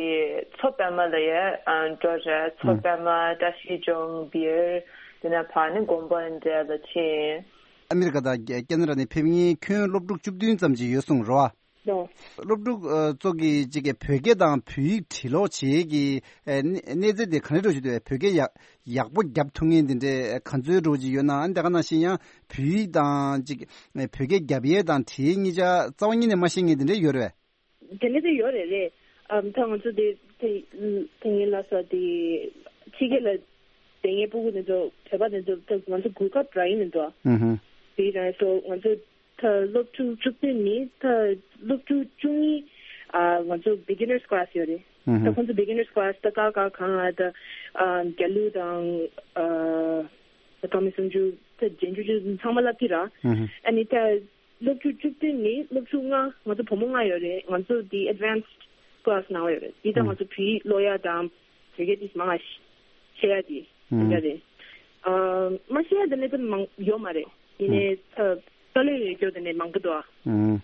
མཚོ་པདྨ་ལ་ཡ་ཨ་འགྲོ་རེད། མཚོ་ཨུ་པདྨ། བཀྲ་ཤིས་ལྗོངས། བིར། དེ་ནས་ཕར་ནི་དགོན་པ་འདྲ་ལ་ཕྱིན། ཨ་མི་རི་ཀ་དང་ཁེ་ན་ཌ་ནས་ཕེབས་མཁན་ཁྱོན་སློབ་ཕྲུག་བཅུ་བདུན་ཙམ་ཅིག་ཡོད་གསུངས་རེད་བ། ལོ། སློབ་ཕྲུག་ཨ་ཚོ་གིས་ཅིག་གི་བོད་སྐད་དང་བོད་ཡིག་བྲིས་ཀློག་བྱེད་ཀྱི་ཨ་གནས་གནས་ཚད་དེ་ག་འདྲ་འདྲ་བོ་ཞིག་འདུག་བས། བོད་སྐད་ཡག་ཡག་པོ་རྒྱབ་ཐུབ་མཁན་དེ་འདྲའི་ག་ཚོད་འདྲ་བོ་ཅིག་ཡོད་ན། ཨ་ནི་དེ་ག་ནང་བཞིན་ཡང་བོད་ཡིག་དང་ཅིག་བོད་སྐད་རྒྱབ་ཡས་དང་བྲིས་ཡས་གཉིས་ཆ་རྩ་བ་ཉིད་ནས་མ་ཤེས་མཁན་དེ་འདྲ་ཡོད་རེད་བས། དེ་ནས་དེ་ཡོད་རེད་རེད། ཨམ་ད་ང་ཚོ་དེ་དེ་དེ་ངའི་ལ་ས་དེ་ཕྱི་རྒྱལ་ལ་དེ་ངའི་སྤུ་གུ་དེ་ཚོ་བོད་པ་དེ་ཚོ་ད་ང་ཚོ་གོ་སྐབས་རག་གི་མི་འདུག་ཨ། དེ་རང་སོ་ང་ཚོ་ད་སློབ་ཕྲུག་བཅུ་བདུན་ནི་ད་སློབ་ཕྲུག་བཅུ་གཉིས་ཨ་ང་ཚོ་beginners class ཡོད་རེད། ད་ཁོང་ཚོ་beginners class ད་ཀ་ཁ་གང་ཨ་ད་ཨ་རྒྱ་གླུ་དང་ཨ་ད་ཐོག་མའི་སུམ་ཅུ་ད་རྗེས་འཇུག་ཅུ་ཚང་མ་བསླབ་ཀྱི་ར། ཨ་ནི་ད་སློབ་ཕྲུག་བཅུ་བདུན་ནི་སློབ་ཕྲུག་ལྔ། ང་ཚོ་བུ་མོ་ལྔ་ཡོད་རེད། ང་ཚོ་དེ་advanced class ནང་ཡོད་རེད། དེ་ད་ང་ཚོ་བོད་ཡིག་ཀློག་ཡ་དང་བོད་སྐད་དེ་མང་ང་ཤེས་ཡ་དེ་དེ་འདྲ་རེད། ཨ་མ་ཤེས་ཡ་དེ་ནི་ད་མང་ཡོད་མ་རེད། ཡིན་ནའི་ད་དཀའ་ལས་ཡོད་རྒྱུ་དེ་ནི་མང་པོ་འདུག་ཨ།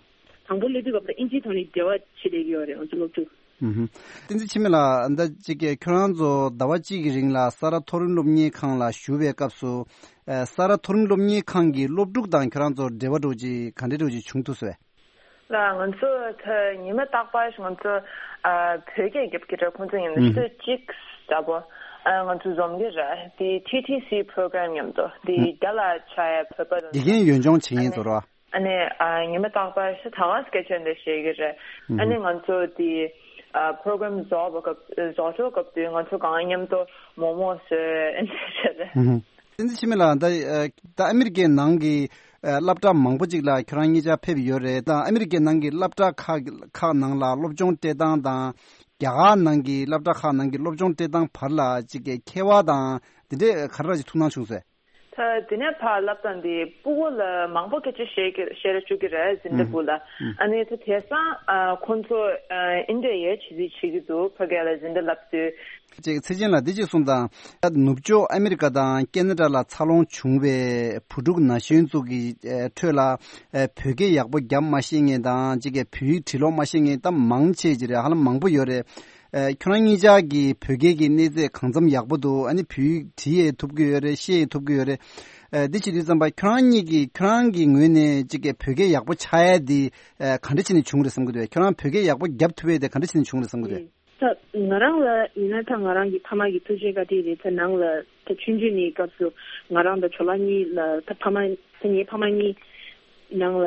དང་པོ་སླེབས་དུས་སྐབས་ལ་ཨིན་ཇིའི་ཐོག་ནས་འབྲེལ་བ་བྱེད་བསྡད་ཀྱི་ཡོད་རེད་ང་ཚོ་སློབ་ཕྲུག་ཨུ་ཧུ། བསྟན་འཛིན་འཆི་མེད་ལགས། ད་ཅིག་གིས་ཁྱོད་རང་ཚོ་ཟླ་བ་གཅིག་གི་རིང་ལ་ས་རཱ་མཐོ་རིམ་སློབ་གཉེར་ཁང་ལ་བཞུགས་པའི་སྐབས་སུ། ཨ་ས་རཱ་མཐོ་རིམ་སློབ་གཉེར་ཁང་གི་སློབ་ཕྲུག་དང་ཁྱོད་རང་ཚོ་འབྲེལ་བ་འདྲ་བོ་ཅིག་ག་འདྲ་འདྲ་བོ་ཅིག་བྱུང་ཐུབ་སོང་། ལགས། ང་ཚོ་ད་ཉི་མ་རྟག་པར་ང་ཚོ་ཨ་བོད་སྐད་རྒྱབ་ཀྱི་རེད། ཁོང་ཚོ་ཡིན་ན་ཨུ་ཧུ། ཆུ་ཚོད་གཅིག་ལྟ་བུ་ཨ་ང་ཚོ་འཛོམས་ཀྱི་རེད། དེ་ཊི་ཊི་སི་པོ་རོ་གྷ་རམ་མཉམ་དུ་དེ་ཨུ་ཧུ། རྒྱ་ལ་ཆགས་ཡ་བོད་པ་དང་དགེ་རྒན་ཡོན་ཆུང་བྱེད་མཁན་ཚོ་རེད་བ། ཨ་ནི་ཨ་ཉི་མ་རྟག་པར་ཤ་ད་ག་སྐད་ཆ་འདི་བཤད་ཀྱི་རེད། ཨ་ནི་ང་ཚོ་དེ་ཨ་པོ་རོ་གྷ་རམ་རྫོགས་པ་སྐབས་རྫོགས་འགྲོ་སྐབས་དུས་ང་ཚོ་གང་མཉམ་དུ་མོག་མོག་ཟོས་ཨ་ནི་བྱས་རེད། བསྟན་འཛིན་འཆི་མེད་ལགས། ད་ཨ་ད་ཨ་མི་རི་ཀའི་ནང་གི་ཨ་སློབ་གྲྭ་མང་པོ་ཅིག་ལ་ཁྱོད་རང་གཉིས་ཆ་ཕེབས་ཡོད་རེད། ད་ཨ་མི་རི་ཀའི་ནང་གི་སློབ་གྲྭ་ཁག་ཁག་ནང་ལ་སློབ་སྦྱོང་སྤྲད་སྟངས་དང་རྒྱ་གར་ནང་གི་སློབ་གྲྭ་ཁག་ནང་གི་སློབ་སྦྱོང་སྤྲད་སྟངས་བར་ལ་ཅིག་གི་ཁྱད་པར་དང་དེ་འདྲས་ག་རེ་ཅིག་ཐུག་སྣང་བྱུང་ཟེར། ད་དེ་ནས་ཕར་བསླབ་སྟངས་དེ་སྤུ་གུ་ལ་མང་པོ་སྐད་ཆ་བཤད་ཀྱི་བཤད་ར་བཅུག་གི་རེད་འཛིན་གྲྭ་སྤུ་ལ། ཨ་ནི་ད་དེང་སང་ཨ་ཁོང་ཚོ་ཨ་ཨིན་འདྲ་ཡོད་བྱེད་རྩིས་བྱེད་ཀྱི་འདུག་ཕ་གི་ལ་འཛིན་གྲྭ་བསླབ་དུས། ཅིག་ཚེ་ཆེན་ལགས་འདི་ཅིག་གསུངས་དང་། ད་ནུབ་ཕྱོགས་ཨ་མི་རི་ཀ་དང་ཁེ་ན་ཌ་ལ་འཚར་ལོངས་བྱུང་བའི་བུ་ཕྲུག་ན་གཞོན་ཚོ་གི་ཨ་ཁྲོད་ལ་ཨ་བོད་སྐད་ཡག་པོ་རྒྱབ་མ་ཤེས་མཁན་དང་ཅིག་གི་བོད་ཡིག་བྲིས་ཀློག་མ་ཤེས་མཁན་ད་མང་ཆེ་ཅིག་རེད། ཧ་ལམ་མང་པོ་ཡོད་རེད། ཨ་ཁྱོད་རང་གཉིས་ཆ་གི་བོད་སྐད་ཀྱི་གནས་ཚད་གང་འཚམ་ཡག་པོ་འདུག་ཨ་ནི་བོད་ཡིག་བྲིས་ཡས་ཐུབ་ཀྱི་ཡོད་རེད། ཤེས་ཡས་ཐུབ་ཀྱི་ཡོད་རེད། ཨ་འདི་བྱེད་དུས་ཙམ་པ་ཁྱོད་རང་གཉིས་ཀྱི་ཁྱོད་རང་གི་ངོས་ནས་ཅིག་གི་བོད་སྐད་ཡག་པོ་ཆགས་ཡས་འདི་ཨ་ག་འདྲ་བྱས་ནས་བྱུང་རེད་བསམ་གྱི་འདུག་ཁྱོད་རང་བོད་སྐད་ཡག་པོ་རྒྱབ་ཐུབ་ཡས་དེ་ག་འདྲ་བྱས་ནས་བྱུང་རེད་བསམ་གྱི་འདུག་ད་ང་རང་ལ་ཡིན་ན་ད་ང་རང་གི་ཕ་མ་གི་ཐུགས་རྗེ་བཀའ་དྲིན་རེད། ད་ནང་ལ་ད་ཆུང་ཆུང་ནས་སྐབས་སུ་ང་རང་དང་ཇོ་ལགས་གཉིས་ལ་ད་ཕ་མ་ད་ངའི་ཕ་མ་གཉིས་ནང་ལ་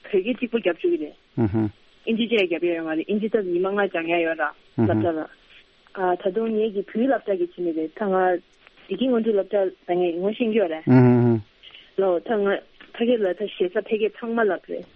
བོད་སྐད་གཅིག་པུ་རྒྱབ་བཅུག་གི་རེད། ཨུ་ཧུ། ཨིན་ཇི་བཅས་རྒྱབ་ཡ་ཡོད་མ་རེད། ཨིན་ཇི་ད་ཉི་མ་ལྔ་སྦྱང་ཡ་ཡོད་ར་ཨུ་ཧུ། སློབ་གྲྭ་ལ། ཨ་ད་དུང་ངེད་ཀྱི་བོད་ཡིག་སློབ་གྲྭ་གི་ཕྱི་ནས་རེད། ད་ང་བདེ་སྐྱིད་སྔོན་འགྲོ་སློབ་གྲྭ་ད་ངས་ངོ་ཤེས་ཀྱི་ཡོད་རེད། ཨུ་ཧུ། ལོ་ད་ང་ཕ་གི་ལ་ད་ཞེ་ས་ཕ་གི་ཚང་མ་ལབ་རེད།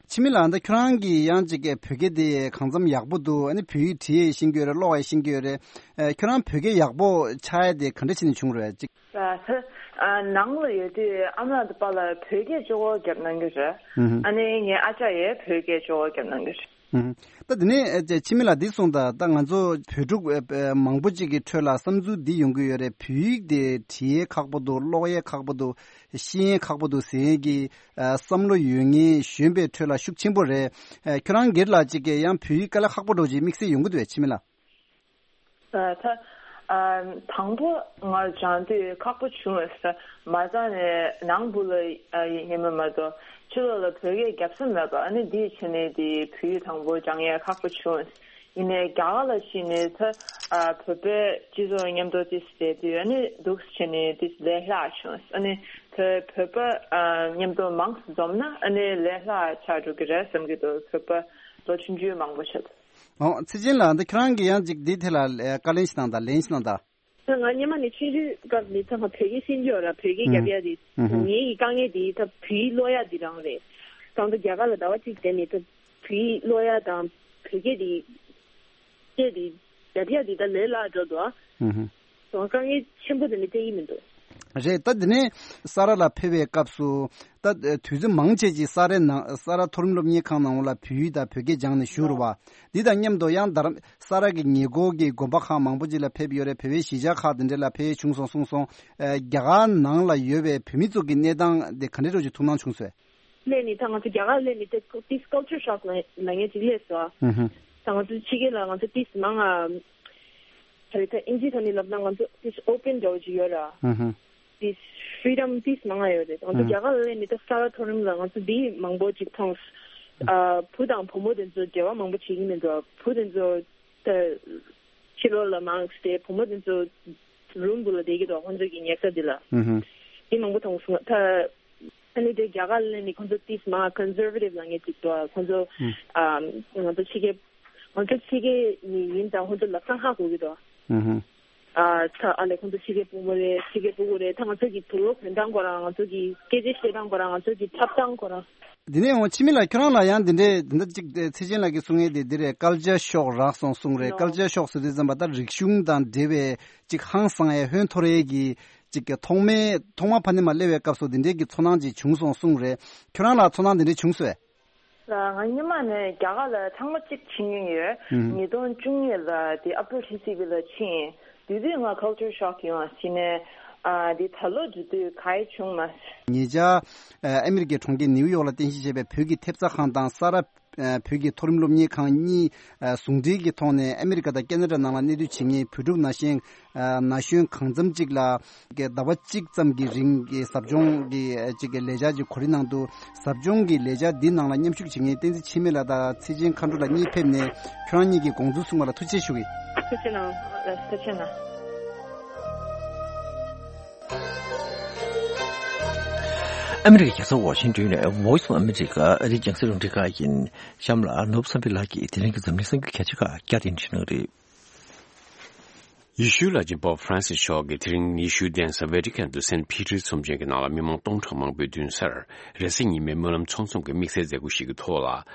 འཆི་མེད་ལགས། ད་ཁྱོད་རང་གིས་ཡང་ཅིག་གི་བོད་སྐད་དེ་གང་འཚམ་ཡག་པོ་འདུག་ཨ་ནི་བོད་ཡིག་བྲིས་ཡས་ཤེས་ཀྱི་ཡོད་རེད། ཀློག་ཡས་ཤེས་ཀྱི་ཡོད་རེད། ཨ་ཁྱོད་རང་བོད་སྐད་ཡག་པོ་ཆགས་ཡས་དེ་ག་འདྲ་བྱས་ནས་བྱུང་རེད་ཅིག་ད་ད་ཨ་ནང་ལ་ཡོད་དུས་ཨ་མ་དང་པ་ལ་བོད་སྐད་གཅིག་པོ་རྒྱབ་གནང་གི་རེད། ཨུ་ཧུ། ཨ་ནི་ངའི་ཨ་ཅག་ཡས་བོད་སྐད་གཅིག་པོ་རྒྱབ་གནང་གི་རེད། ཨུ་ཧུ། ད་དེ་ནས་ཨ་ཅག་འཆི་མེད་ལགས་འདི་གསུངས་དང་། ད་ང་ཚོ་བོད་ཕྲུག་ཨ་ཨ་མང་པོ་ཅིག་གི་ཁྲོད་ལ་བསམ་ཚུལ་འདི་ཡོང་གི་ཡོད་རེད། བོད་ཡིག་དེ་བྲིས་ཡས་ཁག་པོ་འདུག་ཀློག་ཡས་ཁག་པོ་འདུག་ཤེས་ཡས་ཁག་པོ་འདུག་ཟེར་མཁན་གྱི་ཨ་བསམ་བློ་ཡོད་མཁན་གཞོན་པའི་ཁྲོད་ལ་ཤུགས་ཆེན་པོ་རེད། ཨ་ཁྱོད་རང་སྒེར་ལ་ཅིག་གིས་ཡང་བོད་ཡིག་དཀའ་ལས་ཁག་པོ་འདྲ་བོ་ཅིག་དམིགས་བསལ་ཡོང་གི་འདུག་གས་འཆི་མེད་ལགས། ཨ་ད་ཨ་དང་པོ་ང་སྦྱང་དུས་ཁག་པོ་བྱུང་བས། མ་རྩ་ནས་ནང་སྦུག་ལ་ཨ་ཡིན་པ་མ་གཏོགས་ཕྱི་ལོགས་ལ་བོད་སྐད་རྒྱབ་ས་མེད་པ། ཨ་ནི་འདིའི་ཆ་ནས་དེ་བོད་ཡིག་དང་པོ་སྦྱང་ཡས་ཁག་པོ་བྱུང་བས། ཡིན་ནའི་རྒྱ་གར་ལ་ཕྱིན་ནས་ད་ཨ་བོད་པའི་སྤྱི་ཚོགས་མཉམ་དུ་ཏིས་བསྡད་དུས་ཨ་ནི་འདུག་སེ་བྱས་ནས་ཏིས་ལས་སླ་བྱུང་། ཨ་ནི་ད་བོད་པ་ཨ་མཉམ་དུ་མང་ཙམ་འཛོམས་ན་ཨ་ནི་ལས་སླ་ཆགས་འགྲོ་གི་རེད་བསམ་གྱི་འདུག་བོད་པ་ལོ་ཆུང་ཆུང་མང་པོ་ཆགས་འདུག་ཨོ་ཚེ་ཆེན་ལགས། འདི་ཁྱོད་རང་གིས་ཡང་ཅིག་འདིའི་ཐད་ལ་ཨ་བཀའ་ལན་ཞིག་གནང་དང་། ལན་ཞིག་གནང་དང་། ད་ང་སྔོན་མ་ནས་ཆུང་ཆུང་སྐབས་ནས་ད་ང་བོད་སྐད་ཤེས་ཀྱི་ཡོད་ར། བོད་སྐད་ཨུ་རྒྱབ་ཡ་དེ་ཨུ་ཧུ། ངའི་དཀའ་ངལ་དེ་ད་བོད་ཡིག་ཀློག་ཡ་དེ་རང་རེད། གང་ལྟར་རྒྱ་གར་ལ་ཟླ་བ་གཅིག་བསྡད་ནས་ད་བོད་ཡིག་ཀློག་ཡ་དང་བོད་སྐད་དེ་སྐད་དེ་རྒྱབ་ཡ་དེ་ད་ལས་སླ་འགྲོ་འདུག་ཨ། ཨུ་ཧུ། ད་ང་དཀའ་ངལ་ཆེན་པོ་དེ་ནི་སྟེར་གྱི་མི་འདུག་རེད། ད་འདི་ནས་ས་རཱ་ལ་ཕེབས་པའི་སྐབས་སུ་ད་དུས་ཚོད་མང་ཆེ་ཅིག་ས་རཱ་ནང་ས་རཱ་མཐོ་རིམ་སློབ་གཉེར་ཁང་ནང་ལ་བོད་ཡིག་དང་བོད་སྐད་སྦྱངས་ནས་བཞུགས་རེད་བ། འདི་དང་མཉམ་དུ་ཡང་རྡ་རམ་ས་རཱ་གི་ཉེ་འཁོར་གྱི་དགོན་པ་ཁག་མང་པོ་ཅིག་ལ་ཕེབས་ཡོད་རེད། བོད་པའི་གཞིས་ཆགས་ཁག་དེ་འདྲ་ལ་ཕེབས་ཡས་བྱུང་སོང་གསུངས་སོང་། ཨ་རྒྱ་གར་ནང་ལ་ཡོད་པའི་བོད་མི་ཚོ་གི་གནས་སྟངས་དེ་ག་འདྲ་འདྲ་ཅིག་ཐུགས་སྣང་བྱུང་སོང་། སླེབས་ནས་ད་ང་ཚོ་རྒྱ་གར་སླེབས་ནས་ད་དེ་culture shock ལབ་ལབ་མཁན་ཅིག་སླེབས་སོང་ཨ། ཧུ་ཧུ། ད་ང་ཚོ་ཕྱི་རྒྱལ་ལ་ང་ཚོ་ཏིས་མང་ང་། ད་རེས་ད་ཨིན་ཇིའི་ཐོག་ནས་ལབ་ན་ང་ཚོ་ཏིས་open འདྲ་བོ་ཅིག་ཡོད་ར། ཧུ་ཧུ། ཏིས་freedom ཏིས་མང་ང་ཡོད་རེད། ང་ཚོ་ཧུ། རྒྱ་གར་ལ་སླེབས་ནས་ད་ས་རཱ་མཐོ་རིམ་ལ་ང་ཚོ་འདི་མང་པོ་ཅིག་མཐོང་། ཨ་བུ་དང་བུ་མོ་དེ་ཚོ་འབྲེལ་བ་མང་པོ་བྱེད་ཀྱི་མི་འདུག་བུ་དེ་ཚོ་ད་ཕྱི་ལོགས་ལ་མང་སྟེ་བུ་མོ་དེ་ཚོ་རུམ་བུ་ལ་བསྡད་ཀྱི་འདུག་ཁོང་ཚོ་གི་ཉལ་ས་འདི་ལ། ཧུ་ཧུ། འདི་མང་པོ་མཐོང་སོང་། ད་ཨ་ནི་དེ་རྒྱ་གར་ལ་ནི་ཁོང་ཚོ་ཏིས་མ་conservative ལབ་མཁན་ཅིག་འདུག་ཁོང་ཚོ་ཨ་ང་ཚོ་ཕྱི་རྒྱལ་ ང་ཚོ་ཕྱི་རྒྱལ་ནས་ཡིན་ཙང་ཁོང་ཚོ་ལབ་སྟངས་ཧ་གོ་གི་འདུག་ཨུ་ཧུ། ཨ་ད་ཨ་ལས་ཁོང་ཚོ་ཕྱི་རྒྱལ་ཕྲུ་གུ་རེད། ཕྱི་རྒྱལ་ཕྲུ་གུ་རེད། ད་ང་ཚོ་གི་བུ་རོ་གོན་སྟངས་སྐོར་ར་ང་ཚོ་གི་སྐད་ཆ་བཤད་སྟངས་སྐོར་ར་ང་ཚོ་གི་འཁྲབ་སྟངས་སྐོར་ར། འདི་ནས་འོང་འཆི་མེད་ལགས། ཁྱོད་རང་ལ་ཡང་འདི་འདྲའི་འདི་འདྲ་ཅིག་ཚེ་ཆེན་ལགས་ཀྱིས་གསུང་ཡས་དེ་འདི་རེད། ཀལ་ཅར་ཤོག་རག་སོང་གསུང་རེད། ཀལ་ཅར་ཤོག་ཟེར་དུས་ཙམ་པ་ད་རིག་གཞུང་དང་འབྲེལ་བའི་ཅིག་ཧང་སང་ཡས་ཧོན་འཐོར་ཡས་ཀྱི་ཅིག་གི་ཐོག་མའི་ཐོག་མ་ཕ་ནི་མ་སླེབས་པའི་སྐབས་སུ་འདི་འདྲའི་གི་ཚོར་སྣང་ཅིག་བྱུང་སོང་གསུང་རེད། ཁྱོད་རང་ལ་ཚོར་སྣང་འདི་འདྲའི་བྱུང་སོང་ངས། ང་སྔོན་མ་ནས་རྒྱ་གར་ལ་ཚང་མ་གཅིག་ཕྱིན་ཡོང་ཡོད། ཨུམ། ཉིས་སྟོང་བཅུ་གཉིས་ལ་དེ་ཨ་པ་རི་ལི་སི་སི་བི་ལ་ཕྱིན། དེ་དུས་ང་ཁལ་ཅར་ཤོག་ཡོང་བ་ཕྱིན་ནས་ཨ་དེ་ད་ལོ་འགྲོ་དུས་ག་ཡེ་བྱུང་མ། ཉེ་ཆར་ཨ་མི་རི་ཀའི་གྲོང་ཁྱེར་ནིའུ་ཡོག་ལ་རྟེན་གཞི་བྱས་པའི་བོད་ཀྱི་ཐེབས་རྩ་ཁང་དང་ས་རཱ་ཨ་བོད་ཀྱི་མཐོ་རིམ་སློབ་གཉེར་ཁང་གཉིས་ཨ་ཟུང་འབྲེལ་གྱི་ཐོག་ནས་ཨ་མི་རི་ཀ་དང་ཁེ་ན་ཌ་ནང་ལ་གནས་སྡོད་བྱེད་མཁན་བོད་ཕྲུག་ན་གཞོན་ཨ་ན་གཞོན་གང་འཚམ་ཅིག་ལ་ཟླ་བ་གཅིག་ཙམ་གྱི་རིང་གི་ཟབ་སྦྱོང་གི་ཨ་ཅིག་གི་ལས་འཆར་ཅིག་གོ་སྒྲིག་གནང་འདུག་ཟབ་སྦྱོང་གི་ལས་འཆར་འདི་ནང་ལ་མཉམ་ཞུགས་བྱེད་མཁན་བསྟན་འཛིན་འཆི་མེད་ལགས་དང་ཚེ་ཆེན་མཁའ་འགྲོ་ལགས་གཉིས་ཕེབས་ནས་ཁྱོད་རང་གཉིས་ཀྱིས་དགོངས་ཚུལ་གསུངས་པ་ལ་ཐུགས་རྗེ་ཆེ་ཞུ་གི། ཐུགས་རྗེ་གནང་། ཐུགས་རྗེ་གནང་། ཨ་མི་རི་ཀའི་རྒྱལ་ས་ཝ་ཤིང་ཏོན་ནས་Voice of America ཨ་རིའི་རྒྱང་སྲིང་རླུང་འཕྲིན་ཁང་ཡིན། གཤམ་ལ་ནོར་བུ་བསམ་འཕེལ་ལགས་ཀྱིས་དེ་རིང་གི་འཛམ་གླིང་གསར་འགྱུར་གལ་ཆེ་ཁག་བསྐྱར་དུ་འབྲི་གནང་གི་རེད། ཡེ་ཤུའི་བླ་ཆེན་པོབ་ཧྥ་རན་སིས་མཆོག་གིས་དེ་རིང་ཡེ་ཤུའི་གདན་ས་ཝེ་ཏི་ཀན་དུ་སེན་ཕི་ཏྲི་ཚོམས་ཆེན་གྱི་ནང་ལ་མི་མང་སྟོང་ཕྲག་མང་པོའི་མདུན་སར་རེས་གཟའ་ཉི་མའི་སྨོན་ལམ་ཚོགས་འཛོམས་ཀྱི་དམིགས་བསལ་མཛད་སྒོ་ཞིག་གི་ཐོག་ལ་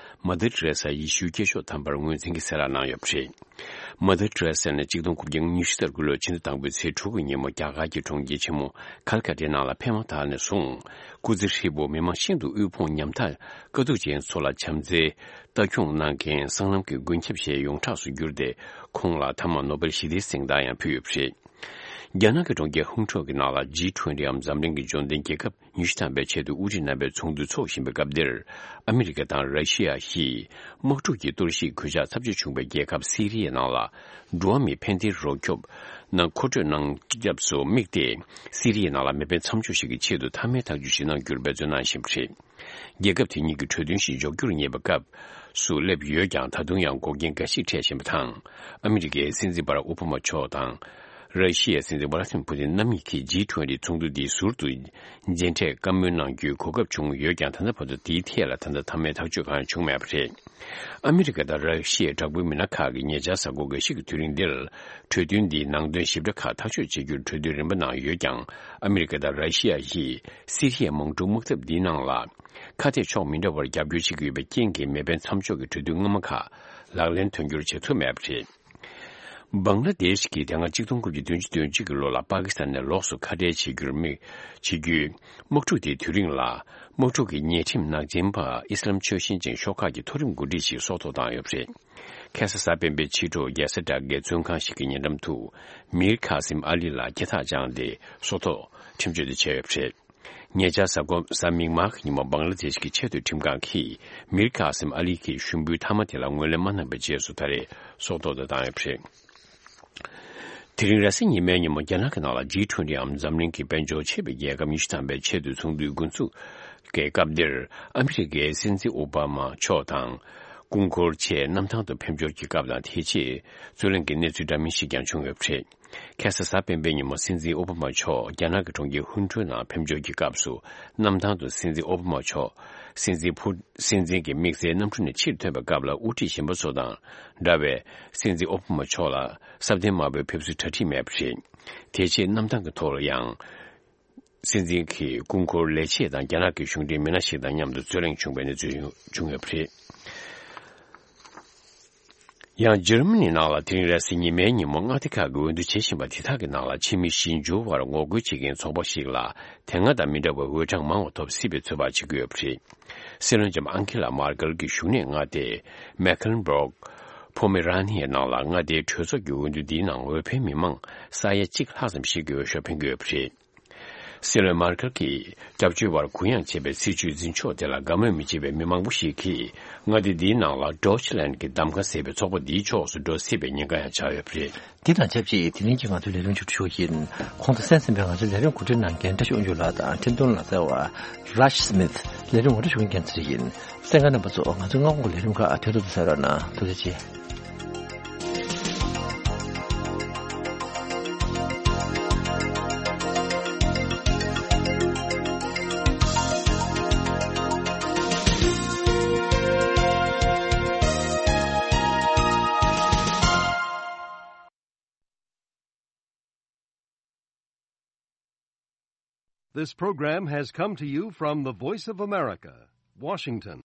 མ་དར་ཏེ་རེ་ས་ཡེ་ཤུའི་སྐྱེས་མཆོག་དམ་པར་ངོས་འཛིན་གྱི་གསལ་བསྒྲགས་གནང་ཡོད་པ་རེད། མ་དར་ཏེ་རེ་ས་ནི་གཅིག་སྟོང་དགུ་བརྒྱ་ཉི་ཤུ་རྩ་དགུ་ལོའི་ཕྱི་ཟླ་དང་པོའི་ཚེས་དྲུག་གི་ཉིན་མོ་རྒྱ་གར་གྱི་གྲོང་ཁྱེར་ཆེན་མོ་ཁལ་ཀ་ཏའི་ནང་ལ་ཕེབས་མ་ཐག་ནས་བཟུང་སྐུ་ཚེ་ཧྲིལ་པོ་མི་མང་ཤིན་ཏུ་དབུལ་ཕོངས་ཉམ་ཐག་དཀའ་སྡུག་ཅན་ཚོ་ལ་བྱམས་བརྩེའི་ལྟ་སྐྱོང་གནང་མཁན་སྲང་ལམ་གྱི་མགོན་སྐྱབས་ཞེས་ཡོངས་གྲགས་སུ་གྱུར་ཏེ། ཁོང་ལ་མཐའ་མ་ནོ་སྦེལ་ཞི་བདེའི་གཟེངས་རྟགས་ཡང་ཕུལ་ཡོད་པ་རེད། རྒྱ་ནག་གི་གྲོང་ཁྱེར་ཧུང་ཁྲོ་གི་ནང་ལ་ཇི་ཊུ་ཝེན་ཊི་འམ་འཛམ་གླིང་གི་འབྱོར་ལྡན་རྒྱལ་ཁབ་ཉི་ཤུ་ཐམ་པའི་ཆེད་དུ་དབུ་ཁྲིད་རྣམ་པའི་ཚོགས་འདུ་འཚོགས་བཞིན་པའི་སྐབས་འདིར། ཨ་མི་རི་ཀ་དང་ར་ཤི་ཡ་བཞིས་དམག་འཁྲུག་གི་གཏོར་བཤིག་གོད་ཆག་ཚབས་ཆེ་བྱུང་བའི་རྒྱལ་ཁབ་སི་རི་ཡའི་ནང་ལ། འགྲོ་བ་མིའི་ཕན་བདེའི་རོགས་སྐྱོབ་ནང་མཁོ་སྤྲོད་གནང་སྐབས་སུ་དམིགས་ཏེ། སི་རི་ཡའི་ནང་ལ་མེ་འཕེན་མཚམས་འཇོག་ཞིག་གི་ཆེད་དུ་མཐའ་མའི་ཐག་གཅོད་ཞིག་གནང་རྒྱུར་འབད་བརྩོན་གནང་བཞིན་པ་རེད། རྒྱལ་ཁབ་དེ་གཉིས་ཀྱི་གྲོས་མཐུན་ཞིག་འཇོག་རྒྱུར་ངེས་པའི་སྐབས་སུ་སླེབས་ཡོད་ཀྱང་། ད་དུང་ཡང་འགོག་རྐྱེན་འགའ་ཞིག་འཕྲད་བཞིན་པ་དང་། ཨ་མི་རི་ཀའི་སྲིད་འཛིན་བྷ་རག་ཨོ་བྷ་མ་མཆོག་དང་། ར་ཤི་ཡའི་སྲིད་འཛིན་ཝ་ལ་ཏི་མིར་ཕུ་ཏིན་རྣམ་གཉིས་ཀྱིས་ཇི་ཊུ་ཝེན་ཊི་ཚོགས་འདུ་འདི་ཟུར་དུ་མཇལ་འཕྲད་བཀའ་མོལ་གནང་རྒྱུའི་གོ་སྐབས་བྱུང་ཡོད་ཀྱང་། ད་ལྟ་བར་དུ་དེའི་ཐད་ལ་ད་ལྟ་མཐའ་མའི་ཐག་གཅོད་གང་ཡང་བྱུང་མེད་པ་རེད། ཨ་མི་རི་ཀ་དང་ར་ཤི་ཡའི་དྲག་པོའི་མི་སྣ་ཁག་གིས་ཉེ་ཆར་གཟའ་འཁོར་འགའ་ཞིག་གི་དུས་རིང་འདིར་གྲོས་མཐུན་འདིའི་ནང་དོན་ཞིབ་ཕྲ་ཁག་ཐག་གཅོད་བྱེད་རྒྱུར་གྲོས་མཐུན་རིམ་པ་གནང་ཡོད་ཀྱང་། ཨ་མི་རི་ཀ་དང་ར་ཤི་ཡ་བཞིས་སི་རི་ཡའི་དམག་འཁྲུག་དམག་འཐབ་འདིའི་ནང་ལ་ཁ་གཏད་ཕྱོགས་མི་འདྲ་བར་རྒྱབ་སྐྱོར་བྱེད་ཀྱི་ཡོད་པའི་རྐྱེན་གྱིས། མེ་འཕེན་མཚམས་འཇོག་གི་གྲོས་མཐུན་སྔ་མ་ཁག་ལག་ལེན་དོན་འཁྱོལ་བྱེད་ཐུབ་མེད་པ་རེད། བང་ལ་དེཤ་གིས་དེ་སྔ་གཅིག་སྟོང་དགུ་བརྒྱ་བདུན་ཅུ་དོན་གཅིག་གི་ལོ་ལ་པ་ཀི་སི་ཐན་ནས་ལོགས་སུ་ཁ་བྲལ་བྱེད་རྒྱུར་དམིགས་བྱེད་རྒྱུའི་དམག་འཁྲུག་དེའི་དུས་རིང་ལ། དམག་འཁྲུག་གི་ཉེས་ཁྲིམས་ནག་ཅན་པ་ཨི་སི་ལམ་ཆོས་བཞིན་ཅན་ཤོག་ཁག་གི་མཐོ་རིམ་འགོ་ཁྲིད་ཅིག་སྲོག་ཐོག་བཏང་ཡོད་པ་རེད། ཁ་སང་གཟའ་སྤེན་པའི་ཕྱི་དྲོ་རྒྱལ་ས་དྲ་རྒྱའི་བཙོན་ཁང་ཞིག་གི་ཉེ་འགྲམ་དུ་མིར་ཁ་སིམ་ཨ་ལི་ལ་སྐེ་ཐག་བཅངས་ཏེ་སྲོག་ཐོག་ཁྲིམས་གཅོད་དེ་བྱས་ཡོད་པ་རེད། ཉེ་ཆར་གཟའ་འཁོར་གཟའ་མིག་དམར་གྱི་ཉིན་མོ་བང་ལ་དེཤ་གི་ཆེས་མཐོའི་ཁྲིམས་ཁང་གིས་མིར་ཁ་སིམ་ཨ་ལི་གི་ཞུ་འབུལ་མཐའ་མ་དེ་ལ་ངོས་ལེན་མ་གནང་བའི་རྗེས་སུ། ད་རེས་སྲོག་ཐོག་ཏུ་བཏང་ཡོད་པ་རེད། དེ་རིང་རེས་གཟའ་ཉི་མའི་ཉིན་མོ་རྒྱ་ནག་གི་ནང་ལ་ཇི་ཊུ་ཝེན་ཊི་འམ་འཛམ་གླིང་གི་དཔལ་འབྱོར་ཆེ་བའི་རྒྱལ་ཁབ་ཉི་ཤུ་ཐམ་པའི་ཆེད་དུ་ཚོགས་འདུའི་འགོ་འཛུགས་ཀྱི་སྐབས་འདིར། ཨ་མི་རི་ཀའི་སྲིད་འཛིན་ཨོ་བྷ་མ་མཆོག་དང་། སྐུ་འཁོར་ཆེད་གནམ་ཐང་དུ་ཕེབས་འབྱོར་གྱི་སྐབས་དང་། དེའི་རྗེས་རྩོད་གླེང་གི་གནས་ཚུལ་འདྲ་མིན་ཞིག་ཀྱང་བྱུང་ཡོད་པ་རེད། ཁ་སང་གཟའ་སྤེན་པའི་ཉིན་མོ་སྲིད་འཛིན་ཨོ་བྷ་མ་མཆོག་རྒྱ་ནག་གི་གྲོང་ཁྱེར་ཧུན་ཁྲོན་ནང་ཕེབས་འབྱོར་གྱི་སྐབས་སུ། གནམ་ཐང་དུ་སྲིད་འཛིན་ཨོ་བྷ་མ་མཆོག་སྲིད་འཛིན་ཕུ། སྲིད་འཛིན་གྱི་དམིགས་བསལ་གནམ་གྲུ་ནས་ཕྱིར་ཐོན་པའི་སྐབས་ལ། དབུ་ཁྲིད་གཞོན་པ་ཚོ་དང་འདྲ་བའི་སྲིད་འཛིན་ཨོ་བྷ་མ་མཆོག་ལ་ས་གདན་དམར་པོའི་ཕེབས་བསུའི་གྲ་སྒྲིག་མེད་པ་རེད། དེ་རྗེས་གནམ་ཐང་གི་ཐོག་ལ་ཡང་། སྲིད་འཛིན་གྱི་སྐུ་འཁོར་ལས་བྱེད་དང་རྒྱ་ནག་གི་གཞུང་འབྲེལ་མི་སྣ་ཞིག་དང་མཉམ་དུ་རྩོད་གླེང་བྱུང་བའི་གནས་ཚུལ་བྱུང་ཡོད་པ་རེད། ཡང་འཇར་མ་ནི་ནང་ལ་དེ་རིང་རེས་གཟའ་ཉི་མའི་ཉིན་མོ་མངའ་སྡེ་ཁག་གི་འོས་བསྡུ་བྱེད་བཞིན་པ་དེ་དག་གི་ནང་ལ། ཕྱི་མི་ཞིབ་འཇུག་པར་ངོ་རྒོལ་བྱེད་མཁན་ཚོགས་པ་ཞིག་ལ་དེ་སྔ་དང་མི་འདྲ་བའི་འོས་གྲངས་མང་བ་ཐོབ་སྲིད་པའི་ཚོད་དཔག་བྱེད་ཀྱི་ཡོད་པ་རེད། སྲིད་བློན་ལྕམ་ཨང་ཁེ་ལ་མར་ཀེལ་གྱི་བཞུགས་གནས་མངའ་སྡེ་མེ་ཁེ་ལན་སྦུག་པོ་མེ་ར་ནི་ཡའི་ནང་ལ། མངའ་སྡེའི་གྲོས་ཚོགས་ཀྱི་འོས་བསྡུ་འདིའི་ནང་འོས་འཕེན་མི་མང་ས་ཡ་གཅིག་ལྷག་ཙམ་ཞིག་གིས་འོས་ཤོག་འཕེན་གྱི་ཡོད་པ་རེད། སྲིད་བློན་མར་ཀེལ་གྱིས་སྐྱབས་བཅོལ་བར་གུ་ཡངས་བྱས་པའི་སྲིད་བྱུས་འཛིན་ཕྱོགས་དེ་ལ་དགའ་མོས་མི་བྱེད་པའི་མི་མང་པོ་ཞིག་གིས། མངའ་སྡེ་འདིའི་ནང་ལ་ཌོ་ཆི་ལན་གྱི་གདམ་ག་ཟེར་བའི་ཚོགས་པ་འདིའི་ཕྱོགས་སུ་འགྲོ་སྲིད་པའི་ཉེན་ཁ་ཡང་ཆགས་ཡོད་པ་རེད། འདི་དང་ཆབས་ཅིག་དེ་རིང་གི་ང་ཚོའི་ལས་རིམ་མཇུག་སྒྲིལ་ཞུ་གི་ཡིན། གོང་དུ་གསན་ཟིན་པའི་ང་ཚོའི་ལས་རིམ་གོ་སྒྲིག་གནང་མཁན་བཀྲ་ཤིས་དབང་ཕྱུག་ལགས་དང་འཕྲིན་གཏོང་ལག་རྩལ་བ་རཱཇ་སི་མིཐ། ལས་རིམ་ངོ་སྤྲོད་ཞུ་མཁན་རྒྱལ་མཚན་རེད་ཡིན། གསན་མཁན་རྣམ་པ་ཚོ། ང་ཚོའི་སྔ་དགོང་གི་ལས་རིམ་ཁག་དོན་དུ་གསན་རོགས་གནང་། ཐུགས་རྗེ་ཆེ། This program has come to you from the Voice of America, Washington.